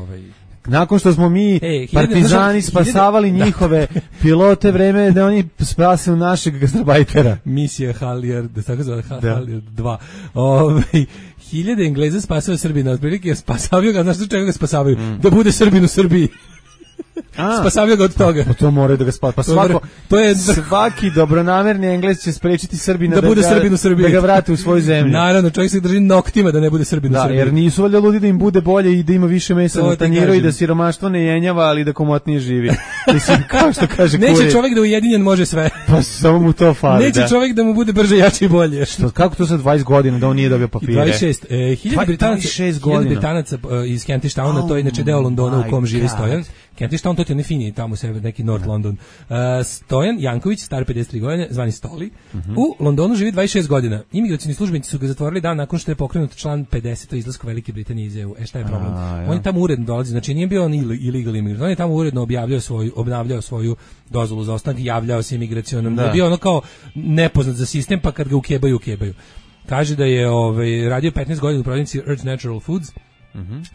Nakon što smo mi partizani spasavali njihove pilote, vreme je da oni spasaju našeg gastarbajtera. Misija Halyard, tako zove Halyard 2. 1000 Engleza spasava Srbina, otprilike spasavaju ga, znaš do čega ga spasavaju? Da bude Srbin u Srbiji. Spasavio ga od toga. Pa to moraju da ga spasavaju. Svaki dobronamerni Englez će sprečiti Srbina da bude Srbin u Srbiji, da ga vrate u svoju zemlju. Naravno, čovjek se drži noktima da ne bude Srbin u Srbiji. Jer nisu valjda ludi da im bude bolje i da ima više mesa na tanjiru i da siromaštvo ne jenjava, ali da komotnije živi. Mislim, kao što kaže Kurir. Neće čovjek da ujedinjen može sve. Pa samo mu to fali. Neće čovjek da mu bude brže, jače i bolje. Kako to sa 20 godina da on nije dobio papire? 26. 1000 Britanaca iz Kentish Towna, to je inače deo Londona u kom živi Stojan. Kentish Town, to ti je fini tamo sebe, neki North London. Stojan Janković, star 53 godine, zvani Stoli, u Londonu živi 26 godina. Imigracioni službenici su ga zatvorili dan nakon što je pokrenut član 50 o izlasku Velike Britanije iz EU. Šta je problem? On je tamo uredno dolazi, znači nije bio on illegal imigrant, on je tamo uredno obnavljao svoju dozvolu za ostanak, javljao se imigracionom, da je bio ono kao nepoznat za sistem, pa kad ga ukebaju. Kaže da je radio 15 godina u prodavnici Earth Natural Foods.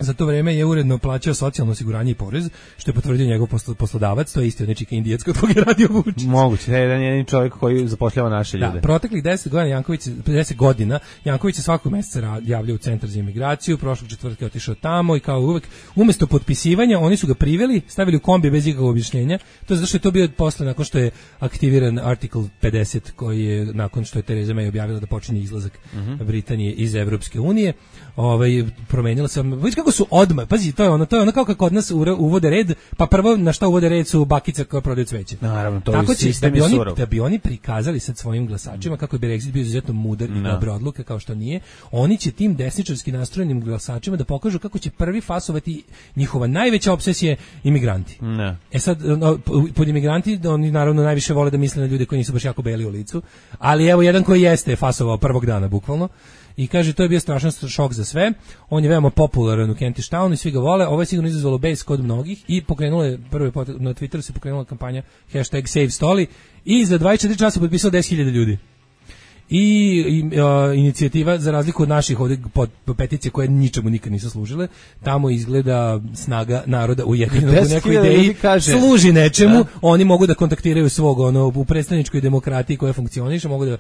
Za to vreme je uredno plaćao socijalno osiguranje i porez, što je potvrdio njegov poslodavac, to je isti od nečika Indijac kod koga je radio Vučić. Moguće, da je jedan čovjek koji zapošljava naše ljude. Da, proteklih 10 godina Janković se svakog meseca javljao u centar za imigraciju, prošlog četvrtka je otišao tamo i kao uvek, umesto potpisivanja, oni su ga priveli, stavili u kombi bez ikakvog objašnjenja. To je zato što je to bio posle, nakon što je aktiviran artikl 50, koji je, nakon što je Theresa May objavila da počinje izlazak Britanije iz Evropske unije, promenila se. Vidiš kako su odmah, pazi, to je ono kao kako kod nas uvode red, pa prvo na šta uvode red su bakice koje prodaju cveće. Naravno, to tako je sistem surov. Da bi oni prikazali sad svojim glasačima kako bi Brexit bio izuzetno mudar i dobre odluke, kao što nije, oni će tim desničarski nastrojenim glasačima da pokažu kako će prvi fasovati njihova najveća obsesija imigranti. Sad, pod imigranti, oni naravno najviše vole da misle na ljude koji nisu baš jako beli u licu, ali evo jedan koji jeste fasovao prvog dana, bukvalno. I kaže, to je bio strašan šok za sve. On je veoma popularan u Kentish Townu i svi ga vole. Ovo je sigurno izazvalo bes kod mnogih i pokrenulo je, na Twitteru se pokrenula kampanja #SaveStoli i za 24 časa potpisalo 10.000 ljudi. I inicijativa, za razliku od naših ovdje peticije koje ničemu nikad nisu služile, tamo izgleda snaga naroda ujedinjenog u nekoj ideji služi nečemu. Oni mogu da kontaktiraju svog u predstavničkoj demokratiji koja funkcioniše, mogu da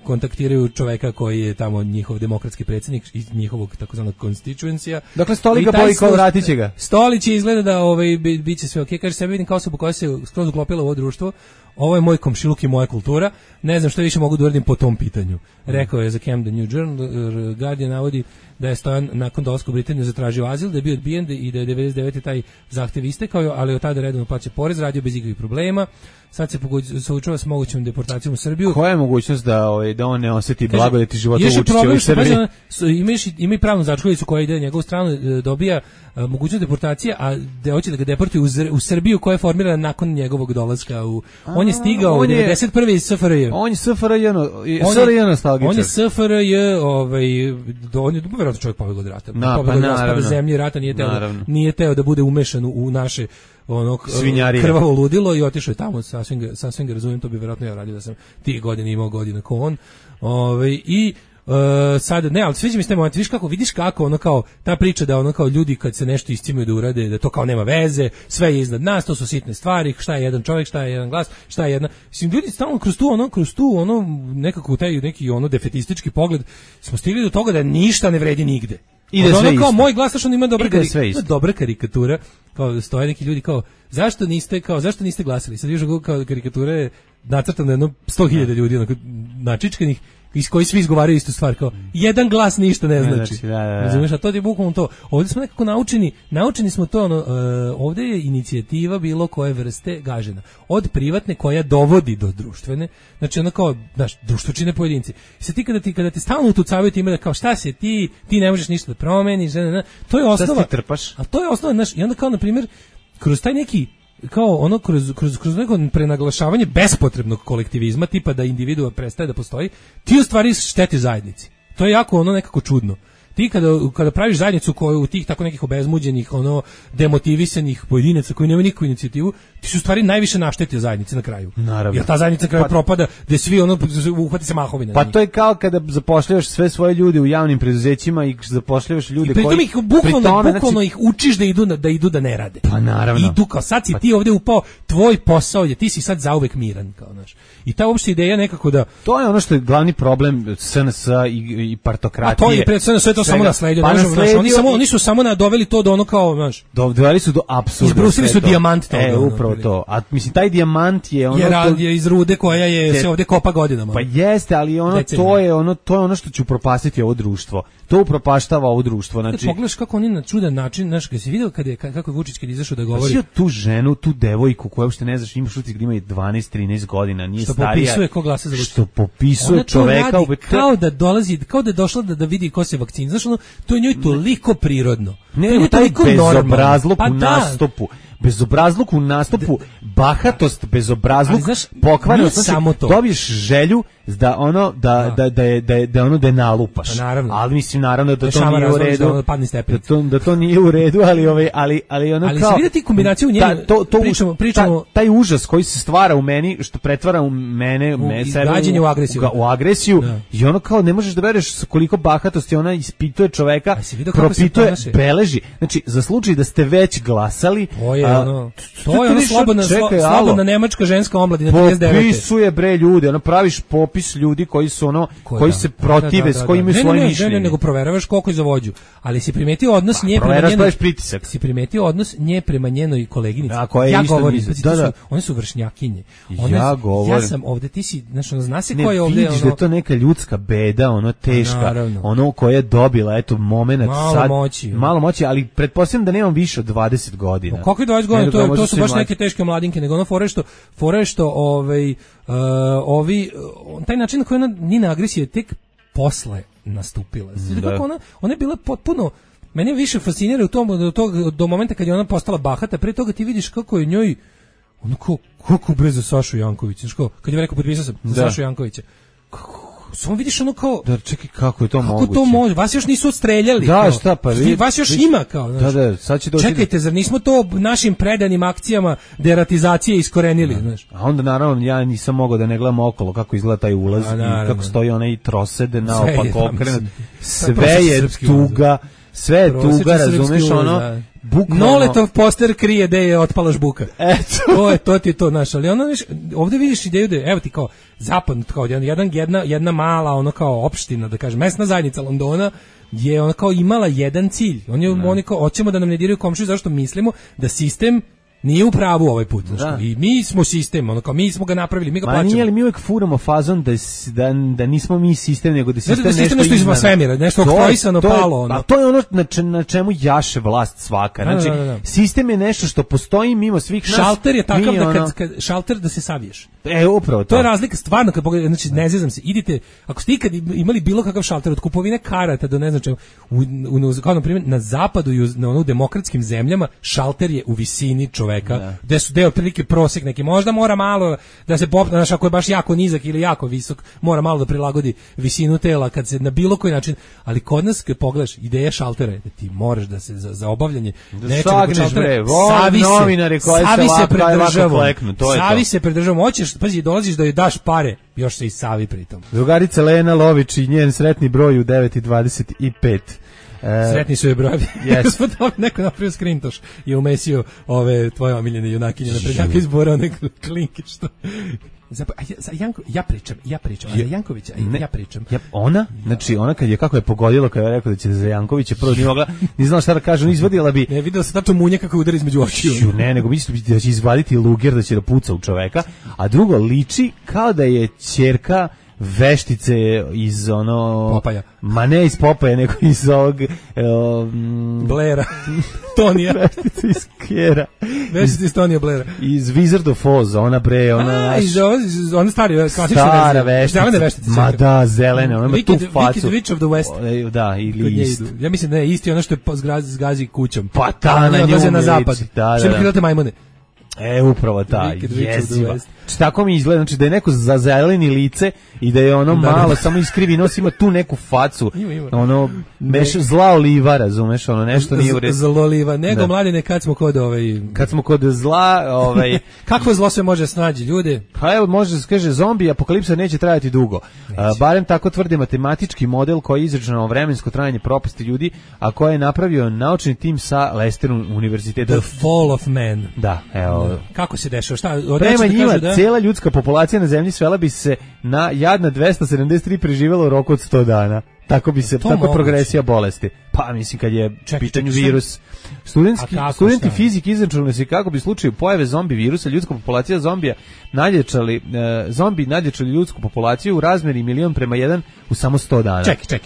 kontaktiraju čoveka koji je tamo njihov demokratski predsjednik iz njihovog takozvanog constituencija. Dakle, Stoli ga boji kao vratit će ga. Stoli će izgleda da bit će sve ok. Kaže, sebe vidim kao osobu koja se skroz uklopila u ovo društvo. ovo je moj komšiluk i moja kultura, ne znam što više mogu da uradim po tom pitanju. Rekao je za Camden New Journal, Guardian navodi da je Stojan nakon dolaska u Britaniju zatražio azil, da je bio odbijen i da je 99. taj zahtev istekao, ali od tada redovno plaća porez, radio bez ikakvih problema. Sad se suočava s mogućom deportacijom u Srbiju. Koja je mogućnost da on ne osjeti blagodeti života u Vučićevoj u Srbiji? Ima i pravnu začkoljicu koja ide na njegovu stranu, dobija mogućnost deportacije, a hoće da ga deportuju u Srbiju koja je formirana nakon njegovog dolaska. On je stigao u 91. iz SFRJ. On je SFRJ nostalgičar. On je SFRJ, on je vjerojatno čovjek pobegao od rata. Pobegao od raspada zemlje, rata nije teo da bude umešan u naše krvavo ludilo i otišao je tamo, sasvim ga razumijem, to bi vjerojatno ja radio da sam tih godina imao godina ko on. Sad, ne, ali sviđa mi se taj moment, vidiš kako ono kao, ta priča da ono kao ljudi kad se nešto iscimaju da urade, da to kao nema veze, sve je iznad nas, to su sitne stvari, šta je jedan čovjek, šta je jedan glas, šta je jedna, mislim, ljudi stalno kroz tu nekako taj neki defetistički pogled smo stigli do toga da ništa ne vredi nigde. Ide sve isto. Kao moj glas, što ima dobra karikatura, kao stoje neki ljudi kao zašto niste glasili? Sad vidiš kao karikatura je nacrtana jedno 100.000 ljudi onako načičkanih iz koji svi izgovaraju istu stvar, kao jedan glas ništa ne znači. Razumiješ, a to je bukvalno to. Ovdje smo nekako naučeni smo to, ovdje je inicijativa bilo koje vrste gažena. Od privatne koja dovodi do društvene, znači ono kao, znaš, društvo čine pojedinci. Sad ti kada ti stalno utucavaju time da kao šta si ti ne možeš ništa da promeniš, to je osnova. Šta ti trpaš? A to je osnova, znaš, i onda kao, na primjer, kroz taj neki kao ono kroz neko prenaglašavanje bespotrebnog kolektivizma, tipa da individua prestaje da postoji, ti u stvari štetiš zajednici. To je jako ono nekako čudno. Ti kada praviš zajednicu koju u tih tako nekih obezmuđenih, demotivisanih pojedinaca koji nemaju nikakvu inicijativu, ti su u stvari najviše naštetio zajednici na kraju. Naravno. Jer ta zajednica na kraju propada, gde svi uhvati se mahovina. Pa to je kao kada zapošljavaš sve svoje ljude u javnim preduzećima i zapošljavaš ljude koji... I pritom ih bukvalno ih učiš da idu da ne rade. Pa naravno. Idu kao sad si ti ovdje upao, tvoj posao je, ti si sad zauvek miran, kao znaš. I ta uopšte ideja nekako da... To je ono što je glavni problem SNS i partokratije. A to je pred SNS, to samo nasledio. Oni su samo doveli to do ono kao, znaš. Doveli su do apsurda. Izbrusili su dijamant toga. Upravo to. A mislim, taj dijamant je ono... Je iz rude koja se ovdje kopa godinama. Pa jeste, ali to je ono što će upropastiti ovo društvo. To upropaštava ovo društvo. Znači, pogledaš kako oni na čudan način, znaš, kad si vidio kako je Vučić kad izašao da govori. Pa tu ženu, tu devojku koja uopšte ne znaš, imaš utisak da ima 12-13 godina, nije starija. Što popisuje ko glasa za Vučića. Što popisuje čoveka. Kao da dolazi, kao da je došla da vidi ko se vakcina. Znaš, to je njoj toliko prirodno. Ne, taj bezobrazluk u nastupu. Bezobrazluk u nastupu, bahatost, bezobrazluk, pokvarenost, dobiješ želju da je nalupaš. Naravno. Ali mislim naravno da to nije u redu. Da to nije u redu, ali ono ali kao. Ali vidite kombinaciju njega. Pričamo taj užas koji se stvara u meni, što pretvara u mene sebe u agresiju i ono kao ne možeš da veruješ koliko bahatosti ona ispituje čoveka, propituje, beleži. Znači za slučaj da ste već glasali, to je slobodna nemačka ženska omladina 39. Popisuje bre ljude, praviš popis ljudi koji su koji se protive, s kojim imaju svoje mišljenje. Ne, nego proveravaš koliko je za vođu. Ali si primetio odnos nje prema njenoj pritisak. Si primetio odnos nje prema njenoj koleginici. Ja govorim, one su vršnjakinje. Ja sam ovde, ti si, znači zna se ko je ovde. Ne vidiš da je to neka ljudska beda, teška, koja je dobila, eto, momenat sad. Malo moći, ali pretpostavljam da nemam više od 20 godina. Kako je 20 godina? To su baš neke teške mladinke, nego fore što taj način na koji njena agresija tek posle nastupila. Ona je bila potpuno, mene više fascinira u tom do momenta kad je ona postala bahata, pre toga ti vidiš kako je njoj kako bre za Sašu Jankovića, kad je rekao potpisao sam za Sašu Jankovića. Samo vidiš ono kao... Da, čekaj, kako je to moguće? Kako to može? Vas još nisu odstreljali. Da, šta pa vi... Vas još ima kao... Da, sad će doći... Čekajte, zar nismo to našim predanim akcijama deratizacije iskorenili, znaš? A onda, naravno, ja nisam mogao da ne gledam okolo kako izgleda taj ulaz i kako stoji onaj trosed naopak okrenut. Sve je tuga, sve je tuga, razumeš, ono... Noletov poster krije da je otpala žbuka. Eto. To ti je to, znaš, ali ovdje vidiš ideju da je, evo ti kao zapad, kao jedna mala ono kao opština, da kažem, mesna zajednica Londona je ona kao imala jedan cilj. Oni kao hoćemo da nam ne diraju komšiju, zašto mislimo da sistem Nije u pravu ovaj put, znači. I mi smo sistem, ono kao mi smo ga napravili, mi ga plaćamo. Nije li mi uvek furamo fazon da nismo mi sistem, nego da sistem nešto iz svemira, nešto oktroisano palo. A to je ono na čemu jaše vlast svaka. Znači, sistem je nešto što postoji mimo svih nas. Šalter je takav da kad šalter da se saviješ. Upravo to. To je razlika stvarno kad pogledate, znači ne zezam se. Idite, ako ste ikad imali bilo kakav šalter od kupovine karata do ne znam čega, kao na primjer na zapadu i na ono demokratskim zemljama šalter je u visini čoveka, gde su deo prilike prosek neki, možda mora malo da se popne, znaš, ako je baš jako nizak ili jako visok, mora malo da prilagodi visinu tela kad se na bilo koji način, ali kod nas kad pogledaš ideja šaltera je da ti moraš da se za obavljanje nečega šaltera savi se pridržavamo, hoćeš, pazi, dolaziš da joj daš pare, još se i savi pritom. Drugarica Lena Lović i njen sretni broj u 9:25. Sretni su je brojevi. Yes. Neko napravio skrintoš i umesio ove tvoje omiljene junakinje na prednjaka izbora, neko klinke što... Ja pričam, a za Jankovića ja pričam. Ona, znači ona kad je kako je pogodilo kad je rekao da će za Jankovića prvo nije mogla, ni znala šta da kaže, on izvadila bi. Ne, video se tačno munja kako udari između očiju. Ne, nego misli da će izvaditi luger, da će da puca u čoveka, a drugo liči kao da je ćerka veštice iz ono Popaja. Ma ne iz Popaja, nego iz ovog Blaira. Tonija. Veštice iz Kjera. Veštice iz Tonija Blaira. Iz Wizard of Oz, ona bre, ona ona stari, klasična stara veštice. Zelene veštice. Ma da, zelene, ona ima tu facu. Wicked Witch of the West. Da, ili isto. Ja mislim da je isti ono što je zgazi kućom. Pa ta na nju na zapad. Da. Što bi pilate majmune. Upravo ta, jeziva. Tako mi izgleda, znači da je neko zazeleni lice i da je ono malo, samo iskrivi nos, ima tu neku facu, ono, zla oliva, razumeš, ono, nešto nije u redu. Zla oliva, nego mladine, kad smo kod Kad smo kod zla, Kakvo zlo sve može snađi, ljude? Pa evo, može se kaže, zombi apokalipsa neće trajati dugo. Barem tako tvrdi matematički model koji je izračunao vremensko trajanje propasti ljudi, a koje je napravio naučni tim sa Leicester univerziteta. The Fall of Man. Da, evo. Kako se dešava? Šta? Prema njima, cijela ljudska populacija na zemlji svela bi se na jadna 273 preživjela u roku od 100 dana. Tako bi se, tako progresija bolesti. Pa mislim kad je pitanju virus. Studenti fizike izračunali su kako bi u slučaju pojave zombi virusa ljudska populacija zombija nadjačali ljudsku populaciju u razmeri 1:1 u samo 100 dana. Čekaj. Čak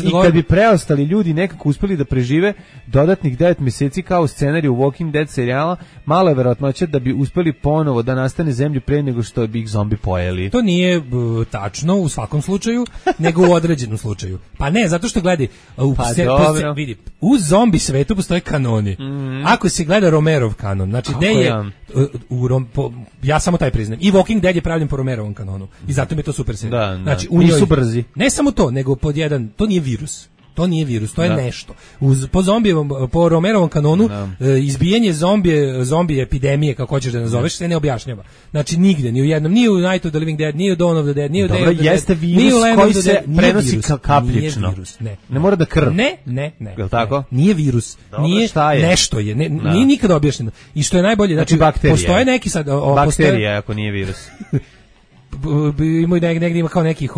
i kad bi preostali ljudi nekako uspeli da prežive dodatnih 9 mjeseci kao u scenariju Walking Dead serijala, malo je verovatnoća da bi uspeli ponovo da nastane zemlju pre nego što bi ih zombi pojeli. To nije tačno u svakom slučaju, nego u određenom slučaju. Pa ne, zato što gledaj, vidi, u zombi svetu postoje kanoni. Ako se gleda Romerov kanon, znači gde je ja samo taj priznam. I Walking Dead je pravljen po Romerovom kanonu. I zato mi je to super serija. Znači, nisu brzi. Ne samo to, nego pod jedan, to nije virus. To nije virus, to je nešto. Po Romerovom kanonu izbijanje zombije epidemije, kako hoćeš da nazoveš, se ne objašnjava. Znači nigde, ni u jednom, ni u Night of the Living Dead, ni u Dawn of the Dead, ni u Day of the Dead. Jeste virus koji se prenosi kapljično. Ne mora da krv. Ne. Je li tako? Nije virus. Nije nešto je. Nije nikada objašnjeno. I što je najbolje, znači postoje neki sad... Bakterija, ako nije virus. Negdje ima kao nekih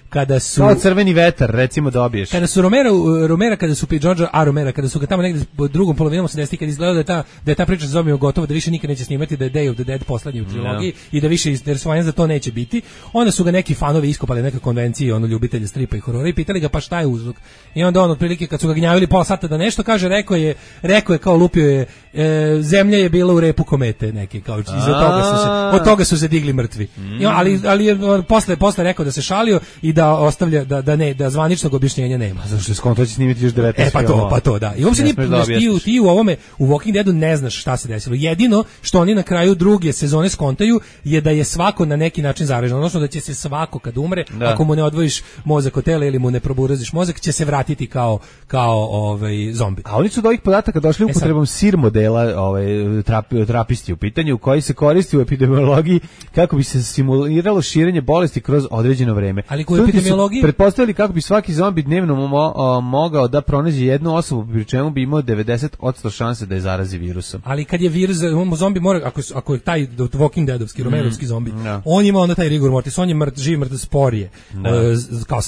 kada su kao crveni vetar recimo dobiješ. Kada su Romera kada su George A. Romera kada su ga tamo negdje u drugom polovinom 80-ih kad izgledalo da je ta priča sa zombijom gotova, da više nikad neće snimati, da je Day of the Dead poslednji u trilogiji i da više interesovanja za to neće biti. Onda su ga neki fanovi iskopali neke konvencije, ljubitelji stripa i horora i pitali ga pa šta je uzrok. I onda on otprilike kad su ga gnjavili pola sata da nešto kaže, rekao je kao lupio je zemlja je bila u repu komete neke, kao od toga su se digli mrtvi. Ali je posle rekao da se šalio i da ostavlja da zvaničnog objašnjenja nema. Zašto se konto će snimiti još 19 filmova. Pa to da. I uopšte ti u ovome u Walking Deadu ne znaš šta se desilo. Jedino što oni na kraju druge sezone skontaju je da je svako na neki način zaražen, odnosno da će se svako kad umre, ako mu ne odvojiš mozak od tela ili mu ne proburaziš mozak, će se vratiti kao zombi. A oni su do ovih podataka došli upotrebom SIR modela trapisti u pitanju, koji se koristi u epidemiologiji kako bi se kontroliralo širenje bolesti kroz određeno vreme. Ali u epidemiologiji pretpostavili kako bi svaki zombi dnevno mogao da pronađe jednu osobu, pri čemu bi imao 90% šanse da je zarazi virusom. Ali kad je virus, zombi mora, ako je taj Walking Deadovski, Romerovski zombi, on ima onda taj rigor mortis, on je živi mrtav sporije. Kao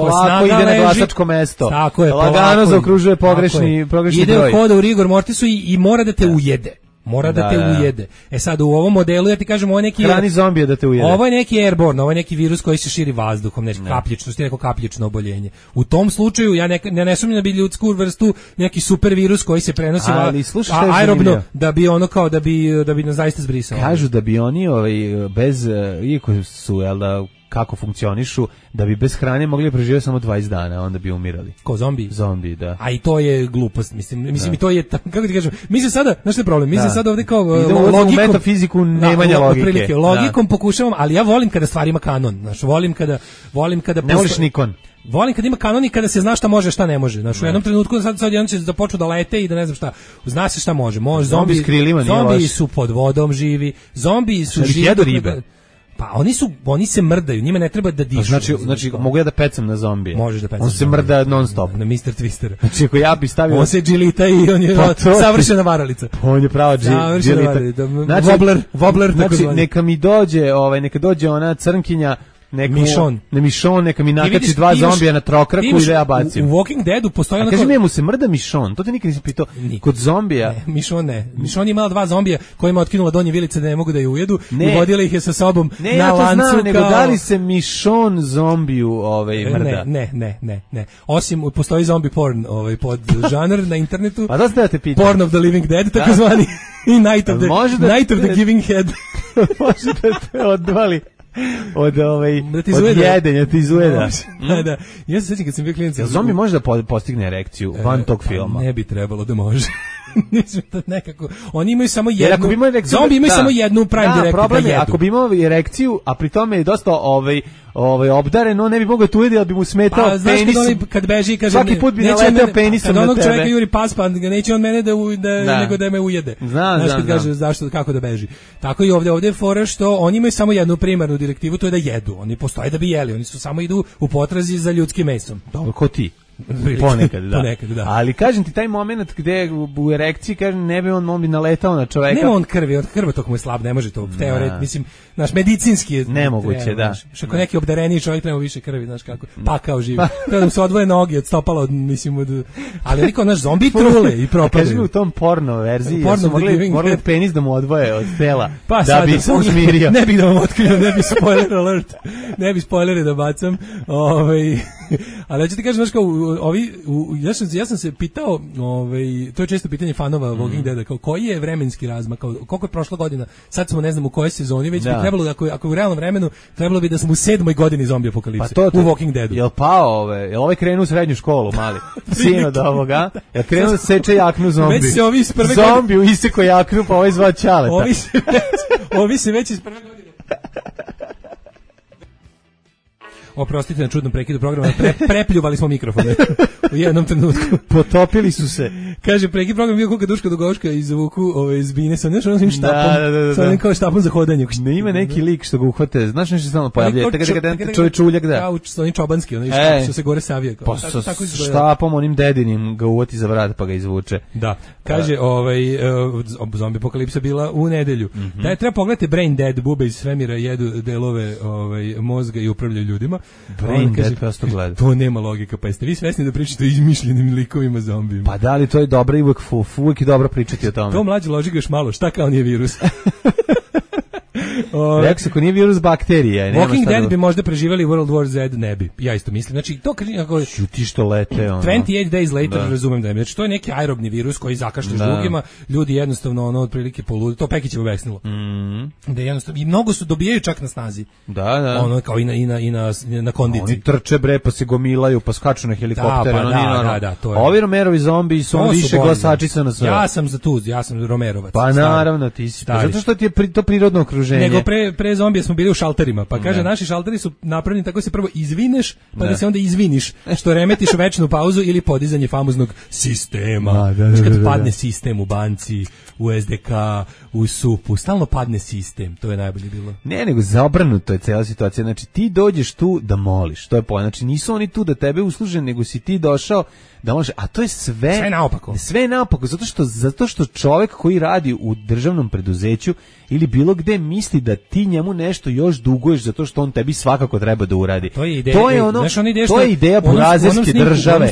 polako ide na glasačko mesto. Tako je, lagano zaokružuje pogrešni broj. Ide u hoda u rigor mortisu i mora da te ujede. Mora da te ujede. E sad u ovom modelu ja ti kažem ovo je neki hrani zombija da te ujede. Ovo je neki airborne, ovo je neki virus koji se širi vazduhom, neki kapljičnost, neko kapljično oboljenje. U tom slučaju ja ne sumnjam da bi ljudsku vrstu neki super virus koji se prenosi aerobno da bi ono kao da bi nas zaista zbrisao. Kažu da bi oni bez iako su kako funkcionišu, da bi bez hrane mogli preživjeti samo 20 dana, onda bi umirali. Ko zombi? Zombi, da. A i to je glupost, mislim i to je, kako ti kažem, mi se sada, znaš što je problem, mi se sada ovdje kao logikom, u metafiziku nemanja logike. Logikom pokušavam, ali ja volim kada stvar ima kanon, znaš, volim kada ne voliš Nikon. Volim kad ima kanon i kada se zna šta može, šta ne može. Znaš, u jednom trenutku sad jedan će da počnu da lete i da ne znam šta. Zna se šta može. Zombi s krilima nije loš. Zombi su pod vodom živi. Zombi su živi. Jedu ribe. Pa oni se mrdaju, njima ne treba da dišu. Znači mogu ja da pecam na zombije. Možeš da pecam. On se mrda non stop. Na Mr. Twister. Znači ako ja bi stavio... On se džilita i on je savršena varalica. On je prava džilita. Znači, Wobbler znači neka mi dođe, neka dođe ona crnkinja, Mišon, neka mi nakači dva zombija na trokraku i da ja bacim. U Walking Deadu postoji onako... A kaži mi, mu se mrda Mišon, to te nikad nisi pitao. Kod zombija... Ne, Mišon je imala dva zombija kojima otkinula donje vilice da ne mogu da je ujedu i vodila ih je sa sobom na lancu. Ne, ja to znam, nego da li se Mišon zombiju mrda? Ne. Osim, postoji zombie porn pod žanr na internetu. Pa da ste da te pitam. Porn of the living dead, takozvani. I Night of the giving head. Može da te odvali. Od jedenja ti izujeda. Da. Ja se sjećam kad sam bio klinac. Zombi može da postigne erekciju van tog filma? Ne bi trebalo da može. Mislim da nekako. Oni imaju samo jednu. Zombi imaju samo jednu prime direct. Problem je, ako bi imao erekciju, a pri tome je dosta obdaren, on ne bi mogao tu ujedi, ali bi mu smetao penis. Kad beži i kaže svaki put bi naleteo penisom na tebe. Kad onog čovjeka juri pas, pa neće on mene nego da me ujede. Znaš kad kaže zašto, kako da beži. Tako i ovdje je fora što oni imaju samo jednu primarnu direktivu, to je da jedu. Oni postoje da bi jeli, oni su samo idu u potrazi za ljudskim mesom. Dobro, ko ti? Ponekad, da. Ali kažem ti, taj moment gde u erekciji, kažem, ne bi on bi naletao na čoveka. Nema on krvi, od krvotok mu je slab, ne može to. Mislim, naš medicinski je nemoguće, da. Što ako neki obdareniji čovjek treba više krvi, znaš kako, pakao živi. Treba da mu se odvoje noge od stopala, ali niko naš zombi trule i propadaju. Kaži mi u tom porno verziji, su morali penis da mu odvoje od tela, da bi se usmirio. Ne bih da vam otkrio, ne bi spoiler alert, ne bi spoilere da bacam, ali ja ću ti kažem, znaš kao, ja sam se pitao, to je često pitanje fanova Walking Deada, kao koji je vremenski razmak, koliko je prošla godina, sad smo ne znam u kojoj sezoni, već bi trebalo da, ako u realnom vremenu, trebalo bi da smo u 7. godini zombi apokalipse, u Walking Deadu. Jel pao jel ovaj krenuo u srednju školu, mali, sin od ovoga, jel krenuo da seče jaknu zombi, zombi u iseko jaknu, pa ovaj zvao Ćaleta. Ovi se već iz prve godine. Oprostite na čudnom prekidu programa, prepljuvali smo mikrofone u jednom trenutku. Potopili su se. Kaže, prekid program bio koga Duška Dugoška izvuku zbine sa nešto onim štapom, sa onim kao štapom za hodanje. Ne ima neki lik što ga uhvate, znaš nešto stalno pojavlja, čovječuljak, da. Kao onim čobanski, što se gore savije. Pa sa štapom, onim dedinim ga uvati za vrat pa ga izvuče. Da, kaže, zombi apokalipsa bila u nedelju. Da je treba pogledati Brain Dead, bube iz svemira jedu delove mozga i upravljaju ljudima. Brain Dead, prosto gleda. To nema logika, pa jeste vi svesni da pričate o izmišljenim likovima zombijima? Pa da li to je dobro i uvijek je dobro pričati o tome. To mlađi loži ga još malo, šta kao nije virus? Rekao se, ako nije virus, bakterija. Walking Dead bi možda preživali World War Z, ne bi. Ja isto mislim. Znači, to ako ti što lete, 28 days later, razumem da je. Znači, to je neki aerobni virus koji zakašlja žlugima, ljudi jednostavno otprilike polude. To Pekićevo vesnilo. Da jednostavno, i mnogo su dobijaju čak na snazi. Da. Ono kao i na kondiciji. Oni trče bre, pa se gomilaju, pa skaču na helikoptere. Da, to je. Ovi Romerovi zombi su više glasačica na sve. Ja sam za tu, ja sam Romerovac. Pa naravno, ti si. Zato što ti je to prirodno okruženje. okruženje. Nego pre zombija smo bili u šalterima, pa kaže naši šalteri su napravljeni tako se prvo izvineš, pa da se onda izviniš, što remetiš večnu pauzu ili podizanje famoznog sistema. Kad padne sistem u banci, u SDK, u SUP-u, stalno padne sistem, to je najbolje bilo. Ne, nego zabrnuto je cela situacija, znači ti dođeš tu da moliš, to je point, znači nisu oni tu da tebe usluže, nego si ti došao da može, a to je sve naopako. Sve je naopako, zato što čovjek koji radi u državnom preduzeću ili bilo gde misli da ti njemu nešto još duguješ zato što on tebi svakako treba da uradi. To je ideja, to je ideja burazerske države.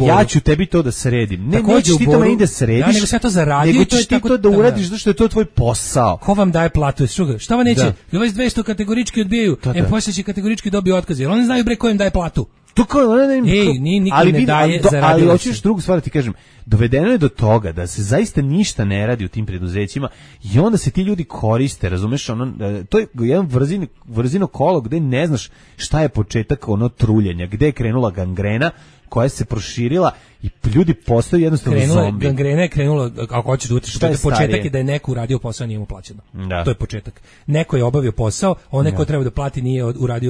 Ja ću tebi to da sredim. Ne, nećeš ti to meni da središ. Da, nego sve to zaradio, nego ćeš ti to da uradiš zato što je to tvoj posao. Ko vam daje platu? Šta vam neće? Vas 200 kategorički odbijaju, poslije će kategorički dobiju otkaz. Jer oni znaju bre ko im daje platu. To kao, niko ne daje zaradio. Ali hoćeš drugu stvar ti kažem, dovedeno je do toga da se zaista ništa ne radi u tim preduzećima i onda se ti ljudi koriste, razumeš, to je jedan vrzino kolo gde ne znaš šta je početak truljenja, gde je krenula gangrena koja se proširila i ljudi postaju jednostavno zombi. Gangrena je krenula, ako hoćeš da utiš, početak je da je neko uradio posao, nije mu plaćeno. To je početak. Neko je obavio posao, onaj ko treba da plati nije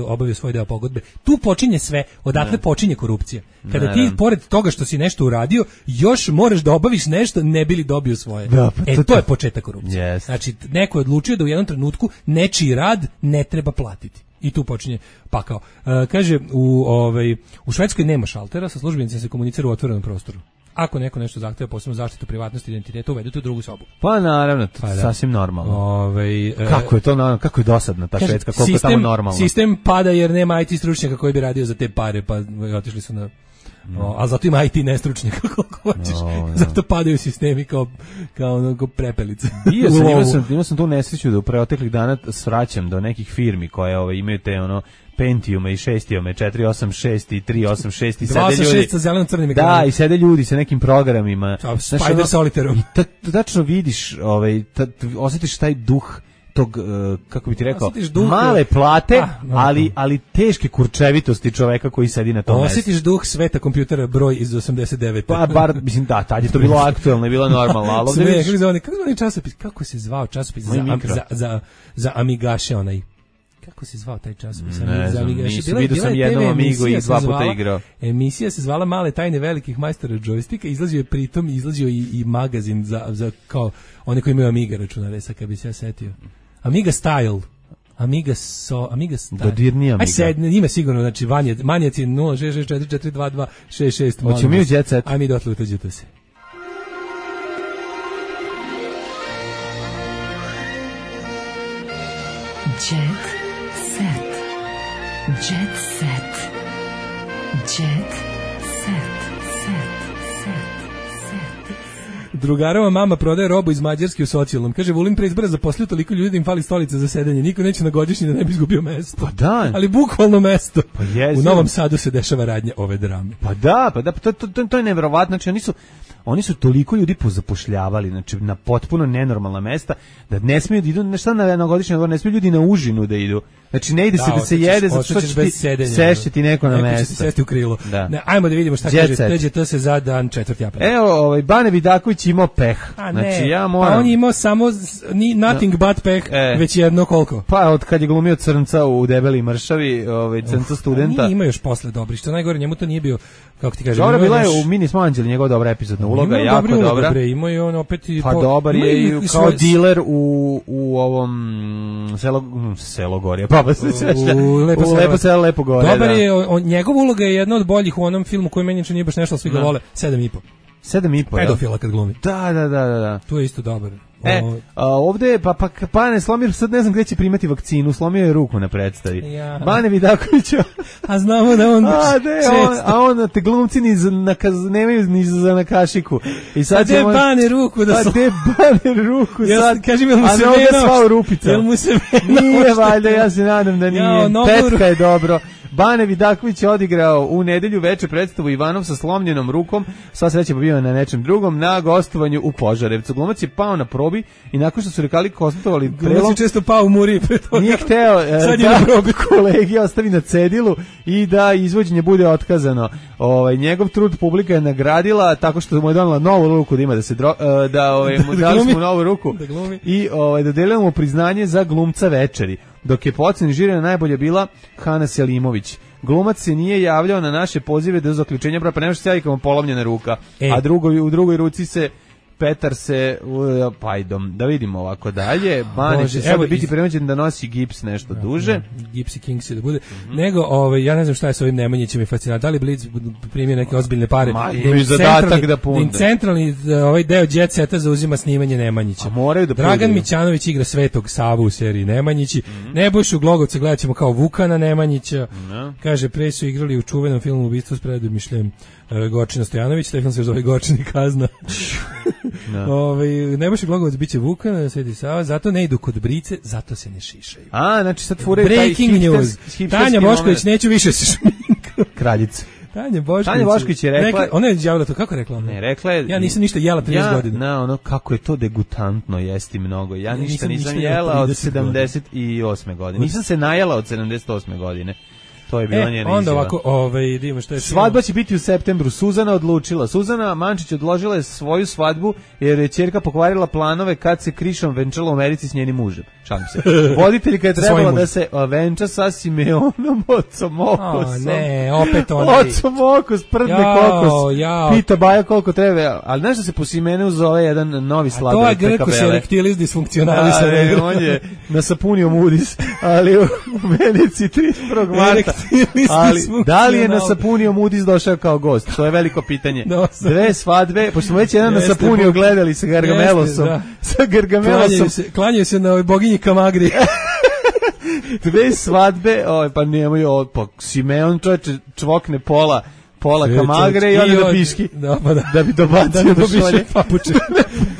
obavio svoj deo pogodbe. Tu počinje sve, odatle počinje korupcija. Kada ti, pored toga što si nešto uradio, još moraš da obaviš nešto, ne bi li dobio svoje. To je početak korupcije. Znači, neko je odlučio da u jednom trenutku nečiji rad ne treba platiti. I tu počinje pakao. Kaže, u Švedskoj nema šaltera, sa službenicima se komunicira u otvorenom prostoru. Ako neko nešto zahteva, posebno zaštitu privatnosti i identiteta, uvedete u drugu sobu. Pa naravno, sasvim normalno. Kako je to normalno, kako je dosadna ta Švedska, koliko je tamo normalno. Sistem pada jer nema IT stručnjaka koji bi radio za te pare, pa otišli su na... a zato ima IT nestručnjaka koliko hoćeš. Zato padaju sistemi kao prepelice. Imao sam tu nesreću da u preoteklih dana svraćam do nekih firmi koje imaju te Pentiume i 6-iome, 486 i 386 i sede ljudi. 286 sa zelenom-crnim ekranom. Da, i sede ljudi sa nekim programima. Spider Solitarom. I tačno vidiš, osjetiš taj duh tog, kako bi ti rekao, male plate, ali teške kurčevitosti čoveka koji sedi na tom mestu. Osjetiš duh sveta kompjutera broj iz 89. Pa bar, mislim, tad je to bilo aktuelno i bilo normalno. Ali kako zvani časopis? Kako se zvao časopis za Amigaše onaj? Kako se zvao taj časopis? Ne znam, vidio sam jednom Amigu i 2 puta igrao. Emisija se zvala Male tajne velikih majstora džojstika, izlazio i magazin za kao one koji imaju Amiga računare, sad kad bi se ja setio. Amiga Style. Amiga Style. Dodirni Amiga. Aj sad, ime sigurno, znači Manjaci 066442266. Hoćemo mi u Jet Set. Aj mi dotle utađete se. Jet set. Jet set. Jet set. Drugarova mama prodaje robu iz Mađarske u socijalnom. Kaže, Vulin pre izbora zaposlio toliko ljudi da im fali stolica za sedenje. Niko neće na godišnji da ne bi izgubio mesto. Pa da. Ali bukvalno mesto. Pa jesu. U Novom Sadu se dešava radnja ove drame. Pa da, to je neverovatno. Znači, oni su toliko ljudi pozapošljavali, znači na potpuno nenormalna mesta, da ne smiju da idu, na godišnji odmor, ne smiju ljudi na užinu da idu. Znači ne ide se da se jede, zato što će ti sešće ti neko na mesto. Neko će ti sesti u krilo. Ne, ajmo da vidimo šta kaže, TGT se za dan 4. aprila. Evo, Bane Vidaković imao peh. Znači, ja moram... Pa on je imao samo, nothing but peh, već jedno koliko? Pa od kad je glumio crnca u Debeli mršavi, crnca studenta. Nije imao još posle dobri, što najgore, njemu to nije bio, kako ti kažem. Dobro, bila je u Mini smo Anđeli, njegova dobra epizodna uloga, jako dobra. Imao je on opet i... Pa dobar je i kao diler u ovom Selogorje, pa Lepo selo, Lepo gore. Dobar je, njegova uloga je jedna od boljih u onom filmu koji meni nije baš nešto, svi ga vole, 7,5. 7,5. Pedofila kad glumi. Da. Tu je isto dobar. Ovde Bane slomio, sad ne znam gde će primati vakcinu, slomio je ruku na predstavi. Bane Vidakovića. A znamo da on a on te glumci nemaju ni za na kašiku. I sad će Bane ruku da slomio. Bane ruku sad. Kažem, jel mu se vena? Jel mu se vena? Nije valjda, ja se nadam da nije. Petka je dobro. Bane Vidaković je odigrao u nedelju veče predstavu Ivanov sa slomljenom rukom, sva sreća bio na nečem drugom, na gostovanju u Požarevcu. Glumac je pao na probi i nakon što su rekali konstatovali prelom... Glumac je često pao u muri pre toga. Nije hteo da kolegi ostavi na cedilu i da izvođenje bude otkazano. Njegov trud publika je nagradila tako što mu je donela novu ruku da ima da se mu dali smo novu ruku i dodelila mu priznanje za glumca večeri. Dok je po oceni žirija najbolje bila Hana Selimović. Glumac se nije javljao na naše pozive do zaključenja braka, pa nema što se javi kao polomljena ruka, a u drugoj ruci se Petar se pajdom. Da vidimo ovako dalje. Bane će sada biti premoćen da nosi gips nešto duže. Gipsy Kings da bude. Nego, ja ne znam šta je sa ovim Nemanjićem i fascinant. Da li Blitz primio neke ozbiljne pare? Imaju zadatak da punde. Centralni ovaj deo Jet Seta zauzima snimanje Nemanjića. Dragan Mićanović igra Svetog Savu u seriji Nemanjići. Nebojšu Glogovca gledat ćemo kao Vukana Nemanjića. Kaže, pre su igrali u čuvenom filmu Ubistvo s Predom Mišljem Gorčina Stojanović, taj film se zove Gorčin i kazna. Nebojša Glogovac biće Vukan, Sveti Sava, zato ne idu kod brice, zato se ne šišaju. Znači sad furaju Breaking news. Tanja Bošković neću više se šminkati. Kraljica. Tanja Bošković je rekla... Ona je izjavila to, kako je rekla? Ne, rekla je... Ja nisam ništa jela 30 godina. Kako je to degutantno jesti mnogo. Ja ništa nisam jela od 78. godine. Nisam se najela od 78. godine. To je bila njena izjava. Onda ovako, vidimo što je... Svadba će biti u septembru. Suzana odlučila. Suzana Mančić odložila je svoju svadbu jer je ćerka pokvarila planove kad se Krišom venčala u Americi s njenim mužem. Šalim se. Voditeljka je trebala da se venča sa Simeonom ocom Okosom. Ne, opet oni. Ocom Okos, prdne kokos. Pita Baja koliko treba. Ali znaš da se po Simeneu zove jedan novi sladoled. A to je Grkus erectilis disfunkcionalis. On je nasapunio Moody's, ali u Veneciji 31. marta. Ali da li je nasapunio Moody's došao kao gost? To je veliko pitanje. Dve svadbe, pošto smo već jedan nasapunio gledali sa Gargamelosom. Sa Gargamelosom. Klanjaju se na ovoj boginji Kamagri. Dve svadbe, pa nemaju, pa Simeon čovječe čvokne pola Kamagre i onda da piški. Da bi dobacio do šolje.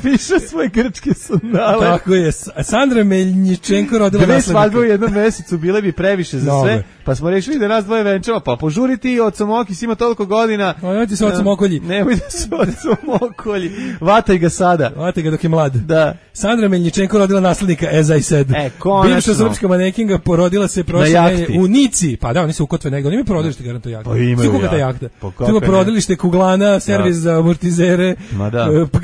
Piše svoje grčke sandale. Tako je. Sandra Meljničenko rodila naslednika. Dve svadbe u jednom mesecu bile bi previše za sve, pa smo rešili da nas dvoje venčava, pa požuri ti ocom Okis, ima toliko godina. Nemojte se ocom Okolji. Nemojte se ocom Okolji. Vataj ga sada. Vataj ga dok je mlad. Da. Sandra Meljničenko rodila naslednika, as I said. Konačno. Bivša srpska manekinga porodila se prošle nedelje u Nici. Pa da, oni su u Kotve negde. Oni imaju porodilište garanto jahte. Pa imaju jahte. Tu ima porodilište, kuglana, servis za amortizere,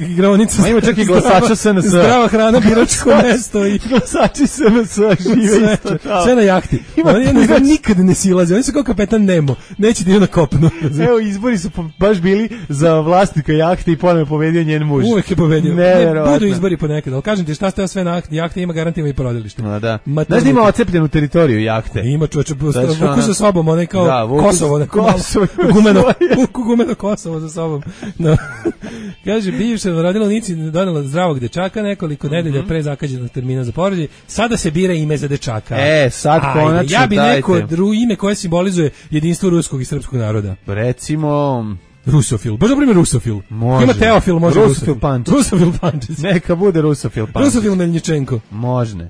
igraonica. Ima čak i glasača SNS. Zdrava hrana, biračko mesto i glasači SNS žive isto. Sve na jahti. Oni nikad ne silaze. Oni su kao kapetan Nemo. Neće da idu na kopno. Evo, izbori su baš bili za vlasnika jahte i ponovno pobedio njen muž. Uvek je pobedio. Budu izbori ponekad. Ali kažem ti šta ste sve na jahte, ima garantima i porodilište. Znaš da ima ocepljenu teritoriju jahte? Ima čoveče, vuku sa sobom, onaj kao Kosovo. Gumeno Kosovo za sobom. Kaže, bivša rodila u Nici, donela zdravog dečaka nekoliko nedelja pre zakađenog termina za porođaj. Sada se bira ime za dečaka. Sad konačno ja bi neko ime koje simbolizuje jedinstvo ruskog i srpskog naroda. Recimo... Rusofil. Baš dobro ime Rusofil. Može. Ima Teofil, može Rusofil Pančić. Rusofil Pančić. Neka bude Rusofil Pančić. Rusofil Meljničenko. Možne.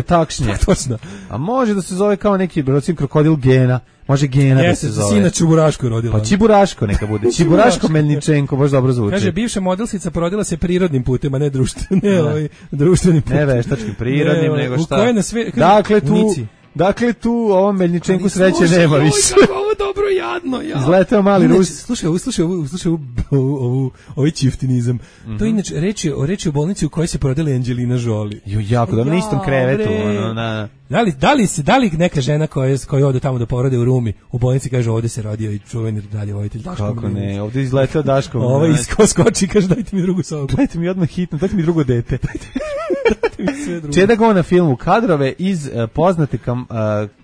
Takšnje. Točno. A može da se zove kao neki, recimo, krokodil Gena. Može Gena da se zove. Sina Čiburaško rodila. Pa Čiburaško neka bude. Čiburaško Meljničenko, baš dobro zvuči. Kaže, bivša modelsica porodila se prirodnim putem, a ne društvenim putem. Ne veštačkim, prirodnim, nego šta. U koje na sve... Dakle, tu ovom Meljničenku sreće nema više. Ovo dobro jadno, ja. Izletao mali Rus. Slušaj ovaj čiftinizam. To je inače reči o bolnici u kojoj se porodila Angelina Jolie. Jako, da na istom krevetu. Da li neka žena koja ode tamo da porode u Rumi, u bolnici kaže ovde se rodio i čuveni dalje vojitelj Daško. Kako ne, ovde izletao Daško. Ovo iskoči, kaže dajte mi drugu sobu. Dajte mi odmah hitno, dajte mi drugo dete. Čeda go na filmu kadrove iz poznate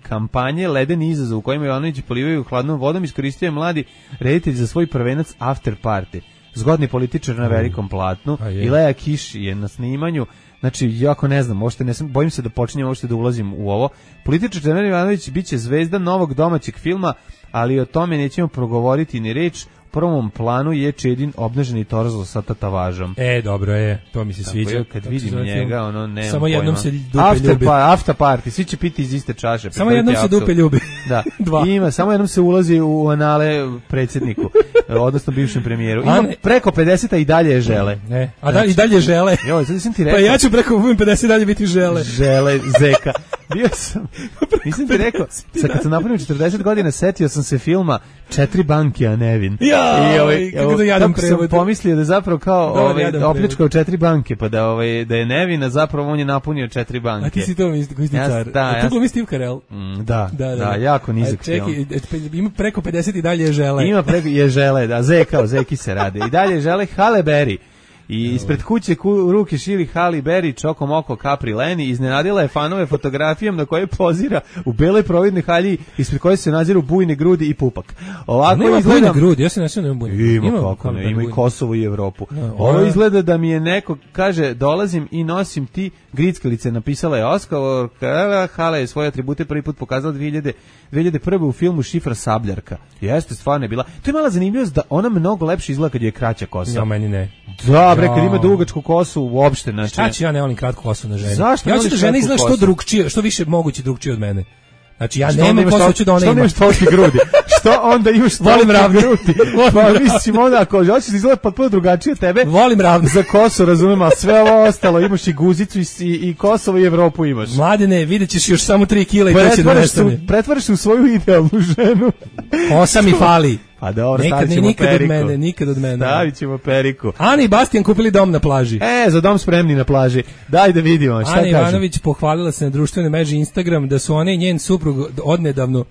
kampanje Ledeni izazov u kojima Jovanović polivaju hladnom vodom iskoristio je mladi reditelj za svoj prvenac After Party. Zgodni političar na velikom platnu i Lea Kiš je na snimanju. Znači, jako ne znam, bojim se da počinjem uopšte da ulazim u ovo. Političar Čedomir Jovanović biće zvezda novog domaćeg filma, ali o tome nećemo progovoriti ni reč. prvom planu je Čedin obnaženi torzo sa tatavažom. Dobro je, to mi se sviđa. Kad vidim njega, ono, nemam samo jednom se dupe ljubi. After party, svi će piti iz iste čaše. Samo jednom se dupe ljubi. Da. Ima, samo jednom se ulazi u anale predsjedniku, odnosno bivšem premijeru. Ima preko 50, a i dalje je žele. I dalje žele. Joj, sad sam ti rekao. Pa ja ću preko 50 dalje biti žele. Žele, zeka. Bio sam, nisam ti rekao, kad sam napunio 40 godina, setio sam se filma Četiri banke, a nevin. Kako da jadam prevod. Sam pomislio da je zapravo kao opljačkao 4 banke, pa da je nevin, a zapravo on je napunio 4 banke. A ti si to misli car. A tu glumi Steve Carell. Da, jako nizak film. Ima preko 50 i dalje je žele. Ima preko je žele, da, zeki se rade. I dalje je žele Halle Berry. I ispred kuće ruke šili Halle Berry, čokom oko Capri Leni, iznenadila je fanove fotografijom na kojoj pozira u beloj providnoj halji ispred koje se nadziru bujne grudi i pupak. Ovako nema bujne grudi, ja se ne sjećam bujne. Ima i Kosovo i Evropu. Ovo izgleda da mi je neko, kaže, dolazim i nosim ti grickalice, napisala je Oskar, Halle je svoje atribute prvi put pokazala 2001. u filmu Šifra Sabljarka. Jeste, stvarno je bila. To je mala zanimljivost da ona mnogo lepše izgleda kad je kraća kosa. Ja, meni ne. Da, bre, kad ima dugačku kosu uopšte. Znači... Šta ću ja ne volim kratku kosu na ženi? Zašto? Ja hoću da žena izgleda što drugčije, što više moguće drugčije od mene. Znači ja nemam kosu, hoću da ona ima. Što nemaš tolike grudi? Što onda imaš tolike grudi? Pa mislim onda, ako hoćeš da izgleda potpuno drugačije od tebe, volim ravno. Za kosu, razumem, ali sve ovo ostalo, imaš i guzicu i Kosovo i Evropu imaš. Mladene, vidjet ćeš još samo 3 kila i to će da nestane. Pretvoriš se u svoju idealnu ženu. Kosa mi fali. Pa dobro, stavit ćemo periku. Nikad od mene. Stavit ćemo periku. Ana i Bastian kupili dom na plaži. Za dom spremni na plaži. Daj da vidimo, šta Ana kažem. Ivanović pohvalila se na društvenoj mreži Instagram da su one i njen suprug odnedavno...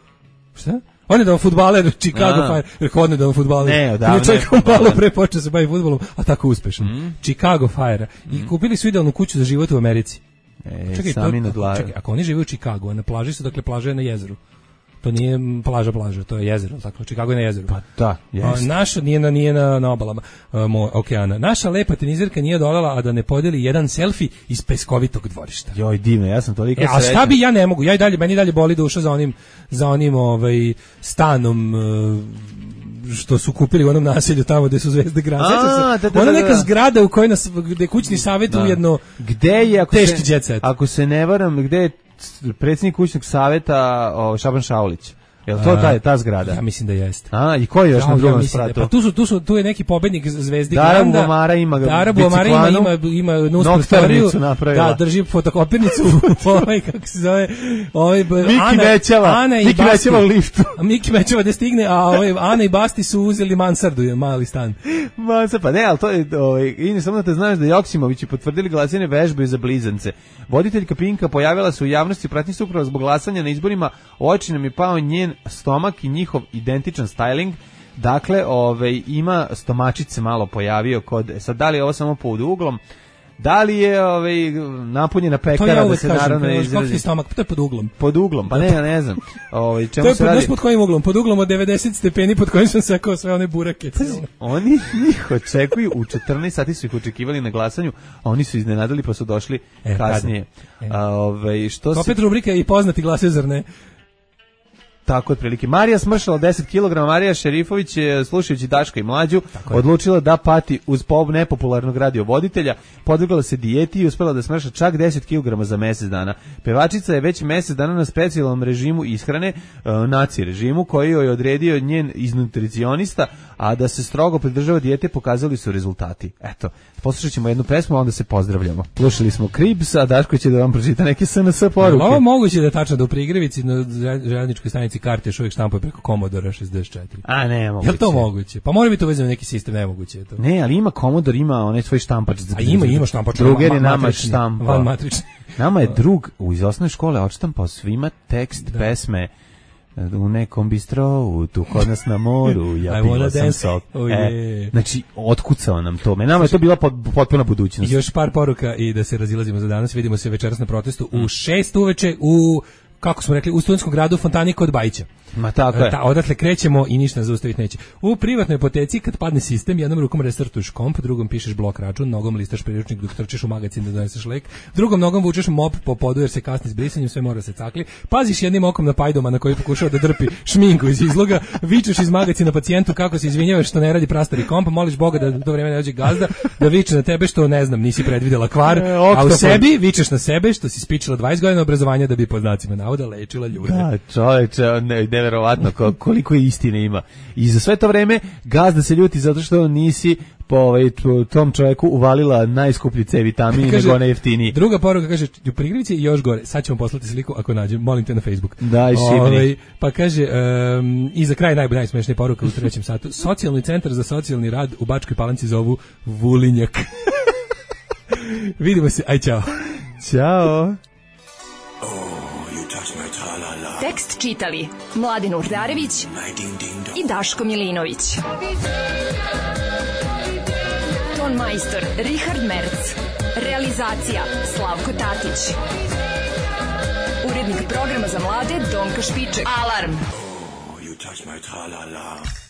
Šta? Odnedavno fudbaler Chicago Fire. Rekao odnedavno fudbaler. Ne, odavno. Čovjek malo pre počeo se bavi fudbalom, a tako uspešan. Chicago Fire. I kupili su idealnu kuću za život u Americi. Sami nadlažu. Čekaj, ako oni žive u Chicagu, a na plaži su, dakle, plaža je na jezeru. To nije plaža, to je jezero, tako. Chicago je na jezeru. Pa da, jeste. Naša nije na obalama okeana. Naša lepa tenizerka nije dolala, a da ne podeli jedan selfie iz peskovitog dvorišta. Joj, divno, ja sam toliko srećan. A šta bi ja ne mogu? Meni dalje boli duša za onim stanom što su kupili u onom naselju tamo gde su zvezde grada. Ona neka zgrada u kojoj gde kućni savjet ujedno teški jet set. Ako se ne varam, gde je predsjednik kućnog savjeta Šaban Šaulić? Je li to ta zgrada? Ja mislim da jeste. I ko je još na drugom spratu? Pa tu je neki pobednik zvezdi Dara Bubamara ima nus prostoriju. Da, drži fotokopirnicu. Kako se zove? Miki Mećava u liftu. Miki Mećava da stigne, a Ana i Basti su uzeli mansardu, mali stan. Pa ne, ali to je, i samo da te znaš da Joksimovići potvrdili glasanje vežbe za blizance. Voditeljka Pinka pojavila se u javnosti pratnji supravo zbog glasanja na izborima, u oči nam je pao njen stomak i njihov identičan styling. Dakle, ima stomačić se malo pojavio sad da li je ovo samo pod uglom, da li je napunjena pekara, da se naravno izrazi. To je pod uglom. Pod uglom, pa ne znam. Čemu se radi? Pod kojim uglom? Pod uglom od 90 stepeni pod kojim sam sekao sve one burake. Oni njih očekuju, u 14 sati su ih očekivali na glasanju, a oni su iznenadili pa su došli kasnije. To opet rubrika i poznati glasaju, zar ne? Tako otprilike. Marija smršala 10 kg. Marija Šerifović je, slušajući Daška i Mlađu, odlučila da pati uz nepopularnog radiovoditelja, podvrgla se dijeti i uspela da smrša čak 10 kg za mjesec dana. Pevačica je već mjesec dana na specijalnom režimu ishrane, naci režimu, koji joj je odredio njen iznutricionista, a da se strogo pridržava dijete pokazali su rezultati. Eto, poslušat ćemo jednu pesmu, a onda se pozdravljamo. Slušali smo Kribs, a Daško će da vam pročita neke SNS poruke. Ovo moguće da je tačno da u Prigrevici na željezničkoj stanici karte još uvijek štampuje preko Commodore 64. A ne, moguće. Je li to moguće? Pa mora biti uvezano neki sistem, nemoguće je to. Ne, ali ima Commodore, ima onaj svoj štampač. A ima štampač. Druger je nama štampa. Van matrični. Nama je drug iz osnovne škole odštampao svima tekst pesme u nekom bistrovu, tu kod nas na moru, ja pila sam sok. Znači, otkucao nam to. Nama je to bila potpuna budućnost. I još par poruka i da se razilazimo za danas. Vidimo se večeras na protestu u 6 uveče u, kako smo rekli, u Studentskom gradu Fontani kod Bajića. Ma tako je. Odatle krećemo i ništa zaustaviti neće. U privatnoj apoteci kad padne sistem, jednom rukom restartuješ komp, drugom pišeš blok račun, nogom listaš priručnik dok trčiš u magazin da doneseš lek, drugom nogom vučeš mop po podu jer se kasni s brisanjem, sve mora se cakli. Paziš jednim okom na pajdoma na koji pokušava da drpi šminku iz izloga, vičeš iz magazina pacijentu kako se izvinjavaš što ne radi prastari komp, moliš Boga da to vreme ne dođe gazda, da viče na tebe što ne znam, nisi predvidela kvar, a u sebi vičeš na sebe što si spičila 20 godina obrazovanja da bi pod znacima navoda lečila ljude. Da, čoveče, neverovatno koliko je istine ima. I za sve to vreme gazda se ljuti zato što nisi po tom čovjeku uvalila najskuplji C vitamin nego onaj jeftiniji. Druga poruka kaže, u prigrivici i još gore, sad ćemo poslati sliku ako nađem, molim te na Facebook. Daj, šibni. Pa kaže, i za kraj najsmešnija poruka u 3. satu, socijalni centar za socijalni rad u Bačkoj Palanci zovu Vulinjak. Vidimo se, aj čao. Ćao. Tekst čitali Mladin Urdarević i Daško Milinović. Ton majstor Richard Merc. Realizacija Slavko Tatić. Urednik programa za mlade Donka Špiček. Alarm! Oh, you touch my tra-la-la.